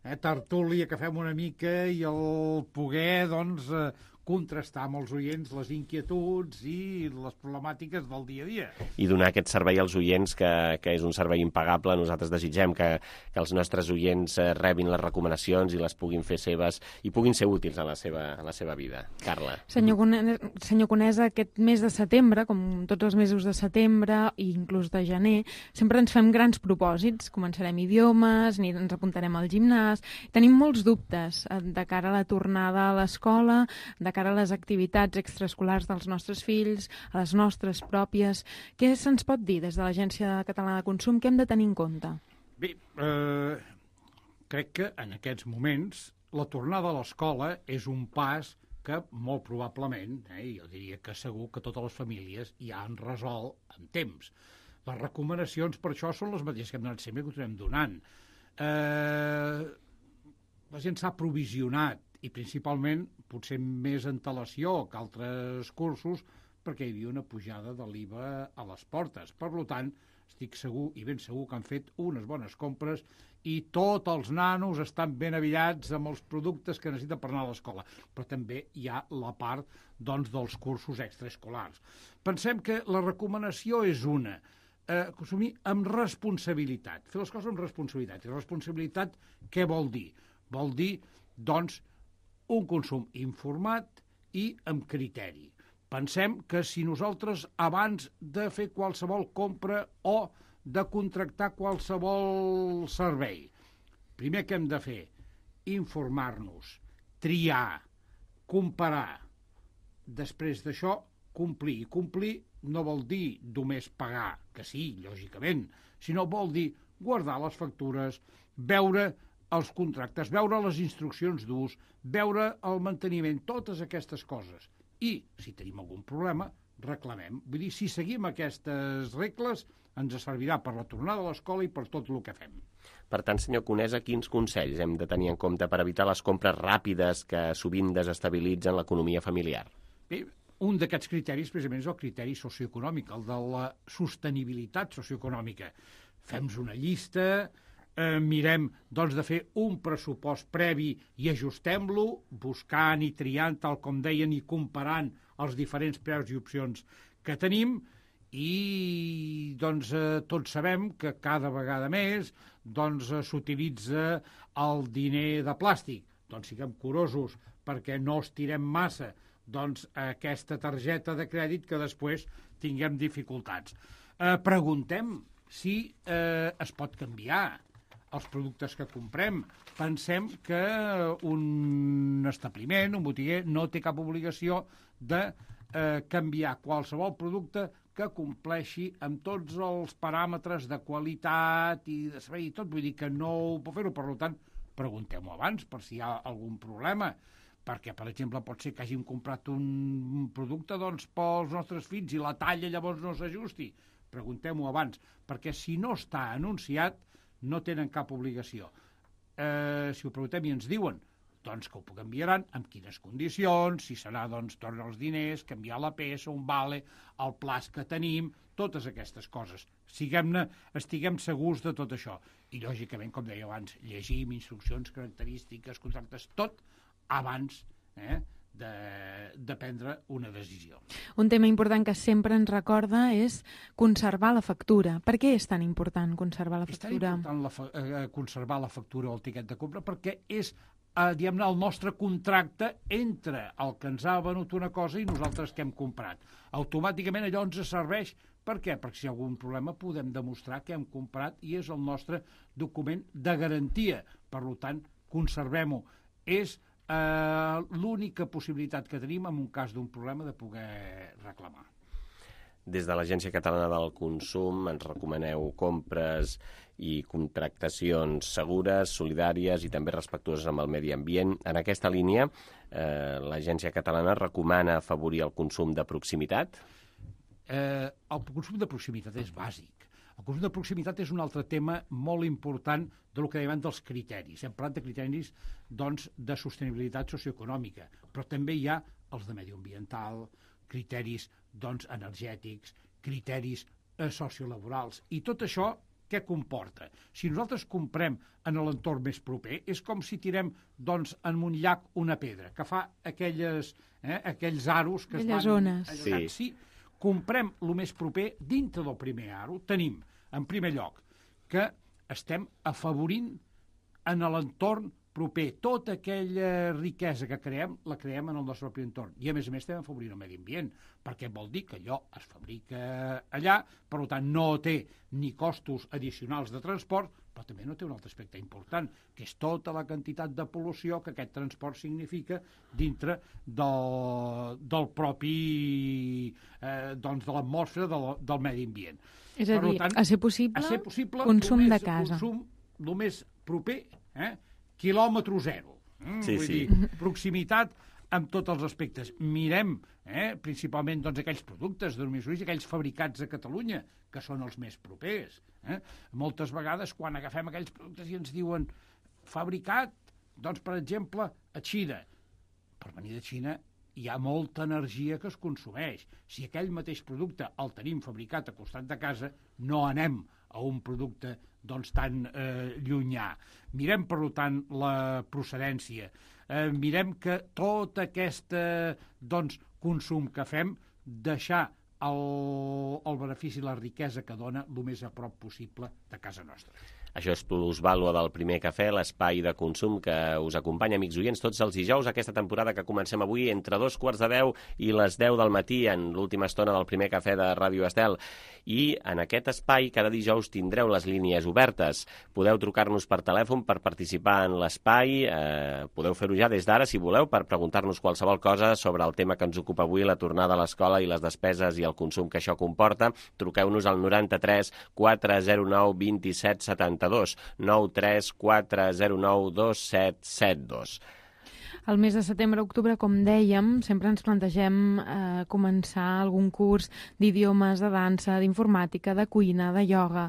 eh, tertúlia que fem una mica i el poder, doncs, eh, contrastar amb els oients les inquietuds i les problemàtiques del dia a dia. I donar aquest servei als oients, que, que és un servei impagable. Nosaltres desitgem que, que els nostres oients rebin les recomanacions i les puguin fer seves i puguin ser útils en la seva, en la seva vida. Carla. Senyor Conesa, senyor Conesa, aquest mes de setembre, com tots els mesos de setembre i inclús de gener, sempre ens fem grans propòsits. Començarem idiomes, ni ens apuntarem al gimnàs. Tenim molts dubtes de cara a la tornada a l'escola, de cara a les activitats extraescolars dels nostres fills, a les nostres pròpies. Què se'ns pot dir des de l'Agència Catalana de Consum? Què hem de tenir en compte? Bé, eh, crec que en aquests moments la tornada a l'escola és un pas que molt probablement, eh, jo diria que segur que totes les famílies ja han resolt en temps. Les recomanacions per això són les mateixes que hem donat sempre i que ho tornem donant. Eh, la gent s'ha provisionat i principalment potser més antelació que altres cursos perquè hi havia una pujada de l'I V A a les portes. Per tant, estic segur i ben segur que han fet unes bones compres i tots els nanos estan ben avillats amb els productes que necessiten per anar a l'escola. Però també hi ha la part doncs, dels cursos extraescolars. Pensem que la recomanació és una, eh, consumir amb responsabilitat, fer les coses amb responsabilitat. I responsabilitat què vol dir? Vol dir, doncs, un consum informat i amb criteri. Pensem que si nosaltres, abans de fer qualsevol compra o de contractar qualsevol servei, primer que hem de fer, informar-nos, triar, comparar. Després d'això, complir. I complir no vol dir només pagar, que sí, lògicament, sinó vol dir guardar les factures, veure els contractes, veure les instruccions d'ús, veure el manteniment, totes aquestes coses. I, si tenim algun problema, reclamem. Vull dir, si seguim aquestes regles, ens servirà per la tornada a l'escola i per tot el que fem. Per tant, senyor Conesa, quins consells hem de tenir en compte per evitar les compres ràpides que sovint desestabilitzen l'economia familiar? Bé, un d'aquests criteris, precisament, és el criteri socioeconòmic, el de la sostenibilitat socioeconòmica. Fem-nos una llista, Eh, mirem doncs, de fer un pressupost previ i ajustem-lo, buscant i triant, tal com deien, i comparant els diferents preus i opcions que tenim, i doncs, eh, tots sabem que cada vegada més doncs, eh, s'utilitza el diner de plàstic. Doncs siguem curosos perquè no estirem massa doncs, aquesta targeta de crèdit que després tinguem dificultats. Eh, preguntem si eh, es pot canviar els productes que comprem. Pensem que un establiment, un botiguer, no té cap obligació de eh, canviar qualsevol producte que compleixi amb tots els paràmetres de qualitat i de servei i tot. Vull dir que no ho pot fer-ho. Per tant, preguntem-ho abans per si hi ha algun problema. Perquè, per exemple, pot ser que hàgim comprat un producte doncs, pels nostres fills i la talla llavors no s'ajusti. Preguntem-ho abans, perquè si no està anunciat, no tenen cap obligació. Eh, si ho preguntem i ens diuen doncs que ho enviaran, amb quines condicions, si serà, doncs, tornar els diners, canviar la peça, un vale, el plaç que tenim, totes aquestes coses. Siguem-ne, estiguem segurs de tot això. I, lògicament, com deia abans, llegim instruccions, característiques, contractes, tot abans eh, de, de prendre una decisió. Un tema important que sempre ens recorda és conservar la factura. Per què és tan important conservar la factura? És tan important la fa eh, conservar la factura o el tiquet de compra perquè és eh, diguem-ne, el nostre contracte entre el que ens ha venut una cosa i nosaltres que hem comprat. Automàticament allò ens serveix. Per què? Perquè si hi ha algun problema podem demostrar que hem comprat i és el nostre document de garantia. Per tant, conservem-ho. És eh, l'única possibilitat que tenim en un cas d'un problema de poder reclamar. Des de l'Agència Catalana del Consum ens recomaneu compres i contractacions segures, solidàries i també respectuoses amb el medi ambient. En aquesta línia, eh, l'Agència Catalana recomana afavorir el consum de proximitat? Eh, el consum de proximitat és bàsic. El consum de proximitat és un altre tema molt important del que dèiem dels criteris. Hem parlat de criteris doncs, de sostenibilitat socioeconòmica, però també hi ha els de mediambiental, criteris doncs, energètics, criteris eh, sociolaborals. I tot això què comporta? Si nosaltres comprem en l'entorn més proper, és com si tirem doncs, en un llac una pedra, que fa aquelles, eh, aquells aros que aquelles es van... zones. Sí. Sí. Comprem el més proper, dintre del primer aro, tenim, en primer lloc, que estem afavorint en l'entorn proper. Tota aquella riquesa que creem, la creem en el nostre propi entorn. I, a més a més, estem afavorint el medi ambient, perquè vol dir que allò es fabrica allà, per tant, no té ni costos addicionals de transport, però també no té un altre aspecte important, que és tota la quantitat de pol·lució que aquest transport significa dintre del, del propi, eh, doncs, de l'atmosfera del, del medi ambient. És a dir, tant, a ser possible, a ser possible consum només, de casa. Consum el més proper, eh? quilòmetre zero. Mm, sí, vull sí. dir, proximitat amb tots els aspectes. Mirem, eh, principalment, doncs, aquells productes de domicili, aquells fabricats a Catalunya, que són els més propers. Eh? Moltes vegades, quan agafem aquells productes i ens diuen fabricat, doncs, per exemple, a Xina. Per venir de Xina hi ha molta energia que es consumeix. Si aquell mateix producte el tenim fabricat a costat de casa, no anem a un producte doncs, tan eh, llunyà. Mirem, per tant, la procedència. Eh, mirem que tot aquest eh, doncs, consum que fem, deixar el, el benefici i la riquesa que dona el més a prop possible de casa nostra. Això és Plusvàlua del Primer Cafè, l'espai de consum que us acompanya, amics oients, tots els dijous, aquesta temporada que comencem avui entre dos quarts de deu i les deu del matí, en l'última estona del Primer Cafè de Ràdio Estel. I en aquest espai, cada dijous, tindreu les línies obertes. Podeu trucar-nos per telèfon per participar en l'espai, eh, podeu fer-ho ja des d'ara, si voleu, per preguntar-nos qualsevol cosa sobre el tema que ens ocupa avui, la tornada a l'escola i les despeses i el consum que això comporta. Truqueu-nos al noranta-tres quatre zero nou vint set setanta-dos, nou tres quatre zero nou dos set set dos. El mes de setembre-octubre, com dèiem, sempre ens plantegem eh, començar algun curs d'idiomes, de dansa, d'informàtica, de cuina, de ioga.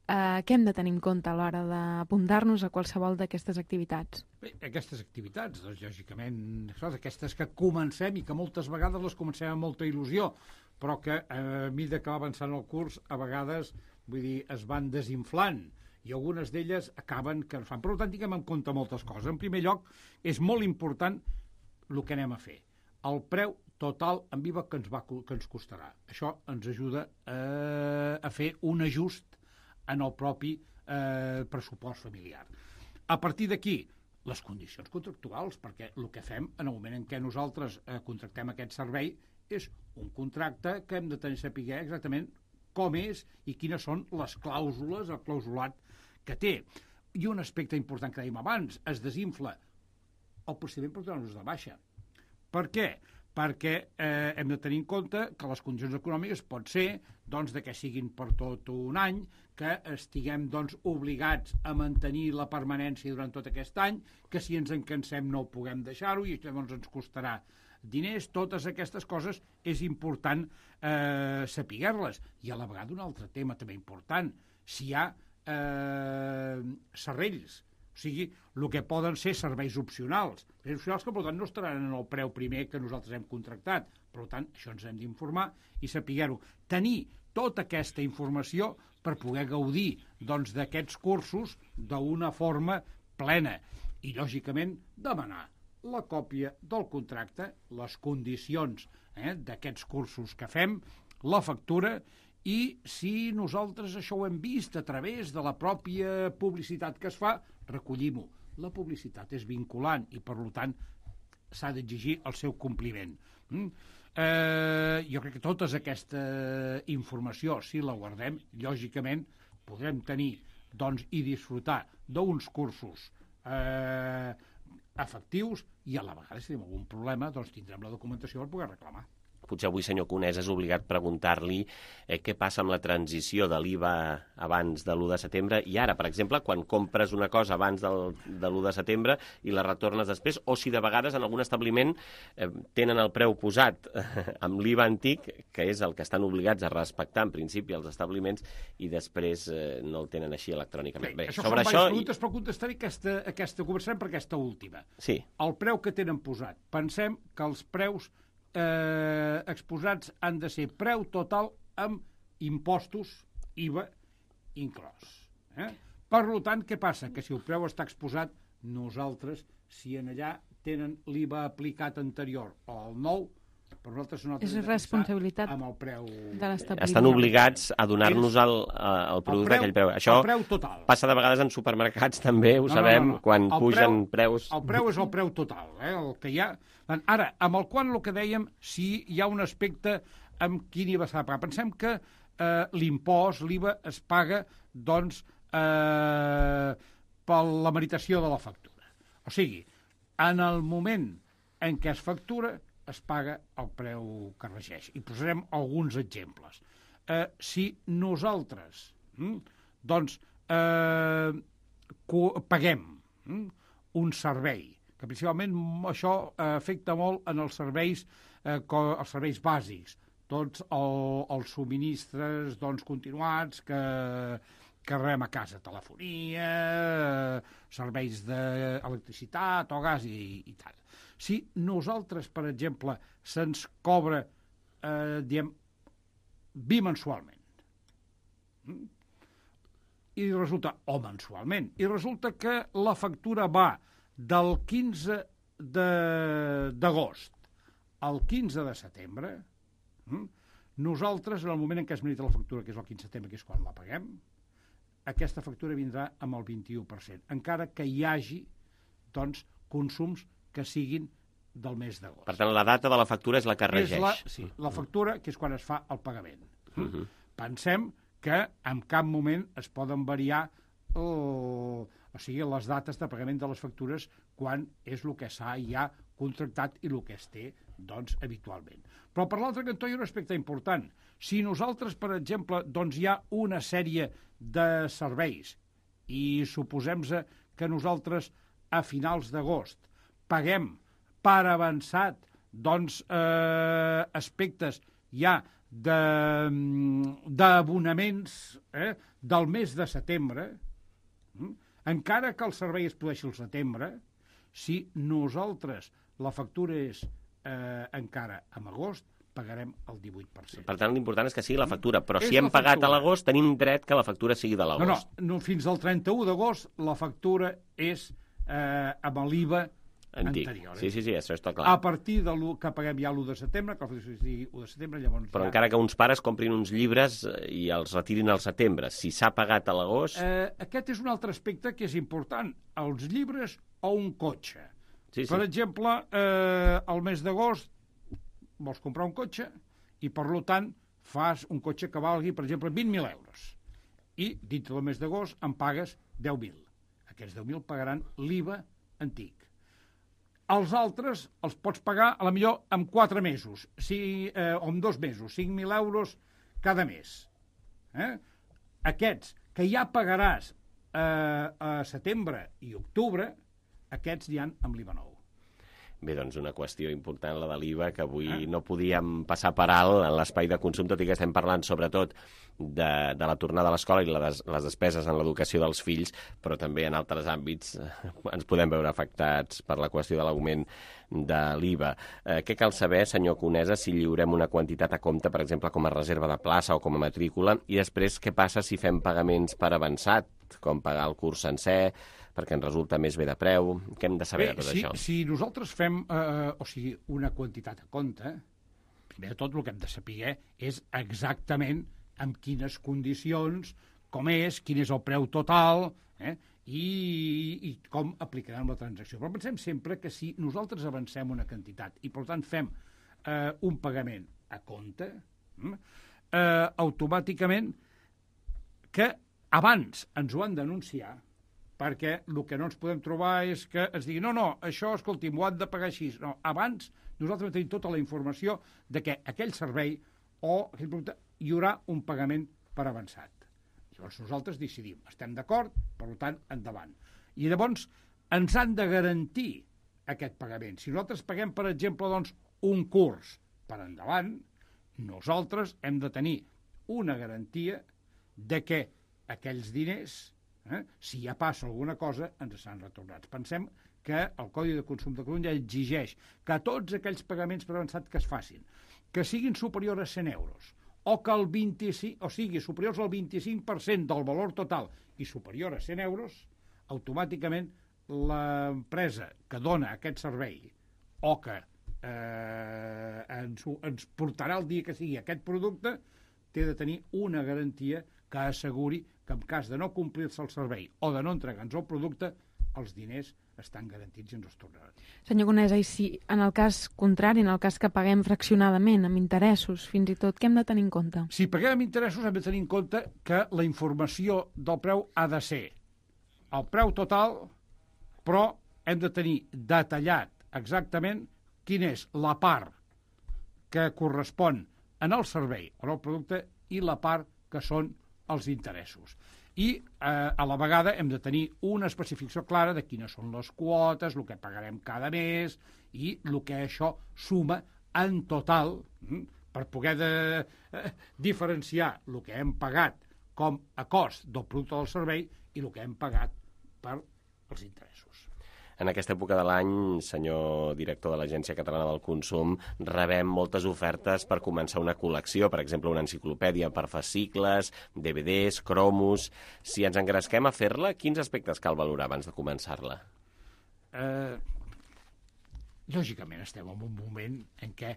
Eh, què hem de tenir en compte a l'hora d'apuntar-nos a qualsevol d'aquestes activitats? Bé, aquestes activitats, doncs, lògicament, aquestes que comencem i que moltes vegades les comencem amb molta il·lusió, però que eh, a mesura que va avançant el curs, a vegades, vull dir, es van desinflant, i algunes d'elles acaben que fan. Per tant, tinguem en compte moltes coses. En primer lloc, és molt important el que anem a fer. El preu total en viva que ens, va, que ens costarà. Això ens ajuda eh, a fer un ajust en el propi eh, pressupost familiar. A partir d'aquí, les condicions contractuals, perquè el que fem en el moment en què nosaltres eh, contractem aquest servei és un contracte que hem de tenir saber exactament com és i quines són les clàusules, el clausulat que té. I un aspecte important que dèiem abans, es desinfla el procediment per donar-nos de baixa. Per què? Perquè eh, hem de tenir en compte que les condicions econòmiques pot ser doncs, de que siguin per tot un any, que estiguem doncs, obligats a mantenir la permanència durant tot aquest any, que si ens en cansem no puguem deixar-ho i llavors ens costarà diners. Totes aquestes coses és important eh, saber-les. I a la vegada un altre tema també important, si hi ha eh, serrells, o sigui, el que poden ser serveis opcionals, serveis opcionals que per tant no estaran en el preu primer que nosaltres hem contractat. Per tant, això ens hem d'informar i saber-ho. Tenir tota aquesta informació per poder gaudir doncs, d'aquests cursos d'una forma plena i, lògicament, demanar la còpia del contracte, les condicions eh, d'aquests cursos que fem, la factura, i si nosaltres això ho hem vist a través de la pròpia publicitat que es fa, recollim-ho. La publicitat és vinculant i, per tant, s'ha d'exigir el seu compliment. Mm? Eh, jo crec que tota aquesta informació, si la guardem, lògicament podrem tenir doncs, i disfrutar d'uns cursos eh, efectius i a la vegada, si tenim algun problema, doncs tindrem la documentació per poder reclamar. Potser avui, senyor Conés, és obligat preguntar-li eh, què passa amb la transició de l'I V A abans de l'u de setembre i ara, per exemple, quan compres una cosa abans del, de l'u de setembre i la retornes després, o si de vegades en algun establiment eh, tenen el preu posat eh, amb l'I V A antic, que és el que estan obligats a respectar en principi els establiments, i després eh, no el tenen així electrònicament. Bé, Bé, això sobre són això... preguntes, però contestaré aquesta, aquesta, començarem per aquesta última. Sí. El preu que tenen posat. Pensem que els preus Eh, exposats han de ser preu total amb impostos, I V A inclòs. Eh? Per tant, què passa? Que si el preu està exposat, nosaltres, si en allà tenen l'I V A aplicat anterior o el nou, per nosaltres nosaltres és responsabilitat amb el preu de l'establiment. Estan obligats a donar-nos el, el producte d'aquell preu. Això el preu total. Passa de vegades en supermercats també, ho no, sabem, no, no, no. quan el pugen preu, preus... El preu és el preu total, eh? El que hi ha... Ara, amb el quant el que dèiem, si hi ha un aspecte amb quin I V A s'ha de pagar. Pensem que eh, l'impost, l'I V A, es paga, doncs, eh, per la meritació de la factura. O sigui, en el moment en què es factura, es paga el preu que regeix. I posarem alguns exemples. Eh, si nosaltres, hm, doncs, eh, paguem hm, un servei, que principalment això afecta molt en els serveis, eh, els serveis bàsics, tots el, els subministres doncs, continuats que, que rebem a casa, telefonia, serveis d'electricitat o gas i, i tal. Si nosaltres, per exemple, se'ns cobra, eh, diem, bimensualment, i resulta, o mensualment, i resulta que la factura va del quinze d'agost al quinze de setembre, nosaltres, en el moment en què es merita la factura, que és el quinze de setembre, que és quan la paguem, aquesta factura vindrà amb el vint-i-u per cent, encara que hi hagi doncs, consums que siguin del mes d'agost. Per tant, la data de la factura és la que regeix. La, sí, la factura, que és quan es fa el pagament. Uh-huh. Pensem que en cap moment es poden variar el... o sigui, les dates de pagament de les factures quan és el que s'ha ja contractat i el que es té, doncs, habitualment. Però per l'altre cantó hi ha un aspecte important. Si nosaltres, per exemple, doncs hi ha una sèrie de serveis i suposem que nosaltres a finals d'agost paguem per avançat doncs, eh, aspectes ja d'abonaments eh, del mes de setembre, hm? Encara que el servei es produeixi al setembre, si nosaltres la factura és eh, encara en agost, pagarem el divuit per cent. Per tant, l'important és que sigui la factura, però és si hem pagat a l'agost, tenim dret que la factura sigui de l'agost. No, no, no, fins al trenta-u d'agost la factura és eh, amb l'I V A antic. Anterior. Eh? Sí, sí, sí, això està clar. A partir de l'u que paguem ja l'u de setembre, que la factura sigui l'u de setembre, llavors... Però ja... encara que uns pares comprin uns llibres i els retirin al setembre, si s'ha pagat a l'agost... Eh, aquest és un altre aspecte que és important. Els llibres o un cotxe. Sí, sí. Per exemple, eh, al mes d'agost vols comprar un cotxe i, per tant, fas un cotxe que valgui, per exemple, vint mil euros. I, dintre del mes d'agost, en pagues deu mil. Aquests deu mil pagaran l'I V A antic. Els altres els pots pagar, a la millor, en quatre mesos, si, eh, o en dos mesos, cinc mil euros cada mes. Eh? Aquests, que ja pagaràs eh, a setembre i octubre, aquests hi han amb l'I V A nou. Bé, doncs una qüestió important, la de l'I V A, que avui eh? no podíem passar per alt en l'espai de consum, tot i que estem parlant sobretot de, de la tornada a l'escola i les, les despeses en l'educació dels fills, però també en altres àmbits eh, ens podem veure afectats per la qüestió de l'augment de l'I V A. Eh, què cal saber, senyor Conesa, si lliurem una quantitat a compte, per exemple, com a reserva de plaça o com a matrícula, i després què passa si fem pagaments per avançat, com pagar el curs sencer, perquè ens resulta més bé de preu? Què hem de saber bé, de tot si, això? Si nosaltres fem eh, o sigui, una quantitat a compte, primer de tot el que hem de saber és exactament amb quines condicions, com és, quin és el preu total, eh, i, i com aplicarem la transacció. Però pensem sempre que si nosaltres avancem una quantitat i, per tant, fem eh, un pagament a compte, eh, automàticament que abans ens ho han d'anunciar, perquè el que no ens podem trobar és que ens diguin no, no, això, escolti, m'ho han de pagar així. No, abans nosaltres tenim tota la informació de que aquell servei o aquell producte hi haurà un pagament per avançat. Llavors nosaltres decidim, estem d'acord, per tant, endavant. I llavors ens han de garantir aquest pagament. Si nosaltres paguem, per exemple, doncs, un curs per endavant, nosaltres hem de tenir una garantia de que aquells diners, eh, si ja passa alguna cosa, ens seran retornats. Pensem que el Codi de Consum de Catalunya exigeix que tots aquells pagaments per avançat que es facin, que siguin superiors a cent euros, o que el vint-i-cinc, o sigui, superiors al vint-i-cinc per cent del valor total i superior a cent euros, automàticament l'empresa que dona aquest servei o que eh, ens, ens portarà el dia que sigui aquest producte, té de tenir una garantia que asseguri que en cas de no complir-se el servei o de no entregar-nos el producte, els diners estan garantits i ens els tornaran. Senyor Conesa, i si en el cas contrari, en el cas que paguem fraccionadament, amb interessos, fins i tot, què hem de tenir en compte? Si paguem amb interessos hem de tenir en compte que la informació del preu ha de ser el preu total, però hem de tenir detallat exactament quina és la part que correspon en el servei o en el producte i la part que són els interessos. I eh, a la vegada hem de tenir una especificació clara de quines són les quotes, el que pagarem cada mes i el que això suma en total hm, per poder de, eh, diferenciar el que hem pagat com a cost del producte del servei i el que hem pagat per els interessos. En aquesta època de l'any, senyor director de l'Agència Catalana del Consum, rebem moltes ofertes per començar una col·lecció, per exemple, una enciclopèdia per fascicles, D V Ds, cromos... Si ens engresquem a fer-la, quins aspectes cal valorar abans de començar-la? Eh, lògicament estem en un moment en què,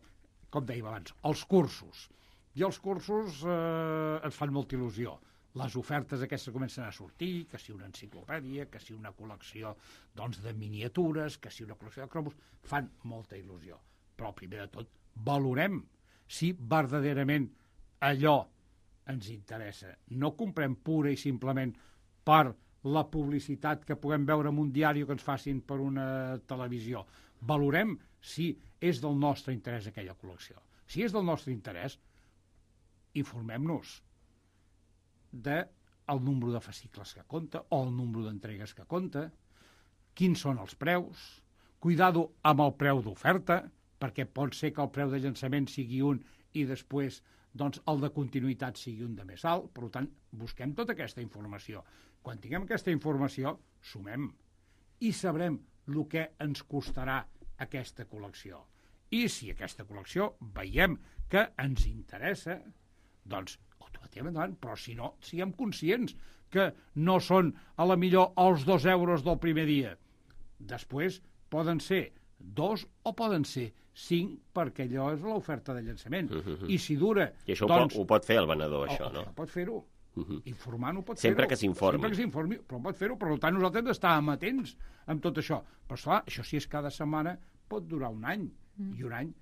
com dèiem abans, els cursos. I els cursos eh, ens fan molta il·lusió. Les ofertes aquestes comencen a sortir, que si una enciclopèdia, que si una col·lecció doncs, de miniatures, que si una col·lecció de cromos, fan molta il·lusió. Però, primer de tot, valorem si verdaderament allò ens interessa. No comprem pura i simplement per la publicitat que puguem veure en un diari o que ens facin per una televisió. Valorem si és del nostre interès aquella col·lecció. Si és del nostre interès, informem-nos del número de fascicles que compta o el número d'entregues que compta, quins són els preus, cuidado amb el preu d'oferta, perquè pot ser que el preu de llançament sigui un i després doncs, el de continuïtat sigui un de més alt. Per tant, busquem tota aquesta informació. Quan tinguem aquesta informació, sumem i sabrem el que ens costarà aquesta col·lecció. I si aquesta col·lecció veiem que ens interessa, doncs endavant, però si no, siguem conscients que no són a la millor els dos euros del primer dia. Després poden ser dos o poden ser cinc, perquè allò és l'oferta de llançament. Uh -huh. I si dura... I això doncs, ho, pot, ho pot fer el venedor, això, o, no? Això pot fer-ho. Uh -huh. Informant-ho pot Sempre fer-ho. que s'informi. Sempre que s'informi, però pot fer-ho. Per tant, nosaltres hem d'estar amatents amb tot això. Però, esclar, això si és cada setmana pot durar un any. Mm. I un any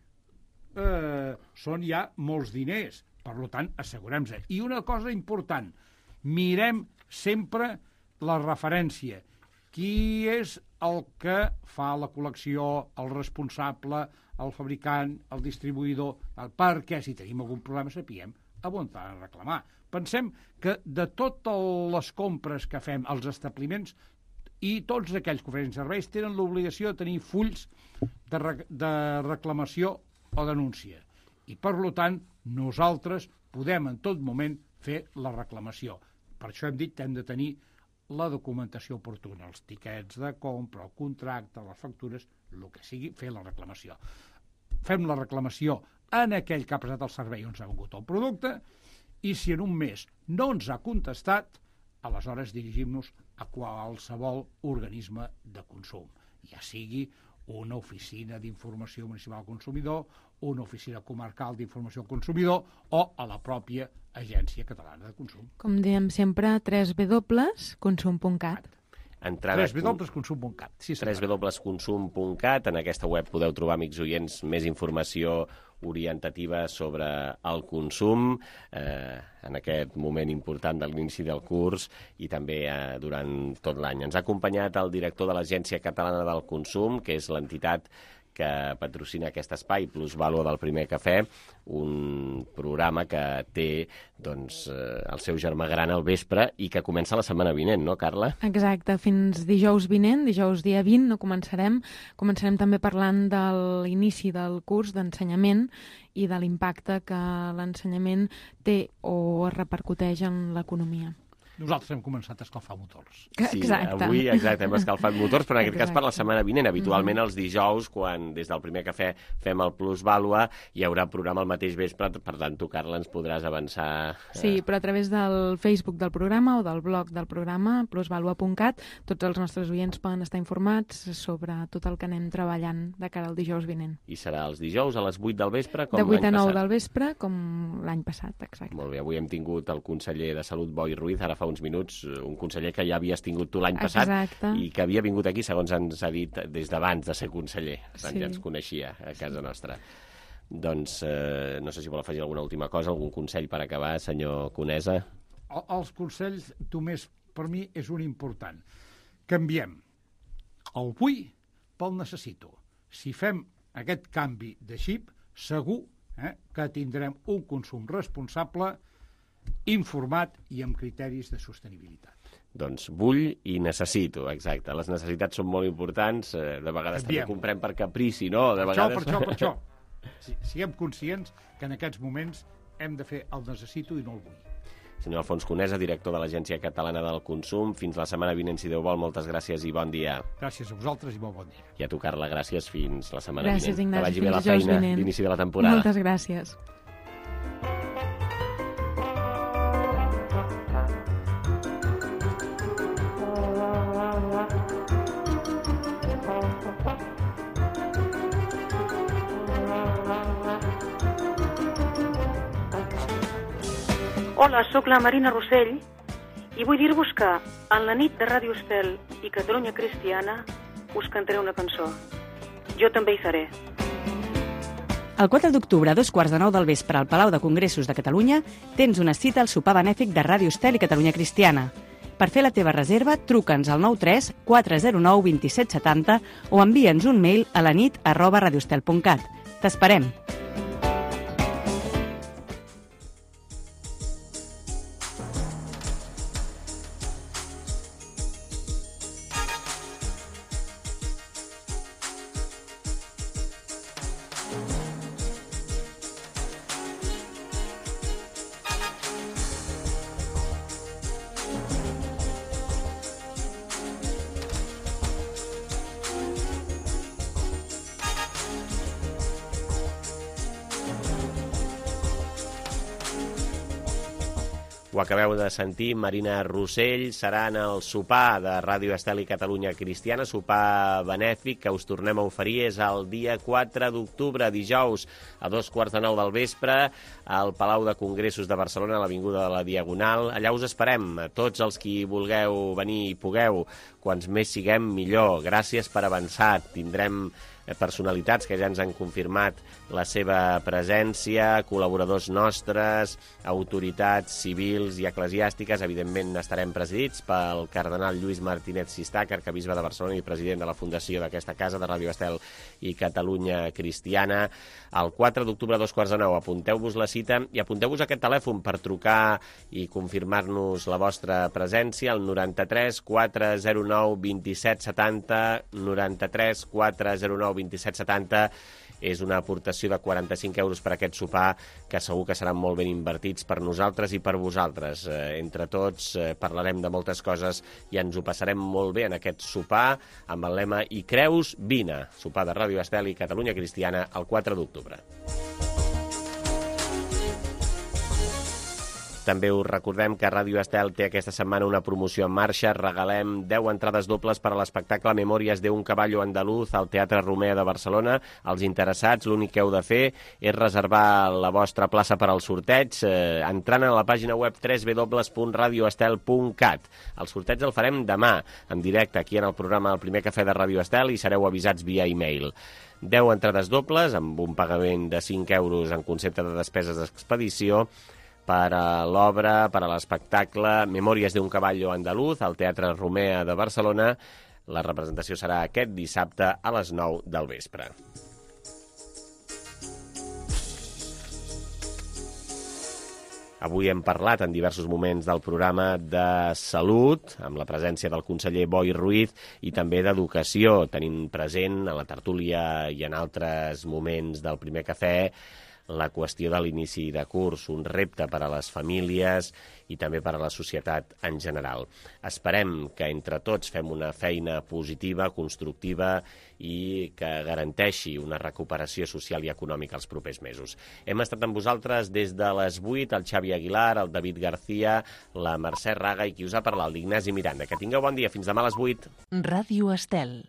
eh, són ja molts diners. Per tant, assegurem-se. I una cosa important, mirem sempre la referència. Qui és el que fa la col·lecció, el responsable, el fabricant, el distribuïdor, perquè si tenim algun problema sapiguem a on ha de reclamar. Pensem que de totes les compres que fem als establiments i tots aquells que ofereixen serveis tenen l'obligació de tenir fulls de, re de reclamació o denúncia. I, per tant, nosaltres podem en tot moment fer la reclamació. Per això hem dit que hem de tenir la documentació oportuna, els tiquets de compra, el contracte, les factures, el que sigui, fer la reclamació. Fem la reclamació en aquell que ha prestat el servei on s'ha vengut el producte i si en un mes no ens ha contestat, aleshores dirigim-nos a qualsevol organisme de consum, ja sigui una oficina d'informació municipal al consumidor, una oficina comarcal d'informació al consumidor o a la pròpia Agència Catalana de Consum. Com diem sempre, w w w punt consum punt cat. Entrada... w w w punt consum punt cat. Sí, w w w punt consum punt cat. En aquesta web podeu trobar, amics oients, més informació orientativa sobre el consum eh, en aquest moment important de l'inici del curs i també eh, durant tot l'any. Ens ha acompanyat el director de l'Agència Catalana del Consum, que és l'entitat que patrocina aquest espai, Plus Vàlua del Primer Cafè, un programa que té doncs, eh, el seu germà gran al vespre i que comença la setmana vinent, no, Carla? Exacte, fins dijous vinent, dijous dia vint, no començarem. Començarem també parlant de l'inici del curs d'ensenyament i de l'impacte que l'ensenyament té o es repercuteix en l'economia. Nosaltres hem començat a escalfar motors. Sí, exacte. Avui exacte, hem escalfat motors, però en aquest exacte. cas per la setmana vinent. Habitualment els dijous, quan des del Primer Cafè fem el Plus Vàlua, hi haurà programa al mateix vespre, per tant, tu, Carla, ens podràs avançar... Eh... Sí, però a través del Facebook del programa o del blog del programa, plus vàlua punt cat, tots els nostres oients poden estar informats sobre tot el que anem treballant de cara al dijous vinent. I serà els dijous a les vuit del vespre, com l'any passat? De vuit a nou passat. del vespre, com l'any passat, exacte. Molt bé, avui hem tingut el conseller de Salut, Boi Ruiz, ara fa uns minuts, un conseller que ja havies tingut tu l'any passat Exacte. i que havia vingut aquí, segons ens ha dit, des d'abans de ser conseller. Per tant, sí. ja ens coneixia a casa nostra. Doncs eh, no sé si vol afegir alguna última cosa, algun consell per acabar, senyor Conesa? El, els consells, Tomàs, per mi és un important. Canviem el vull pel necessito. Si fem aquest canvi de xip, segur eh, que tindrem un consum responsable, informat i amb criteris de sostenibilitat. Doncs vull i necessito, exacte. Les necessitats són molt importants, de vegades Canviem. també comprem per caprici, no? De per vegades... això, per això, per això. Siguem conscients que en aquests moments hem de fer el necessito i no el vull. Senyor Alfons Conesa, director de l'Agència Catalana del Consum, fins la setmana vinent, si Déu vol, moltes gràcies i bon dia. Gràcies a vosaltres i molt bon dia. I a tu, Carla, gràcies, fins la setmana gràcies, vinent. Ignasi, que vagi bé la feina d'inici de la temporada. Moltes gràcies. Hola, sóc la Marina Rossell i vull dir-vos que en la nit de Ràdio Estel i Catalunya Cristiana us cantaré una cançó. Jo també hi seré. El quatre d'octubre, a dos quarts de nou del vespre, al Palau de Congressos de Catalunya, tens una cita al sopar benèfic de Ràdio Estel i Catalunya Cristiana. Per fer la teva reserva, truca'ns al nou tres quatre zero nou dos set set zero o envia'ns un mail a la nit arroba radioestel punt cat. T'esperem! Ho acabeu de sentir, Marina Rossell serà en el sopar de Ràdio Estel i Catalunya Cristiana, sopar benèfic que us tornem a oferir, és el dia quatre d'octubre, dijous, a dos quarts de nou del vespre, al Palau de Congressos de Barcelona, a l'Avinguda de la Diagonal. Allà us esperem, tots els qui vulgueu venir i pugueu, quants més siguem millor. Gràcies per avançar, tindrem personalitats que ja ens han confirmat la seva presència, col·laboradors nostres, autoritats civils i eclesiàstiques. Evidentment estarem presidits pel cardenal Lluís Martínez Sistach, arquebisbe de Barcelona i president de la fundació d'aquesta casa, de Ràdio Estel i Catalunya Cristiana. El quatre d'octubre a dos quarts de nou, apunteu-vos la cita i apunteu-vos aquest telèfon per trucar i confirmar-nos la vostra presència, el noranta-tres quatre zero nou dos set setanta, noranta-tres quatre zero nou dos set setanta. És una aportació de quaranta-cinc euros per aquest sopar que segur que seran molt ben invertits per nosaltres i per vosaltres. Eh, entre tots eh, parlarem de moltes coses i ens ho passarem molt bé en aquest sopar amb el lema I creus, vine. Sopar de Ràdio Estel i Catalunya Cristiana el quatre d'octubre. També us recordem que Ràdio Estel té aquesta setmana una promoció en marxa. Regalem deu entrades dobles per a l'espectacle Memòries de un caballo andaluz al Teatre Romea de Barcelona. Els interessats, l'únic que heu de fer és reservar la vostra plaça per al sorteig eh, entrant a la pàgina web w w w punt radio estel punt cat. El sorteig el farem demà, en directe, aquí en el programa El Primer Cafè de Ràdio Estel, i sereu avisats via e-mail. deu entrades dobles, amb un pagament de cinc euros en concepte de despeses d'expedició, per a l'obra, per a l'espectacle Memòries de un caballo andaluz al Teatre Romea de Barcelona. La representació serà aquest dissabte a les nou del vespre. Avui hem parlat en diversos moments del programa de salut, amb la presència del conseller Boi Ruiz, i també d'educació, tenint present a la tertúlia i en altres moments del Primer Cafè la qüestió de l'inici de curs, un repte per a les famílies i també per a la societat en general. Esperem que entre tots fem una feina positiva, constructiva i que garanteixi una recuperació social i econòmica els propers mesos. Hem estat amb vosaltres des de les vuit, el Xavi Aguilar, el David García, la Mercè Raga i qui us ha parlat, l'Ignasi Miranda. Que tingueu bon dia. Fins demà a les vuit. Ràdio Estel.